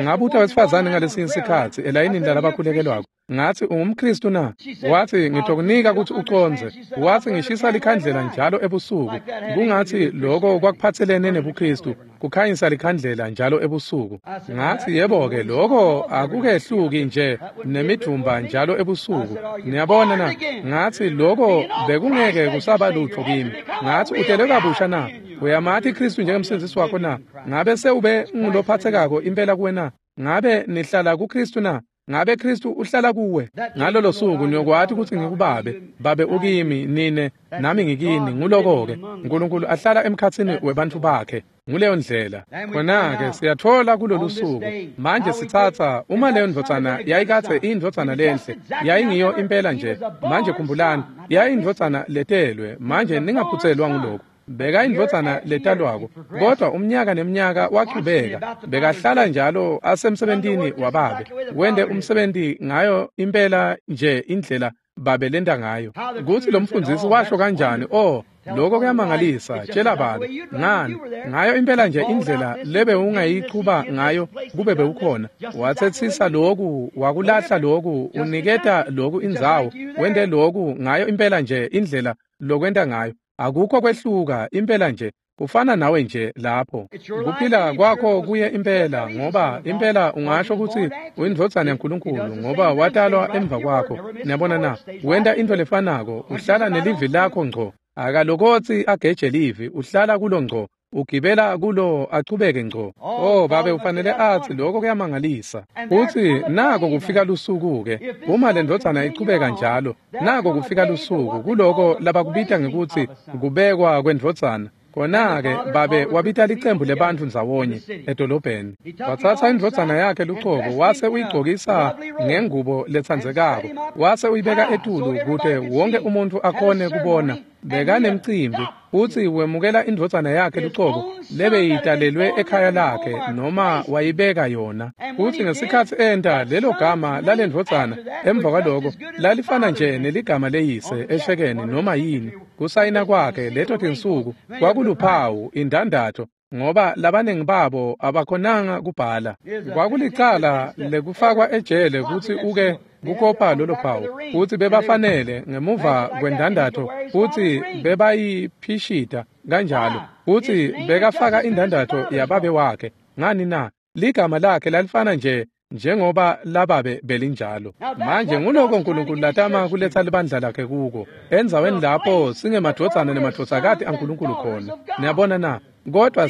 Speaker 1: ngabuta wesifazane ngalesinye sikhatsi elayinini lalabakhulekelwako. Ngathi ungumKristu na? Wathi ngitokunika ukuthi ucondze. Wathi ngishisa likhandlela njalo ebusuku. Kungathi lokho kwakuphathelene nebuKristu, kukhanyisa likhandlela njalo ebusuku. Ngathi yebo-ke lokho akukehluki nje nemidvumba njalo ebusuku. Niyabona na? Ngathi lokho bekungeke kusaba lutho kimi. Ngathi utelwe kabusha na? Uyamati Kristu njengemsindzisi wakho na? Ngabe sewube ngulophathekako impela kuwe na? Ngabe nihlala kuKristu na? Ngabe Kristu uhlala kuwe? Ngalolo suku niyokwati ukuthi ngikubabe, babe ukimi, nine nami ngikini. Nguloko-ke Nkulunkulu ahlala emkhatsini webantfu bakhe. Nguleyo ndlela. Khona-ke siyatfola kulolu suku. Manje sitsatsa uma leyo ndvodzana yayikadze iyindvodzana lenhle, yayingiyo impela nje. Manje khumbulani, yayiyindvodzana letelwe. Manje ningaphutselwa nguloko. Beka indvodzana letalwako, kodwa umnyaka nemnyaka wachubeka. Bekahlala njalo asemsebentini wababe, wende umsebenti ngayo impela nje indlela babe lenta ngayo. Kutsi lo mfundzisi washo kanjani, oh, lokho kuyamangalisa, tshela babe. Ngani? Ngayo impela nje indlela lebe ungayichuba ngayo kube bewukhona. Watsetsisa loku, wakulahla loku, uniketa loku indzawo, wente loku ngayo impela nje indlela lokwenta ngayo. Akukho kwehluka impela nje, kufana nawe nje lapho. Kuphila kwakho kuye impela, ngoba impela ungasho ukuthi uyindvodzana yaNkulunkulu ngoba watalwa emva kwakho. Niyabona na? Wenta into lefanako, uhlala nelivi lakho ngco. Akalokotsi ageje livi, uhlala kulo ngco. Ugibela kulo achubeke ngco. Oh babe ufanele athi lokho kuyamangalisa. Uthi nako kufika lusuku-ke. Uma le ndvodzana ichubeka njalo, nako kufika lusuku kuloko labakubita ngekuthi kubekwa kwendvodzana. Khona-ke babe wabita licembu lebantfu ndzawonye edolobheni. Watsatsa indvodzana yakhe lucobo wase uyigcokisa ngengubo letsandzekako, wase uyibeka etulu kute wonke umuntfu akhone kubona. Bekanemcimbi futsi wemukela indvodzana yakhe lucobo lebeyitalelwe ekhaya lakhe noma wayibeka yona. Futsi ngesikhatsi enta lelo gama lalendvodzana emva kwaloko lalifana nje neligama leyise eshekeni noma yini. Kusayina kwakhe leto tinsuku kwakuluphawu indandatho, ngoba labaningi babo abakhonanga kubhala. Kwakulicala lekufakwa ejele kutsi uke kukopa lolo phawu, futsi bebafanele ngemuva kwendandatho futsi bebayiphishita kanjalo, futsi bekafaka indandatho yababe wakhe. Ngani na? Ligama lakhe lalifana nje njengoba lababe belinjalo. Manje nguloko Nkulunkulu latama kuletsa libandla lakhe kuko, endzaweni lapho singemadvodzana nemadvodzakati aNkulunkulu khona. Niyabona na? Kodwa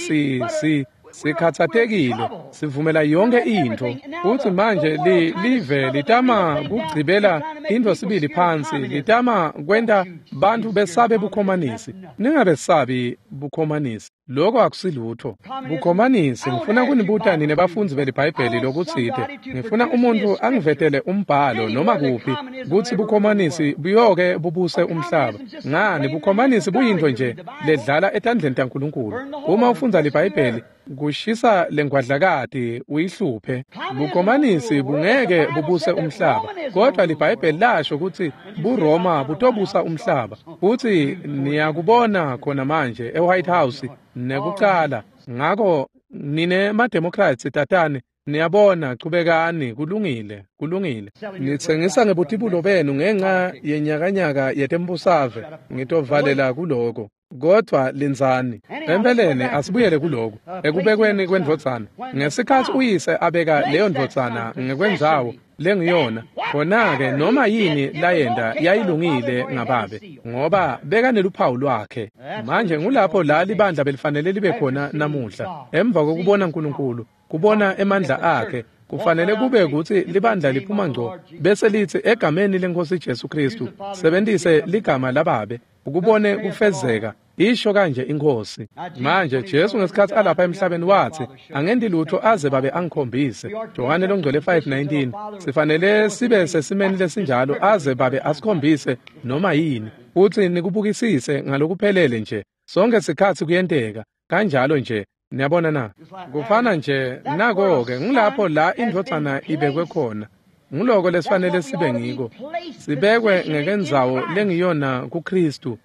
Speaker 1: sikhatsatekile, sivumela yonke intfo. Futsi manje live litama kugcibela intfo sibili phansi, litama kwenta bantfu besabe bukhomanisi. Ningabesabi bukhomanisi, lokho akusilutho. Bukhomanisi, ngifuna kunibuta nine bafundzi beliBhayibheli lokutsite. Ngifuna umuntfu angivetele umbhalo noma kuphi kutsi bukhomanisi buyoke bubuse umhlaba. Ngani, bukhomanisi buyintfo nje ledlala etandleni taNkulunkulu. Uma ufundza liBhayibheli, kushisa lengwadlakati uyihluphe. Bukhomanisi bungeke bubuse umhlaba, kodwa liBhayibheli lasho kutsi buRoma butobusa umhlaba. Futsi niyakubona khona manje eWhite House nekucala. Ngako nine maDemocrats tatane, niyabona, chubekani, kulungile, kulungile. Nitsengisa ngebutibulo benu ngenxa yenyakanyaka yetembusave. Ngitovalela kuloko. Kodwa lindzani. Empeleni asibuyele kuloko ekubekweni kwendvodzana. Ngesikhatsi uyise abeka leyo ndvodzana ngekwendzawo lengiyona, khona-ke noma yini layenta yayilungile ngababe, ngoba bekaneluphawu lwakhe. Manje ngulapho la libandla belifanele libe khona namuhla, emva kokubona Nkulunkulu, kubona emandla akhe. Kufanele kube kutsi libandla liphuma ngco bese litsi egameni leNkosi Jesu Kristu, sebentise ligama lababe ukubone kufezeka. Isho kanje iNkhosi. Manje Jesu ngesikhatsi alapha emhlabeni watsi, angenti lutho aze babe angikhombise. Johane longcwele 5:19. Sifanele sibe sesimeni lesinjalo aze babe asikhombise noma yini, futsi nikubukisise ngalokuphelele nje. Sonke sikhatsi kuyenteka kanjalo nje. Niyabona na? Kufana nje nako-ke ngulapho la indvodzana ibekwe khona. Nguloko lesifanele sibe ngiko. Sibekwe ngekendzawo lengiyona kuKristu.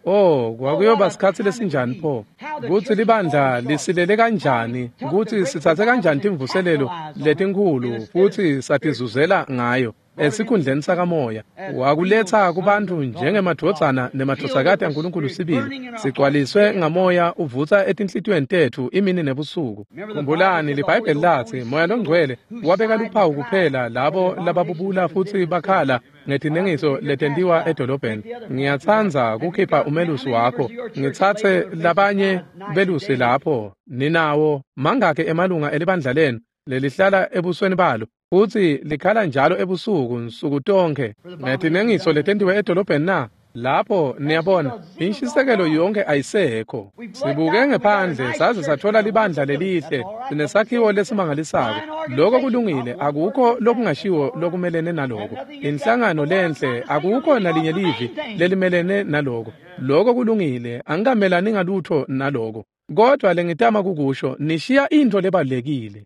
Speaker 1: Oh, kwakuyoba sikhatsi lesinjani pho? Kutsi libandla lisilele kanjani, kutsi sitsatse kanjani timvuselelo letinkhulu futsi satizuzela ngayo esikhundleni sakamoya. Wakuletsa kubantfu njengemadvodzana nemadvodzakati aNkulunkulu sibili, sigcwaliswe ngamoya uvutsa etinhlitiyweni tetfu imini nebusuku. Khumbulani liBhayibheli latsi Moya Longcwele wabeka luphawu kuphela labo lababubula futsi bakhala ngetinengiso letentiwa edolobheni. Ngiyatsandza kukhipha umelusi wakho, ngitsatse labanye belusi lapho. Ninawo mangakhi emalunga elibandla lenu lelihlala ebusweni balo futsi likhala njalo ebusuku nsuku tonkhe ngetinengiso letentiwe edolobheni na? Lapho niyabona inshisekelo yonke ayisekho. Sibuke ngephandle saze sathola libandla lelihle, sinesakhiwo lesimangalisako. Lokho kulungile, akukho lokungashiwo lokumelene naloko. Inhlangano lenhle, akukho nalinye livi lelimelene naloko. Lokho kulungile, angikamelani ngalutho naloko. Kodwa lengitama kukusho, nishiya intfo lebalulekile.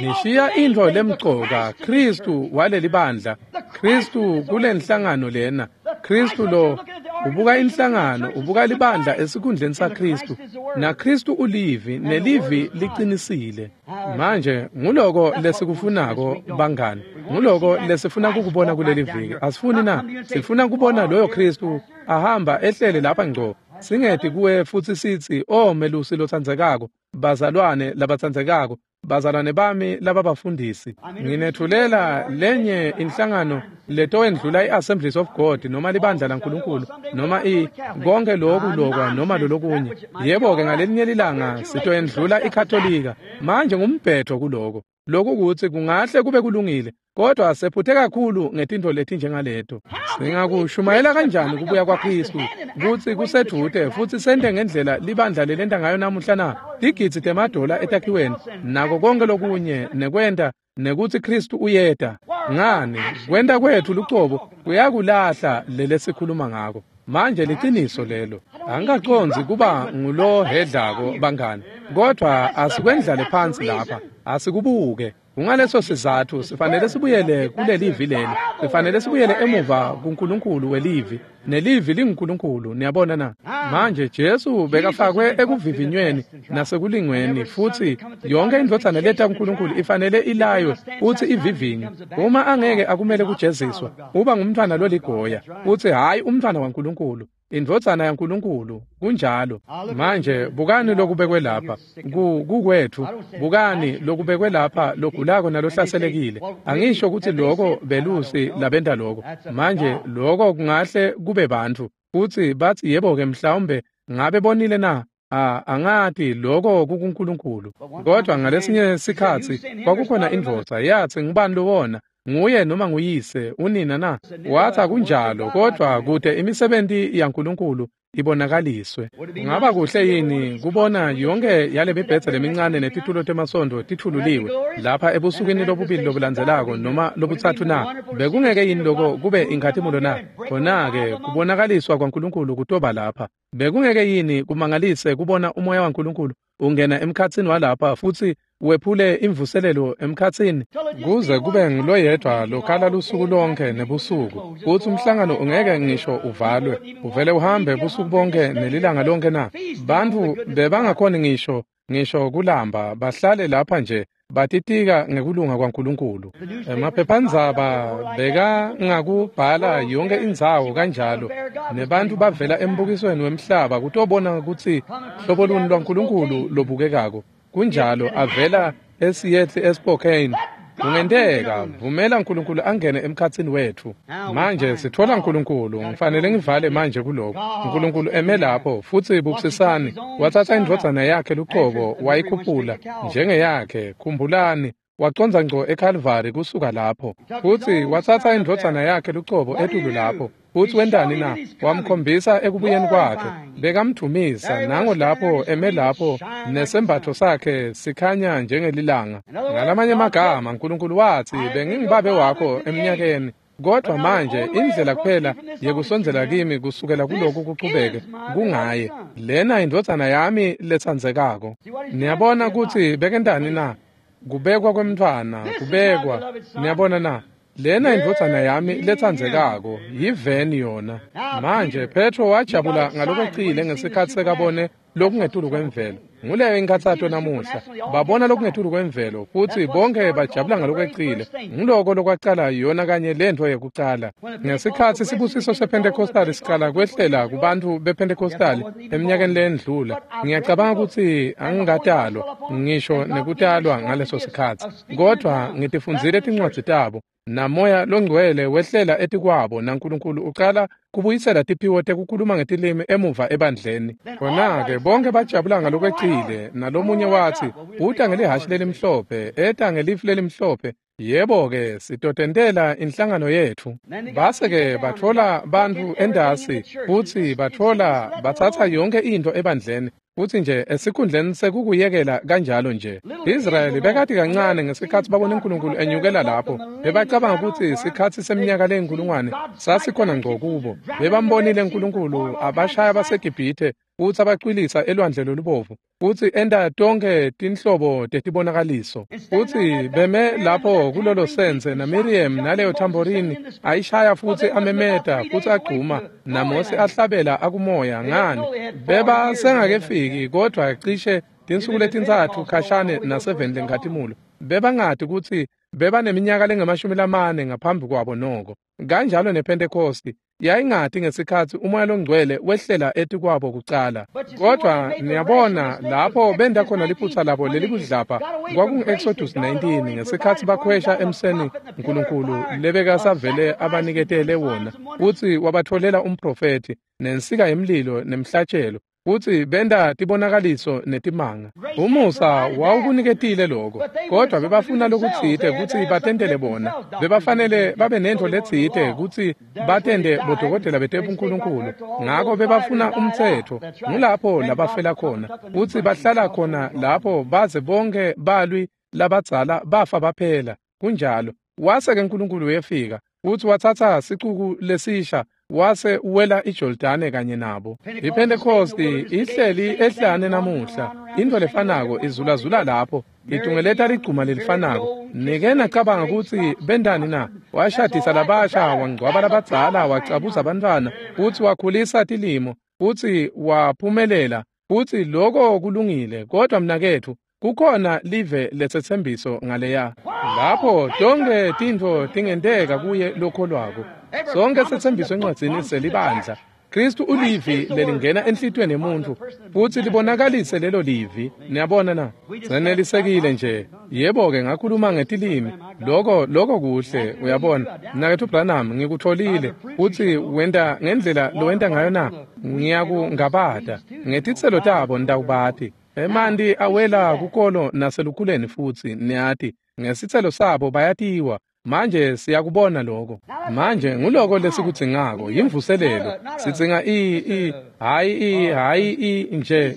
Speaker 1: Nishiya intfo lemcoka, Kristu walelibandla, Kristu kulenhlangano lena. Kristu lo ubuka inhlangano, ubuka libandla esikhundleni saKristu. NaKristu ulivi, nelivi liqinisile. Manje nguloko lesikufunako bangani. Nguloko lesifuna kukubona kuleli viki. Asifuni na? Sifuna kubona loyo Kristu ahamba ehlele lapha ngco. Singeti kuwe futsi sitsi, "Oh melusi lotsandzekako, bazalwane labatsandzekako, bazalwane bami lababafundisi, nginetfulela lenye inhlangano letowendlula i-Assemblies of God noma libandla laNkulunkulu noma konke loku lokwa noma lolokunye. Yebo-ke ngalelinye lilanga sitoyendlula iKatolika." Manje ngumbhetho kuloko. Lokhu kutsi kungahle kube kulungile, kodwa sephuthe kakhulu ngetintfo letinjengaleto. Singakushumayela kanjani kubuya kwaKristu kutsi kusedvute futsi sente ngendlela libandla lelenta ngayo namuhla na? Tigidzi temadola etakhiweni nako konke lokunye nekwenta nekutsi Kristu uyeta. Ngani kwenta kwetfu lucobo kuyakulahla lelesikhuluma ngako. Manje liciniso lelo. Angikacondzi kuba ngulohedlako bangani, kodwa asikwendlale phansi lapha, asikubuke. Kungaleso sizatfu sifanele sibuyele kulelivi leli. Sifanele sibuyele emuva kuNkulunkulu welivi, nelivi linguNkulunkulu. Niyabona na? Manje Jesu bekafakwe ekuvivinyweni nasekulingweni, futsi yonke indvodzana leta kuNkulunkulu ifanele ilaywe futsi ivivinywe. Uma angeke akumele kujeziswa, uba ngumntfwana loligoya, futsi hhayi umntfwana waNkulunkulu, indvodzana yaNkulunkulu. Kunjalo. Manje bukani lokubekwe lapha kukwetfu. Bukani lokubekwe lapha logulako nalohlaselekile. Angisho kutsi loko belusi labenta loko. Manje loko kungahle kube bantfu futsi batsi, yebo-ke mhlawumbe ngabe bonile na? Angati, loko kukuNkulunkulu. Kodwa ngalesinye sikhatsi kwakukhona indvodza yatsi, ngubani lowona? Nguye noma nguyise unina na? Wathi akunjalo, kodwa kude imisebenti yaNkulunkulu ibonakaliswe. Kungaba kuhle yini kubona yonke yale mibhedze lemincane netitulo temasondo titfululiwe lapha ebusukwini lobubili lobulandzelako noma lobutsatfu na? Bekungeke yini loko kube inkhatimulo na? Khona-ke kubonakaliswa kwaNkulunkulu kutoba lapha. Bekungeke yini kumangalise kubona umoya waNkulunkulu ungena emkhatsini walapha futsi wephule imvuselelo emkhatsini, kuze kube nguloyedwa lokhala lusuku lonke nebusuku, kutsi umhlangano ungeke ngisho uvalwe, uvele uhambe busuku bonke nelilanga lonke na? Bantfu bebangakhoni ngisho kulamba, bahlale lapha nje batitika ngekulunga kwaNkulunkulu. Emaphephandzaba bekangakubhala yonke indzawo kanjalo, nebantu bavela embukisweni wemhlaba kutobona kutsi hlobo luni lwaNkulunkulu lobukekako. Kunjalo, avela eSeattle eSpokane. Kungenteka, vumela uNkulunkulu angene emkhatsini wetfu. Manje sithola uNkulunkulu, ngifanele ngivale manje kuloko. uNkulunkulu eme lapho futsi bukisisani, watsatsa indvodzana yakhe lucobo wayikhuphula njengeyakhe. Khumbulani, wacondza ngco eKalvari kusuka lapho. Futsi watsatsa indvodzana yakhe lucobo etulu lapho. Futsi wentani na? Wamkhombisa ekubuyeni kwakhe. Bekamdumisa, nango lapho eme lapho nesembatfo sakhe sikhanya njengelilanga. Ngalamanye amagama, uNkulunkulu watsi, bengingubabe wakho eminyakeni, kodwa manje indlela kuphela yekusondzela kimi kusukela kuloku kuchubeke kungaye. Lena indvodzana yami letsandzekako. Niyabona kutsi bekentani na? Kubekwa kwemntfwana, kubekwa. Niyabona na? Lena indvodzana yami letsandzekako, yiveni yona. Manje Petro wajabula ngalokwecile ngesikhatsi sekabone lokungetulu kwemvelo. Nguleyo inkhatsato namuhla. Babona lokungetulu kwemvelo futsi bonke bajabula ngalokwecile. Nguloko lokwacala yona kanye lentfo yekucala. Ngesikhatsi sibusiso sePentecostal sicala kwehlela kubantfu bePentecostal eminyakeni lendlula, ngiyacabanga kutsi angikatalwa ngisho nekutalwa ngaleso sikhatsi. Kodvwa ngitifundzile tincwadzi tabo. Namoya longcwele wehlela etikwabo naNkulunkulu ucala kubuyisela tiphiwo tekukhuluma ngetilimi emuva ebandleni. Khona-ke bonke bajabula ngalokwecile, nalomunye watsi, uta ngelihhashi lelimhlophe, eta ngelifu lelimhlophe. Yebo-ke, sitotentela inhlangano yetfu. Base-ke batfola bantfu entasi, futsi batfola batsatsa yonkhe intfo ebandleni, futsi nje esikhundleni sekukuyekela kanjalo nje. Israyeli bekati kancane ngesikhatsi babona uNkulunkulu enyukela lapho. Bebacabanga kutsi sikhatsi seminyaka leyinkulungwane sasikhona ngco kubo. Bebambonile uNkulunkulu abashaya baseGibhithe futsi abacwilisa elwandle lolubovu, futsi enta tonkhe tinhlobo tetibonakaliso. Futsi beme lapho kulolo sense naMiriam naleyo tamborini ayishaya futsi amemeta futsi agcuma, naMose ahlabela akumoya. Ngani, beba sengakefiki kodvwa cishe tinsuku letintsatfu khashane naseveni lenkhatimulo. Bebangati kutsi bebaneminyaka lengamashumi lamane ngaphambi kwabo noko. Kanjalo nePentecosti yayingati ngesikhatsi umoya longcwele wehlela etikwabo kucala. Kodvwa niyabona lapho benta khona liphutsa labo lelikudlapha kwakungu-Exodus 19 ngesikhatsi bakhwesha emseni Nkulunkulu lebekasavele abaniketele wona, futsi wabatfolela umprofethi nensika yemlilo nemhlatshelo, futsi benta tibonakaliso netimanga. Umusa wawukuniketile lokho, kodvwa bebafuna lokutsite kutsi batentele bona. Bebafanele babe nentfo letsite kutsi batente bodokotela betebunkulunkulu, ngako bebafuna umtsetfo. Ngulapho labafela khona, futsi bahlala khona lapho baze bonke balwi labadzala bafa baphela. Kunjalo. Wase-ke Nkulunkulu wefika futsi watsatsa sicuku lesisha wase uwela iJordane kanye nabo. IPentecosti ihleli ehlane namuhla, intfo lefanako izulazula lapho, itungeleta ligcuma lelifanako. Nike nacabanga kutsi bentani na? Washadisa labasha, wangcwaba labadzala, wacabuza bantfwana, futsi wakhulisa tilimo, futsi waphumelela, futsi loko kulungile. Kodvwa mnaketfu, kukhona live lesetsembiso ngaleya lapho tonkhe tintfo tingenteka kuye lokholwako. Sonke setsembiso encwadzini selibandla. Kristu ulivi lelingena enhlitiyweni yemuntfu futsi libonakalise lelo livi. Niyabona na? Senelisekile nje. Yebo-ke, ngakhuluma ngetilimi. Loko kuhle, uyabona. Mnaketfu Branham, ngikutfolile. Futsi wenta ngendlela lowenta ngayo na? Ngiyakungabata. Ngetitselo tabo nitawubati. Emanti awela kukolo naselukhuleni futsi, niyati. Ngesitselo sabo bayatiwa. Manje siyakubona lokho. Manje nguloko lesikudzingako, yimvuselelo. Sidzinga hhayi nje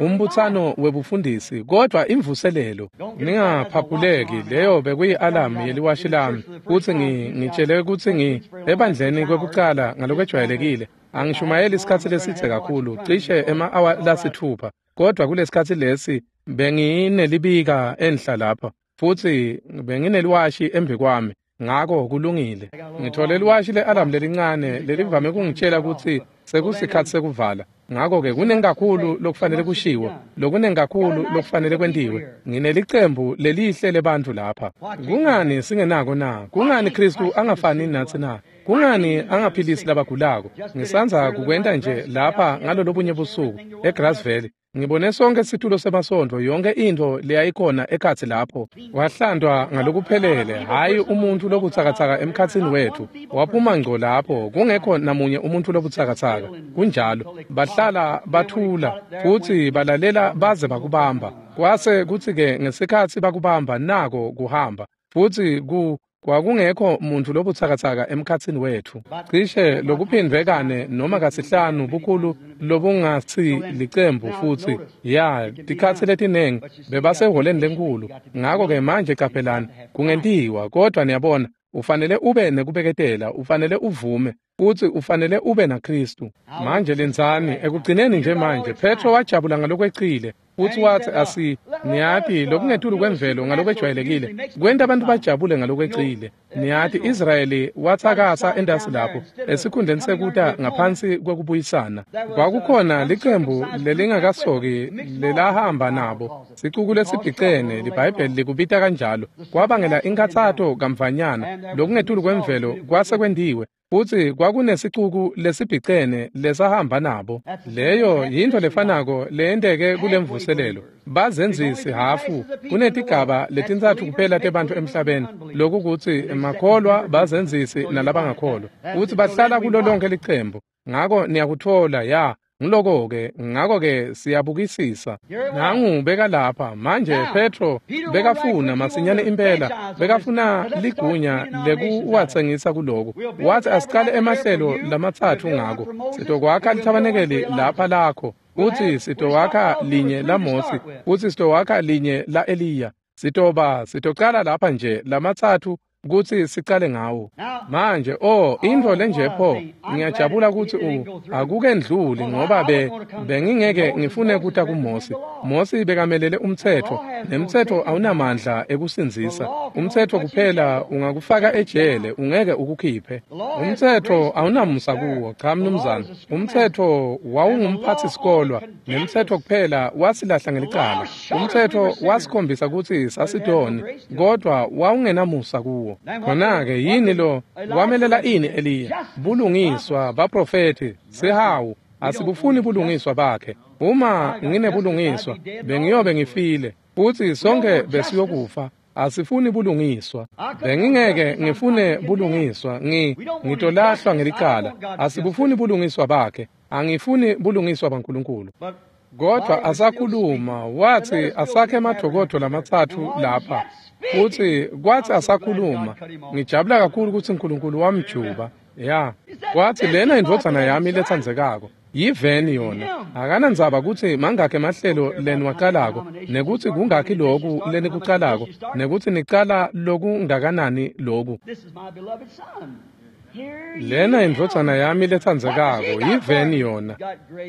Speaker 1: umbutsano webufundisi, kodvwa imvuselelo. Ningaphaphuleki, leyo bekuyi-alamu yeliwashi lami, futsi ngitshele kutsi ebandleni kwekucala ngalokwejwayelekile angishumayeli isikhatsi lesidze kakhulu, cishe ema-awa lasithupha. Kodvwa kulesikhatsi lesi benginelibika enhla lapha, futsi bengineliwashi embi kwami, ngako kulungile. Ngithole liwashi le-alamu lelincane lelivame kungitshela kutsi sekusikhatsi sekuvala. Ngako-ke kuningi kakhulu lokufanele kushiwo, lokuningi kakhulu lokufanele kwentiwe. Nginelicembu lelihle lebantfu lapha. Kungani singenako na? Kungani Kristu angafani natsi na? Kungani angaphilisi labagulako? Ngisandza kukwenta nje lapha ngalolobunye busuku eGrass Valley. Ngibone sonke situlo semasontfo, yonke intfo leyayikhona ekhatsi lapho. Wahlantwa ngalokuphelele, hhayi umuntfu lobutsakatsaka emkhatsini wetfu. Waphuma ngco lapho, kungekho namunye umuntfu lobutsakatsaka. Kunjalo, bahlala bathula futsi balalela baze bakubamba. Kwase kutsi-ke ngesikhatsi bakubamba nako kuhamba, futsi kwakungekho muntfu lobutsakatsaka emkhatsini wetfu. Cishe lokuphindvwe kane noma kasihlanu bukhulu lobungatsi licembu futsi ya tikhatsi letinengi bebasehholeni lenkulu. Ngako-ke manje caphelani, kungentiwa, kodvwa niyabona, ufanele ube nekubeketela, ufanele uvume, futsi ufanele ube naKristu. Manje lindzani, ekugcineni nje manje, Petro wajabula ngalokwecile. Futsi watsi asi niyati lokungetulu kwemvelo ngalokwejwayelekile kwenta abantu bajabule ngalokwecile. Niyati Israyeli watsakasa endasi lapho esikhundleni sekuta ngaphansi kwekubuyisana. Kwakukhona licembu lelingakasoki lelahamba nabo, sicuku lesibhicene, liBhayibheli likubita kanjalo, kwabangela inkathato kamvanyana. Lokungetulu kwemvelo kwase kwentiwe, futsi kwakunesicuku lesibhicene lesahamba nabo. Leyo yintfo lefanako leyenteke kulemvuselelo. Bazenzisi hafu kunetigaba letintsatfu kuphela tebantfu emhlabeni, lokukutsi emakholwa, bazenzisi nalabangakholwa, futsi bahlala kulo lonke licembu. Ngako niyakutfola ya ngiloko-ke. Ngako-ke siyabukisisa. Nangu beka lapha manje. Petro bekafuna masinyane impela, bekafuna ligunya lekuwatsengisa kuloko. Wathi asicale emahlelo lamatsatfu ngako. Sitokwakha lithabanekeli lapha lakho, futsi sitowakha linye laMosi, futsi sitowakha linye la-Eliya. Sitocala lapha nje lamatsatfu kutsi sicale ngawo. Manje intfo lenje pho, ngiyajabula kutsi akukendluli, ngoba bengingeke ngifune kuta kuMosi. Mosi bekamelele umtsetfo, nemtsetfo awunamandla ekusindzisa. Umtsetfo kuphela ungakufaka ejele, ungeke ukukhiphe. Umtsetfo awunamusa kuwo, cha mnumzane. Umtsetfo wawungumphathisikolwa, nemtsetfo kuphela wasilahla ngelicala. Umtsetfo wasikhombisa kutsi sasitoni, kodwa wawungenamusa kuwo. Khona-ke yini lo wamelela ini Eliya? Bulungiswa baprofethi, sihawu. Asibufuni bulungiswa bakhe. Uma nginebulungiswa, bengiyobe ngifile, futsi sonke besiyokufa. Asifuni bulungiswa. Bengingeke ngifune bulungiswa, ngitolahlwa ngelicala. Asibufuni bulungiswa bakhe. Angifuni bulungiswa baNkulunkulu. Kodwa asakhuluma, wathi asakhe emadokodo lamatsatfu lapha. Futsi kwathi asakhuluma, ngijabula kakhulu kutsi uNkulunkulu wamjuba. Ya, wathi lena indvodzana yami letsandzekako, yiveni yona. Akanandzaba kutsi mangakhi emahlelo leniwacalako, nekutsi kungakhi loku lenikucalako, nekutsi nicala lokungakanani loku. Lena indvodzana yami letsandzekako, yiveni yona.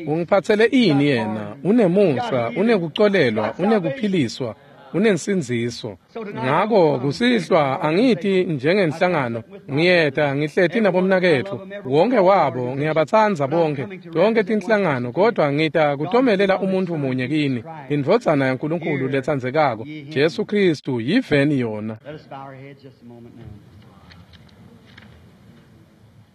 Speaker 1: Ungiphatsele ini yena? Unemusa, unekucolelwa, unekuphiliswa, unensindziso. Ngako kusihlwa angiti njengenhlangano, ngiyeta ngihleti nabomnaketfu, wonke wabo ngiyabatsandza bonke, tonke tinhlangano, kodwa ngita kutomelela umuntu munye kini, indvodzana yaNkulunkulu letsandzekako, Jesu Kristu, yiveni yona.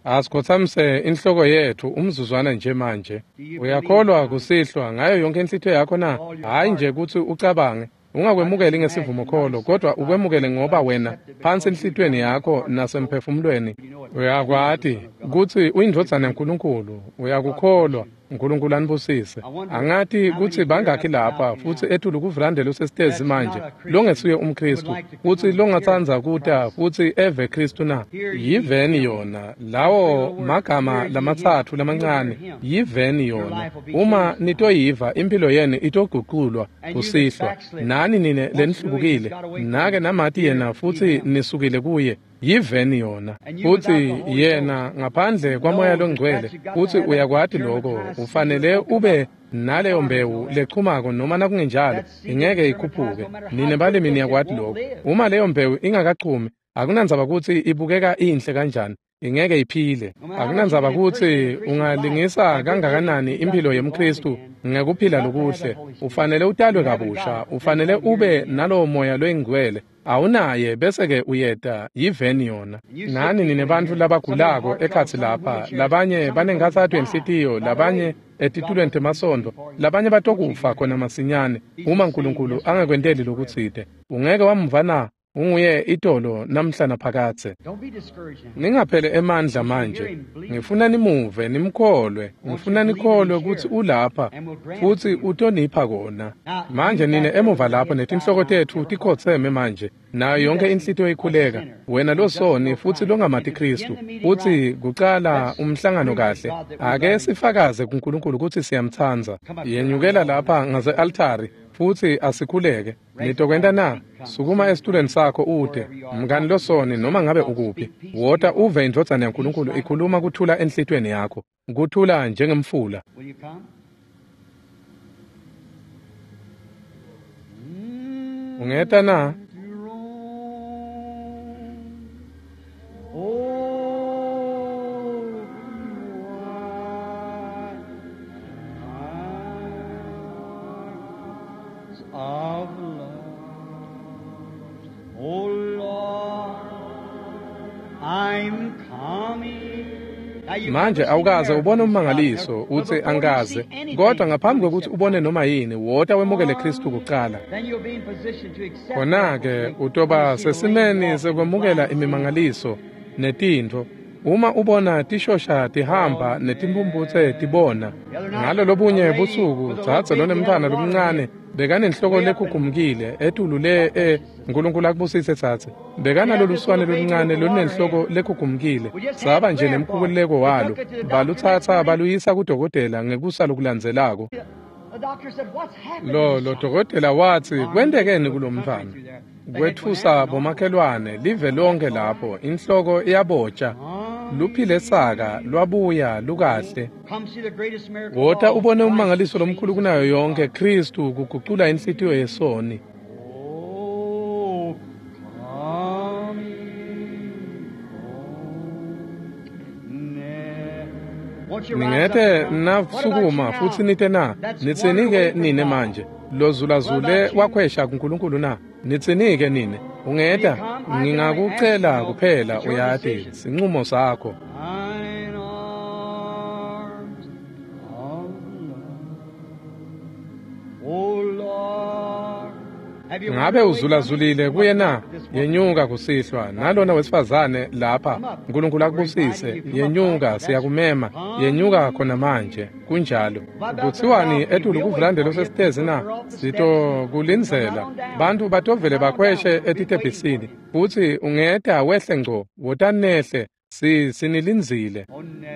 Speaker 1: Asikhotsamise inhloko yethu umzuzwana nje manje. Uyakholwa kusihlwa ngayo yonke inhlitiyo yakho na? Hhayi nje kutsi ucabange, ungakwemukeli ngesivumokholo, kodwa ukwemukele ngoba wena phansi enhlitiyweni yakho nasemphefumulweni uyakwati kutsi uyindvodzana yaNkulunkulu. Uyakukholwa. uNkulunkulu anibusise. Angati kutsi bangakhi lapha futsi etulu kuvrande losesitezi manje longesuye umKristu, futsi longatsandza kuta futsi eve Kristu na? Yiveni yona. Lawo magama lamatsatfu lamancane, yiveni yona. Uma nitoyiva, impilo yenu itoguculwa kusihlwa. Nani nine lenihlubukile, nake namati yena futsi nisukile kuye, yiveni yona. Futsi yena ngaphandle kwaMoya loNgcwele, futsi uyakwati lokho, ufanele ube naleyo mbewu lechumako, noma nakungenjalo ingeke ikhuphuke. Nine balimi niyakwati lokho. Uma leyo mbewu ingakachumi, akunandzaba kutsi ibukeka inhle kanjani, ingeke iphile. Akunandzaba kutsi ungalingisa kangakanani impilo yemKristu ngekuphila lokuhle, ufanele utalwe kabusha, ufanele ube nalowo Moya loyingcwele. Awunaye bese-ke uyeta, yiveni yona. Nani nine bantfu labagulako ekhatsi lapha, labanye banenkhatsato yenhlitiyo, labanye etitulweni temasondo, labanye batokufa khona masinyane uma uNkulunkulu angakwenteli lokutsite. Ungeke wamva na? Unguye itolo namhla naphakadze. Ningaphele emandla manje. Ngifuna nimuve, nimkholwe. Ngifuna nikholwe kutsi ulapha futsi utonipha kona. Manje nine emuva lapho netinhloko tetfu tikhotseme manje, nayo yonke inhlitiyo ikhuleka. Wena losoni futsi longamati Kristu, futsi kucala umhlangano kahle, ake sifakaze kuNkulunkulu kutsi siyamtsandza. Yenyukela lapha ngase-altari futsi asikhuleke. Nitokwenta na? Sukuma esitulweni sakho ute, mngani losoni, noma ngabe ukuphi. Wota uve indvodzana yaNkulunkulu ikhuluma kuthula enhlitiyweni yakho, kuthula njengemfula. Ungeta na?
Speaker 2: To roam. Oh, wide arms of love. Oh Lord, I'm coming. Now you've
Speaker 1: Manje
Speaker 2: never seen
Speaker 1: awukaze
Speaker 2: a
Speaker 1: ubone
Speaker 2: miracle,
Speaker 1: ummangaliso
Speaker 2: but
Speaker 1: uthi
Speaker 2: before you
Speaker 1: angikaze,
Speaker 2: see anything,
Speaker 1: kodwa ngaphambi
Speaker 2: you
Speaker 1: kokuthi
Speaker 2: accept
Speaker 1: ubone noma yini, wota wemukele Kristu kuqala.
Speaker 2: Then you'll be in position to accept
Speaker 1: Khona-ke
Speaker 2: miracles when
Speaker 1: utoba
Speaker 2: you see the lame
Speaker 1: sesimeni
Speaker 2: walk and the
Speaker 1: sekwemukela
Speaker 2: blind see.
Speaker 1: imimangaliso netintfo. Uma ubona tishosha tihamba netimphumphutse tibona.
Speaker 2: The other night,
Speaker 1: Ngalo
Speaker 2: a
Speaker 1: lobunye
Speaker 2: lady
Speaker 1: busuku
Speaker 2: with a little
Speaker 1: dzadze
Speaker 2: baby had a
Speaker 1: lonemntfwana
Speaker 2: water
Speaker 1: lomncane
Speaker 2: hit
Speaker 1: bekanenhloko
Speaker 2: way up and
Speaker 1: lekhukhumukile etulu le
Speaker 2: God bless you, sister.
Speaker 1: uNkulunkulu akubusise tsatse.
Speaker 2: She had
Speaker 1: Bekanalolu
Speaker 2: this
Speaker 1: swane
Speaker 2: little baby
Speaker 1: loluncane
Speaker 2: with a water
Speaker 1: olunenhloko
Speaker 2: head.
Speaker 1: lekhukhumukile.
Speaker 2: We just had
Speaker 1: Saba nje
Speaker 2: prayer for it.
Speaker 1: nemkhuleko
Speaker 2: They
Speaker 1: walo.
Speaker 2: took it to the doctor next
Speaker 1: Balutsatsa
Speaker 2: morning.
Speaker 1: baluyisa kudokotela ngekusa lokulandzelako.
Speaker 2: The doctor said, "What's happened to
Speaker 1: Lo
Speaker 2: this
Speaker 1: lo
Speaker 2: child?"
Speaker 1: dokotela wathi
Speaker 2: Army
Speaker 1: kwentekeni
Speaker 2: through the country
Speaker 1: kulomntfwana.
Speaker 2: through there. They had went
Speaker 1: Kwetfusa
Speaker 2: out and on.
Speaker 1: bomakhelwane live
Speaker 2: That's
Speaker 1: lonke
Speaker 2: all right.
Speaker 1: lapho inhloko iyabotsha luphile saka lwabuya lukahle.
Speaker 2: Come see the greatest miracle of
Speaker 1: Wota
Speaker 2: all,
Speaker 1: ubone
Speaker 2: Christ
Speaker 1: ummangaliso lomkhulu
Speaker 2: changes
Speaker 1: kunayo
Speaker 2: the
Speaker 1: yonke
Speaker 2: heart.
Speaker 1: Kristu kugucula inhlitiyo yesoni.
Speaker 2: Oh, come Won't you rise up
Speaker 1: Ningete
Speaker 2: and come? What about you
Speaker 1: nasukuma futhi
Speaker 2: now?
Speaker 1: nite na
Speaker 2: That's wandered
Speaker 1: nitsinike
Speaker 2: away from
Speaker 1: nine
Speaker 2: God.
Speaker 1: manje
Speaker 2: What
Speaker 1: lozulazule
Speaker 2: about you?
Speaker 1: wakhwesha kuNkulunkulu na nitsinike nine
Speaker 2: Will you
Speaker 1: ungeta
Speaker 2: come? I can only ask you,
Speaker 1: ngingakucela
Speaker 2: though.
Speaker 1: kuphela
Speaker 2: It's your
Speaker 1: uyati
Speaker 2: decision.
Speaker 1: sinqumo sakho.
Speaker 2: Thine arms of love. Oh Lord. Have you
Speaker 1: Ngabe
Speaker 2: wandered away from him?
Speaker 1: uzulazulile
Speaker 2: Come
Speaker 1: kuye
Speaker 2: up
Speaker 1: na?
Speaker 2: this woman
Speaker 1: Yenyuka
Speaker 2: here.
Speaker 1: kusihlwa
Speaker 2: God
Speaker 1: nalona
Speaker 2: bless you.
Speaker 1: wesifazane lapha.
Speaker 2: Come up.
Speaker 1: uNkulunkulu
Speaker 2: We're inviting
Speaker 1: akubusise.
Speaker 2: you. Come up right.
Speaker 1: Yenyuka
Speaker 2: That's
Speaker 1: siyakumema. Yenyuka khona
Speaker 2: come.
Speaker 1: manje. Kunjalo.
Speaker 2: What about the
Speaker 1: Kuthiwani
Speaker 2: balcony?
Speaker 1: etulu
Speaker 2: We'll wait
Speaker 1: kuvulande
Speaker 2: for you.
Speaker 1: losesitezi
Speaker 2: Put
Speaker 1: na?
Speaker 2: her off the steps and come right
Speaker 1: Sitokulindzela.
Speaker 2: on down.
Speaker 1: Bantu
Speaker 2: Come
Speaker 1: batovele
Speaker 2: right on down.
Speaker 1: bakhweshe
Speaker 2: We'll be waiting for
Speaker 1: etitebhisini.
Speaker 2: you.
Speaker 1: Futhi ungeta wehle ngco. Wotanehle. Si sinilindzile.
Speaker 2: Oh, never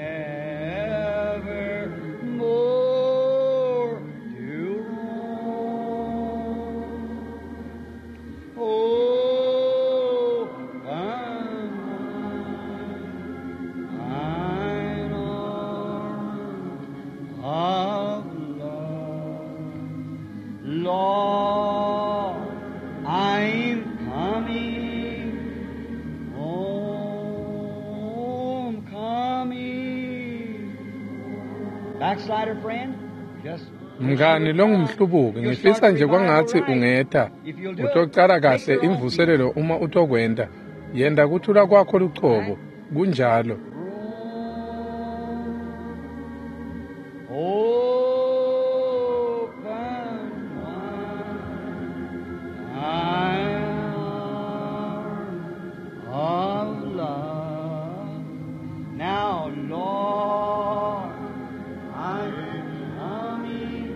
Speaker 2: more to roam. Oh, thine arms of love. Lord, I'm coming home, coming. Backslider friend, just wish you
Speaker 1: Mngani
Speaker 2: would come.
Speaker 1: longumhlubuki
Speaker 2: You'll
Speaker 1: ngifisa
Speaker 2: start the
Speaker 1: nje
Speaker 2: revival
Speaker 1: kwangatsi
Speaker 2: right.
Speaker 1: ungeta
Speaker 2: If you'll do it,
Speaker 1: utocala
Speaker 2: make
Speaker 1: kahle
Speaker 2: your own peace.
Speaker 1: imvuselelo uma utokwenta yenta kuthula kwakho lucobo
Speaker 2: Right?
Speaker 1: kunjalo.
Speaker 2: Open wide thine arms of love. Now, Lord, I'm coming.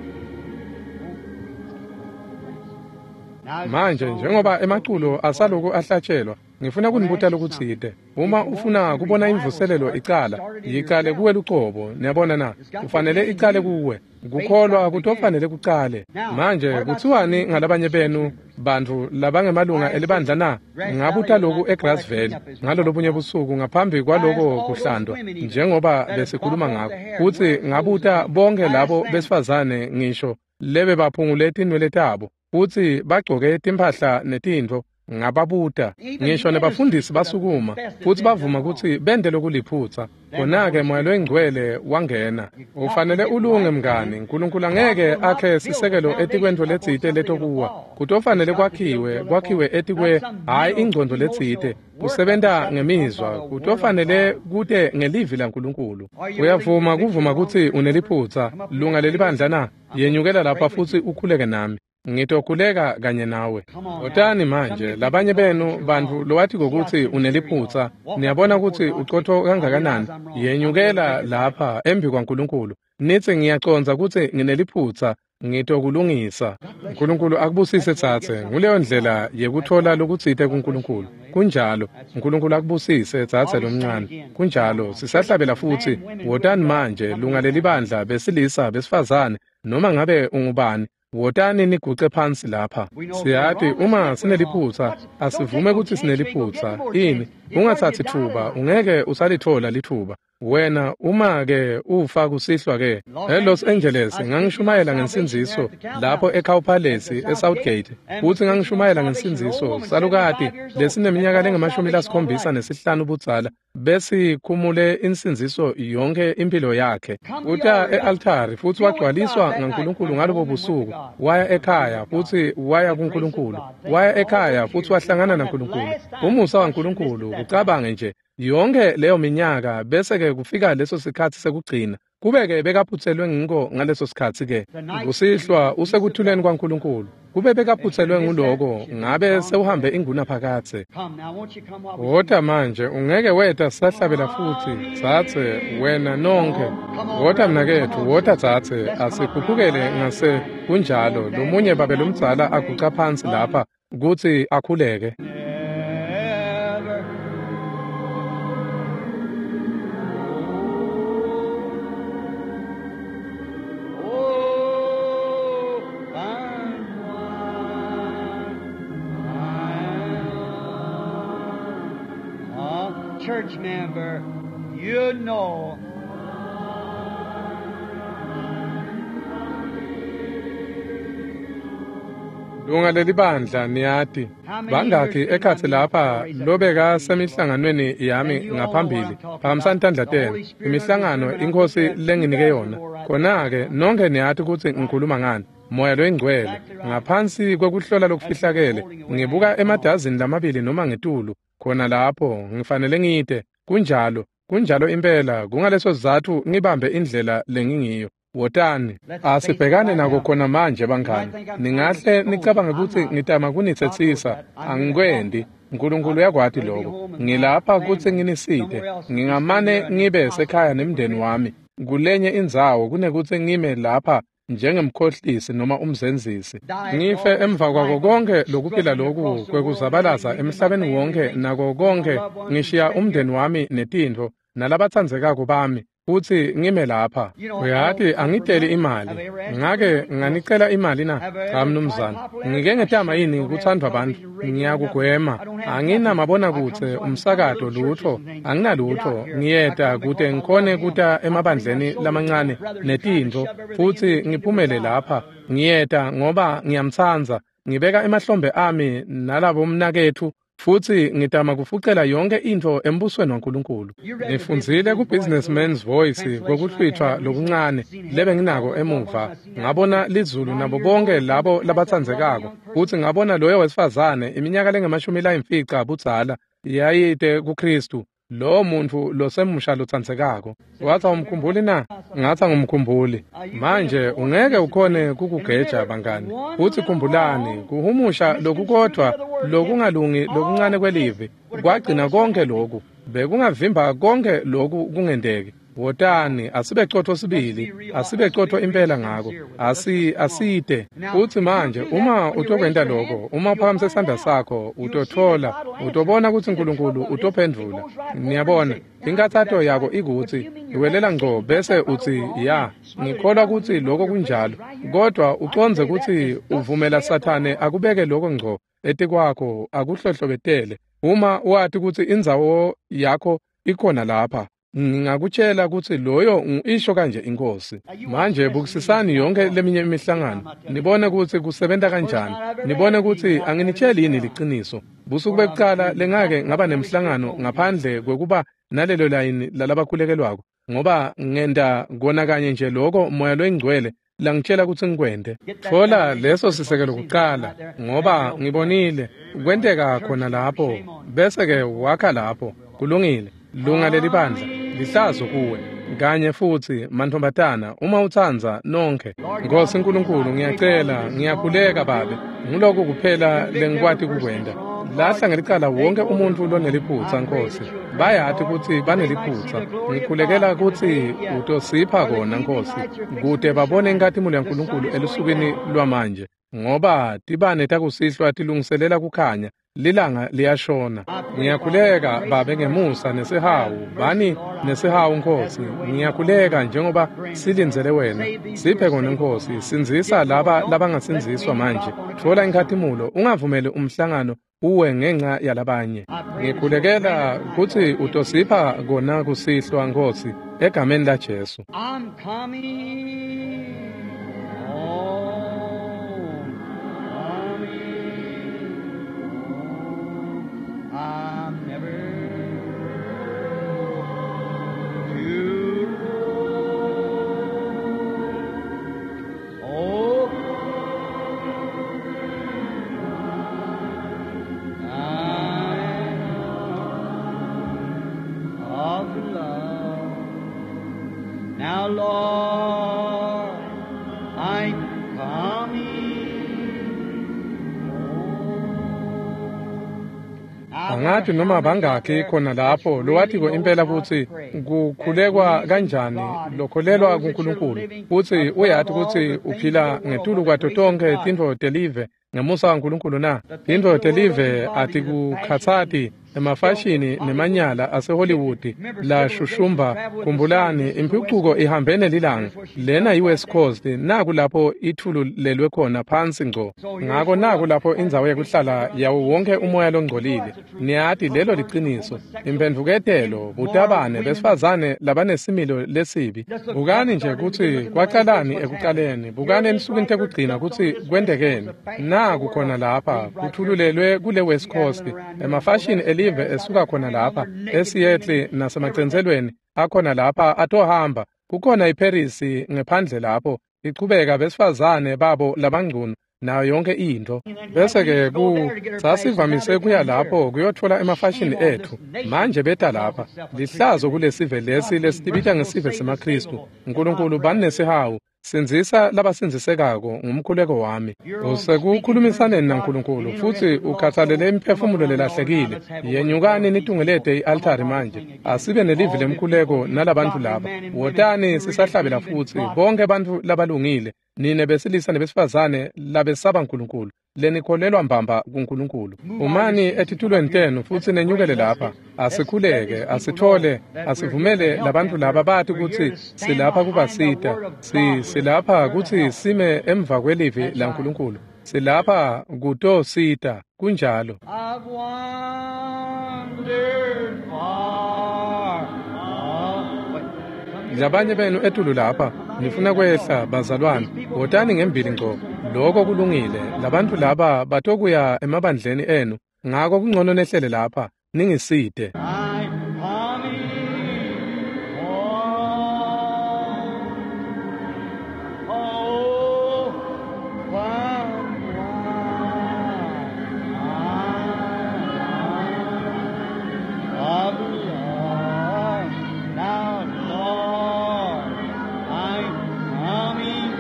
Speaker 2: Now, as the
Speaker 1: Manje
Speaker 2: song
Speaker 1: njengoba
Speaker 2: goes
Speaker 1: emaculo
Speaker 2: forth,
Speaker 1: asaloku ahlatshelwa ngifuna
Speaker 2: I want to
Speaker 1: kunibuta
Speaker 2: ask you
Speaker 1: lokutsite.
Speaker 2: something. If
Speaker 1: Uma
Speaker 2: you want to
Speaker 1: ufuna
Speaker 2: see
Speaker 1: kubona
Speaker 2: revival
Speaker 1: imvuselelo
Speaker 2: start,
Speaker 1: icala
Speaker 2: start it in
Speaker 1: yicale
Speaker 2: yourself.
Speaker 1: kuwe lucobo niyabona na
Speaker 2: It's got to
Speaker 1: kufanele
Speaker 2: begin in
Speaker 1: icale
Speaker 2: you.
Speaker 1: kuwe
Speaker 2: Faith's
Speaker 1: kukholwa
Speaker 2: got to begin.
Speaker 1: kutofanele kucale.
Speaker 2: Now,
Speaker 1: Manje
Speaker 2: what about some of
Speaker 1: kuthiwani
Speaker 2: you
Speaker 1: ngalabanye
Speaker 2: church
Speaker 1: benu
Speaker 2: members?
Speaker 1: bantfu labangemalunga
Speaker 2: I asked
Speaker 1: elibandla
Speaker 2: this
Speaker 1: na?
Speaker 2: Grass Valley
Speaker 1: Ngabuta
Speaker 2: the
Speaker 1: loku
Speaker 2: night before
Speaker 1: eGrass
Speaker 2: that
Speaker 1: Valley
Speaker 2: cleanup is
Speaker 1: ngalo
Speaker 2: we talked
Speaker 1: lobunye
Speaker 2: about.
Speaker 1: busuku ngaphambi
Speaker 2: I asked
Speaker 1: kwaloko
Speaker 2: all those
Speaker 1: kuhlandwa
Speaker 2: women even
Speaker 1: njengoba
Speaker 2: that had
Speaker 1: besikhuluma
Speaker 2: bobbed off
Speaker 1: ngako
Speaker 2: their hair and
Speaker 1: kutsi
Speaker 2: wearing clothes and
Speaker 1: ngabuta
Speaker 2: things.
Speaker 1: bonke
Speaker 2: I asked
Speaker 1: labo
Speaker 2: them,
Speaker 1: besifazane ngisho lebe baphungule tinwele tabo futsi bagcoke timphahla netintfo ngababuta
Speaker 2: even
Speaker 1: ngisho
Speaker 2: ministers
Speaker 1: nebafundisi
Speaker 2: stood up and
Speaker 1: basukuma
Speaker 2: confessed that
Speaker 1: futsi
Speaker 2: they'd done
Speaker 1: bavuma
Speaker 2: wrong.
Speaker 1: kutsi bente lokuliphutsa.
Speaker 2: Then the
Speaker 1: Khona-ke
Speaker 2: Holy
Speaker 1: Moya
Speaker 2: Spirit comes.
Speaker 1: loyiNgcwele wangena.
Speaker 2: You got to
Speaker 1: Ufanele
Speaker 2: get
Speaker 1: ulunge
Speaker 2: right,
Speaker 1: mngani
Speaker 2: friend.
Speaker 1: uNkulunkulu
Speaker 2: God
Speaker 1: angeke
Speaker 2: will not
Speaker 1: akhe
Speaker 2: build the
Speaker 1: sisekelo
Speaker 2: foundation
Speaker 1: etikwentfo
Speaker 2: up on
Speaker 1: letsite
Speaker 2: something that'll
Speaker 1: letokuwa.
Speaker 2: fall. It's
Speaker 1: Kutofanele
Speaker 2: got to build
Speaker 1: kwakhiwe
Speaker 2: built up on
Speaker 1: kwakhiwe
Speaker 2: not
Speaker 1: etikwe
Speaker 2: some
Speaker 1: hhayi
Speaker 2: mental,
Speaker 1: ingcondvo letsite
Speaker 2: emotional workup. It's
Speaker 1: kusebenta
Speaker 2: got to come by
Speaker 1: ngemizwa
Speaker 2: the Word of
Speaker 1: kutofanele
Speaker 2: God.
Speaker 1: kute ngelivi laNkulunkulu.
Speaker 2: Are you willing to
Speaker 1: Uyavuma
Speaker 2: admit you're
Speaker 1: kuvuma
Speaker 2: wrong,
Speaker 1: kutsi
Speaker 2: church member?
Speaker 1: uneliphutsa
Speaker 2: Come up here
Speaker 1: lunga
Speaker 2: and pray with
Speaker 1: lelibandla
Speaker 2: me.
Speaker 1: na?
Speaker 2: I'm going to
Speaker 1: Yenyukela
Speaker 2: pray
Speaker 1: lapha
Speaker 2: with
Speaker 1: futsi
Speaker 2: you.
Speaker 1: ukhuleke nami. Ngitokhuleka kanye nawe.
Speaker 2: Come on now.
Speaker 1: Wotani
Speaker 2: Some of
Speaker 1: manje
Speaker 2: you people
Speaker 1: labanye
Speaker 2: know that
Speaker 1: benu
Speaker 2: you're
Speaker 1: bantfu
Speaker 2: wrong.
Speaker 1: lowati
Speaker 2: See how
Speaker 1: kokuthi
Speaker 2: sincere you are.
Speaker 1: uneliphutsa
Speaker 2: Walk up here
Speaker 1: niyabona
Speaker 2: before
Speaker 1: kutsi
Speaker 2: God and say,
Speaker 1: ucotfo
Speaker 2: I realize
Speaker 1: kangakanani.
Speaker 2: I'm wrong. I'm going to
Speaker 1: Yenyukela
Speaker 2: make it right.
Speaker 1: lapha embi kwaNkulunkulu nitsi ngiyacondza kutsi ngineliphutsa ngitokulungisa.
Speaker 2: God bless you.
Speaker 1: uNkulunkulu akubusise
Speaker 2: That's the way to get
Speaker 1: tsatse.
Speaker 2: something
Speaker 1: Nguleyo
Speaker 2: from God.
Speaker 1: ndlela
Speaker 2: That's
Speaker 1: yekutfola
Speaker 2: right.
Speaker 1: lokutsite
Speaker 2: God bless you,
Speaker 1: kuNkulunkulu.
Speaker 2: young lady.
Speaker 1: Kunjalo.
Speaker 2: That's right.
Speaker 1: uNkulunkulu akubusise tsatse
Speaker 2: While we sing
Speaker 1: lomncane.
Speaker 2: again, come on
Speaker 1: Kunjalo.
Speaker 2: now. Church,
Speaker 1: Sisahlabela futhi.
Speaker 2: man, women, who have
Speaker 1: Wotani
Speaker 2: God,
Speaker 1: manje
Speaker 2: come
Speaker 1: lunga
Speaker 2: here now.
Speaker 1: lelibandla besilisa besifazane noma ngabe ungubani. Wotani niguce phansi lapha.
Speaker 2: We know if we're
Speaker 1: Siyati
Speaker 2: wrong, let's
Speaker 1: uma
Speaker 2: admit we're wrong.
Speaker 1: sineliphutsa
Speaker 2: What's, don't
Speaker 1: asivume
Speaker 2: take no
Speaker 1: kutsi
Speaker 2: chance. You ain't gonna get no
Speaker 1: sineliphutsa.
Speaker 2: more
Speaker 1: Ini
Speaker 2: chance. It's hard
Speaker 1: ungatsatsi
Speaker 2: you die
Speaker 1: thuba
Speaker 2: tonight.
Speaker 1: ungeke usalithola lithuba. Wena uma-ke ufa kusihlwa-ke eLos Angeles, ngangishumayela ngensindziso lapho eCow Palace eSouthgate, futsi ngangishumayela ngensindziso salukati lesineminyaka lengamashumi-75 budzala besikhumule insindziso yonke impilo yakhe. Uta e-altari futsi wagcwaliswa ngaNkulunkulu ngalobo busuku, waya ekhaya futsi waya kuNkulunkulu, waya ekhaya futsi wahlangana naNkulunkulu. Umusa waNkulunkulu, kucabange nje yonke leyo minyaka bese-ke kufika leso sikhatsi sekugcina, kube-ke bekaphutselwe ngiko ngaleso sikhatsi-ke. Kusihlwa usekuthuleni kwaNkulunkulu. Kube bekaphutselwe nguloko, ngabe sewuhambe ingunaphakadze. Wota manje, ungeke weta sahlabela futsi, dzadze, wena nonkhe. Wota mnaketfu, wota dzadze, asikhuphukele ngase kunjalo. Lomunye babe lomdzala aguca phansi lapha kutsi akhuleke.
Speaker 2: Church member, you know.
Speaker 1: Lunga lelibandla niyati bangakhi ekhatsi lapha lobeka semihlanganweni yami ngaphambili, phakamisani tandla tenu. Imihlangano iNkhosi lenginike yona. Khona-ke nonkhe niyati kutsi ngikhuluma ngani. Moya loyingcwele ngaphansi kwekuhlola lokufihlakele, ngibuka emadazini lamabili noma ngetulu khona lapho ngifanele ngite. Kunjalo, kunjalo impela. Kungaleso sizatfu ngibambe indlela lengingiyo. Wotani, asibhekane nako khona manje bangani. Ningahle nicabange kutsi ngitama kunitsetsisa, angikwendi. Nkulunkulu uyakwati lokho. Ngilapha kutsi nginisite. Ngingamane ngibe sekhaya nemndeni wami kulenye indzawo kunekutsi ngime lapha njengemkhohlisi noma umzenzisi. Ngife emva kwako konke lokuphila loku kwekuzabalaza emhlabeni wonke nako konke, ngishiya umndeni wami netintfo nalabatsandzekako bami, futsi ngime lapha. Uyati angiteli imali. Ngake nganicela imali na? Cha mnumzane. Ngike ngetama yini kuthandwa bantfu? Ngiyakugwema. Anginamabonakudze, umsakato, lutfo. Anginalutfo. Ngiyeta kute ngikhone kuta emabandleni lamancane netintfo, futsi ngiphumele lapha. Ngiyeta ngoba ngiyamtsandza. Ngibeka emahlombe ami nalabomnaketfu, futsi ngitama kufucela yonke intfo embusweni waNkulunkulu. Ngifundzile ku-Businessman's Voice kwekuhlwitfwa lokuncane lebenginako emuva. Ngabona lizulu nabo bonke labo labatsandzekako, futsi ngabona loyo wesifazane iminyaka lengamashumi-5 budzala yayite kuKhristu, lowo muntfu losemusha lotsandzekako. Watsi awumkhumbuli na? Ngatsi angumkhumbuli. Manje ungeke ukhone kukugeja bangani. Futsi khumbulani, kuhumusha lokukodvwa lokungalungi lokuncane kwelivi kwagcina konke loku. Bekungavimba konke loku kungenteki. Wotani, asibecotfo sibili, asibecotfo impela ngako. Asite. Futsi manje uma utokwenta lokho, uma uphakamise sandla sakho, utothola, utobona kutsi Nkulunkulu utophendvula. Niyabona, inkathato yakho ikutsi iwelela ngco bese utsi ya, ngikholwa kutsi lokho kunjalo, kodwa ucondze kutsi uvumela Sathane akubeke lokho ngco etikwakho akuhlohlobetele. Uma wati kutsi indzawo yakho ikhona lapha, ngingakutshela kutsi loyo isho kanje iNkhosi. Manje bukisisani yonke leminye imihlangano, nibone kutsi kusebenta kanjani, nibone kutsi anginitsheli yini liciniso. Busuku bekucala lengake ngaba nemhlangano ngaphandle kwekuba nalelo layini lalabakhulekelwako, ngoba ngenta kona kanye nje loko Moya loyiNgcwele langitshela kutsi ngikwente. Tfola leso sisekelo kucala, ngoba ngibonile kwenteka khona lapho, bese-ke wakha lapho. Kulungile. Lunga lelibandla lihlazo kuwe kanye futsi mantfombatana, uma utsandza nonkhe. Nkosi Nkulunkulu, ngiyacela, ngiyakhuleka Babe, nguloko kuphela lengikwati kukwenta. Lahla ngelicala wonke umuntfu loneliphutsa, Nkosi. Bayati kutsi baneliphutsa. Ngikhulekela kutsi utosipha kona, Nkosi, kute babone inkhatimulo yaNkulunkulu elusukwini lwamanje, ngoba tibane takusihlwa tilungiselela kukhanya. Lilanga liyashona. Ngiyakhuleka Babe ngemusa nesihawu, bani nesihawu Nkosi. Ngiyakhuleka njengoba silindzele wena. Siphe kona Nkosi, sindzisa laba labangasindziswa manje. Tfola inkhatimulo, ungavumeli umhlangano uwe ngenxa yalabanye. Ngikhulekela kutsi utosipha kona kusihlwa Nkhosi egameni la Jesu.
Speaker 2: I'm coming home, coming home. I'm never to roam. Oh, I of love. Now, Lord, I'm coming home.
Speaker 1: Angati noma bangakhi khona lapho lowatiko impela kutsi kukhulekwa kanjani lokholelwa kuNkulunkulu kutsi uyati kutsi uphila ngetulu kwato tonkhe tintfo telive ngemusa waNkulunkulu na. Tintfo telive atikukhatsati emafashini nemanyala aseHollywood lashushumba. Khumbulani, imphucuko ihambene lilanga. Lena yi-West Coast, naku lapho ithululelwe khona phansi ngco. Ngako naku lapho indzawo yekuhlala yawo wonke umoya longcolile. Niyati lelo liciniso. Imphendvuketelo, butabane, besifazane labanesimilo lesibi. Bukani nje kutsi kwacalani ekucaleni, bukani ensukwini tekugcina kutsi kwentekeni. Naku khona lapha kuthululelwe kule West Coast, emafashini elive esuka khona lapha eSeattle nasemacentselweni akhona lapha atohamba. Kukhona iParis ngephandle lapho ichubeka besifazane babo labangcunu nayo yonke intfo. Bese-ke sasivamise kuya lapho kuyotfola emafashini etfu. Manje beta lapha. Lihlazo kulesive lesi lesitibita ngesive semaKhristu. Nkulunkulu bani nesihawu. Sindzisa labasindzisekako ngumkhuleko wami. Usekukhulumisaneni naNkulunkulu futsi ukhathalele imiphefumulo lelahlekile. Yenyukani nitungelete i-altari manje. Asibe nelivi lemkhuleko nalabantfu laba. Wotani sisahlabela futsi bonke bantfu labalungile, nine besilisa nebesifazane labesaba Nkulunkulu, lenikholelwa mbamba kuNkulunkulu. Umani etitulweni tenu futsi nenyukele lapha. Asikhuleke, asithole, asivumele labantfu laba bati kutsi silapha kubasita. Silapha kutsi sime emva kwelivi laNkulunkulu. Silapha kutosita. Kunjalo.
Speaker 2: I've wandered far. Oh,
Speaker 1: Labanye benu etulu lapha nifuna kwehla bazalwane, wotani ngembili ngco. Lokho kulungile. Labantfu laba batokuya emabandleni enu, ngako kungcono nehlele lapha ningisite.
Speaker 2: I'm coming home. Oh, come of love. Now, Lord, I'm coming.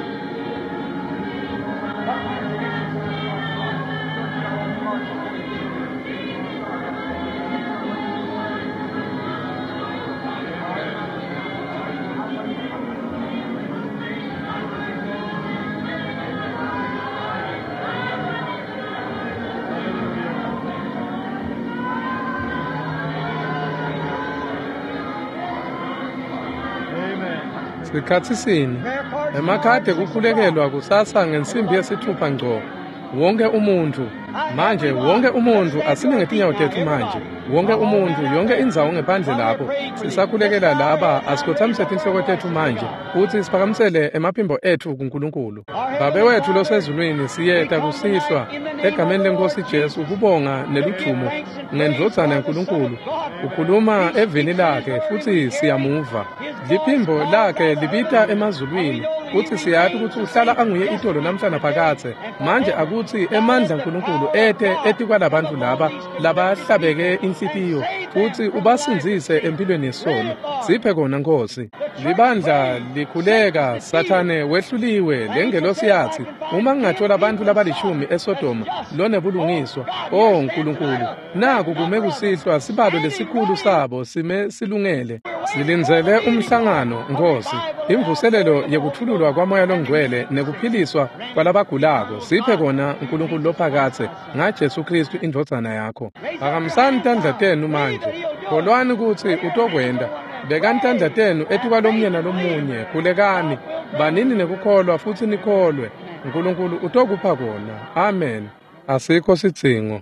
Speaker 1: Sikhatsi sini emakhadi ekukhulekelwa kusasa ngensimbi yesithupha ngco. Wonke umuntfu manje, wonke umuntfu asime ngetinyawo tetfu manje. Wonke umuntfu, yonke indzawo ngephandle lapho sisakhulekela laba, asikhotsamise tinhloko tetfu manje futsi siphakamisele emaphimbo etfu kuNkulunkulu. Babe wetfu losezulwini, siyeta kusihlwa egameni leNkhosi Jesu kubonga neludvumo ngendvodzana yaNkulunkulu. Ukhuluma evini lakhe futsi siyamuva. Liphimbo lakhe libita emazulwini futsi siyati kutsi uhlala anguye itolo namhla naphakadze. Manje akutsi emandla aNkulunkulu ete etikwalabantfu laba labahlabeke inhlitiyo futsi ubasindzise empilweni yesono. Siphe kona Nkhosi. Libandla likhuleka, Sathane wehluliwe. Lengelosi yatsi, uma ngingathola bantfu labalishumi eSodoma lonebulungiswa. O Nkulunkulu, naku kume kusihlwa sibalo lesikhulu sabo sime silungele. Silindzele umhlangano Nkhosi, imvuselelo yekuthululwa kwaMoya Longcwele nekuphiliswa kwalabagulako. Siphe kona Nkulunkulu lophakadze ngaJesu Khristu indvodzana yakho. Phakamisani tandla tenu manje. Kholwani kutsi utokwenta. Bekani tandla tenu etikwalomunye nalomunye. Khulekani, banini nekukholwa futsi nikholwe. Nkulunkulu utokupha kona. Amen. Asikho sidzingo.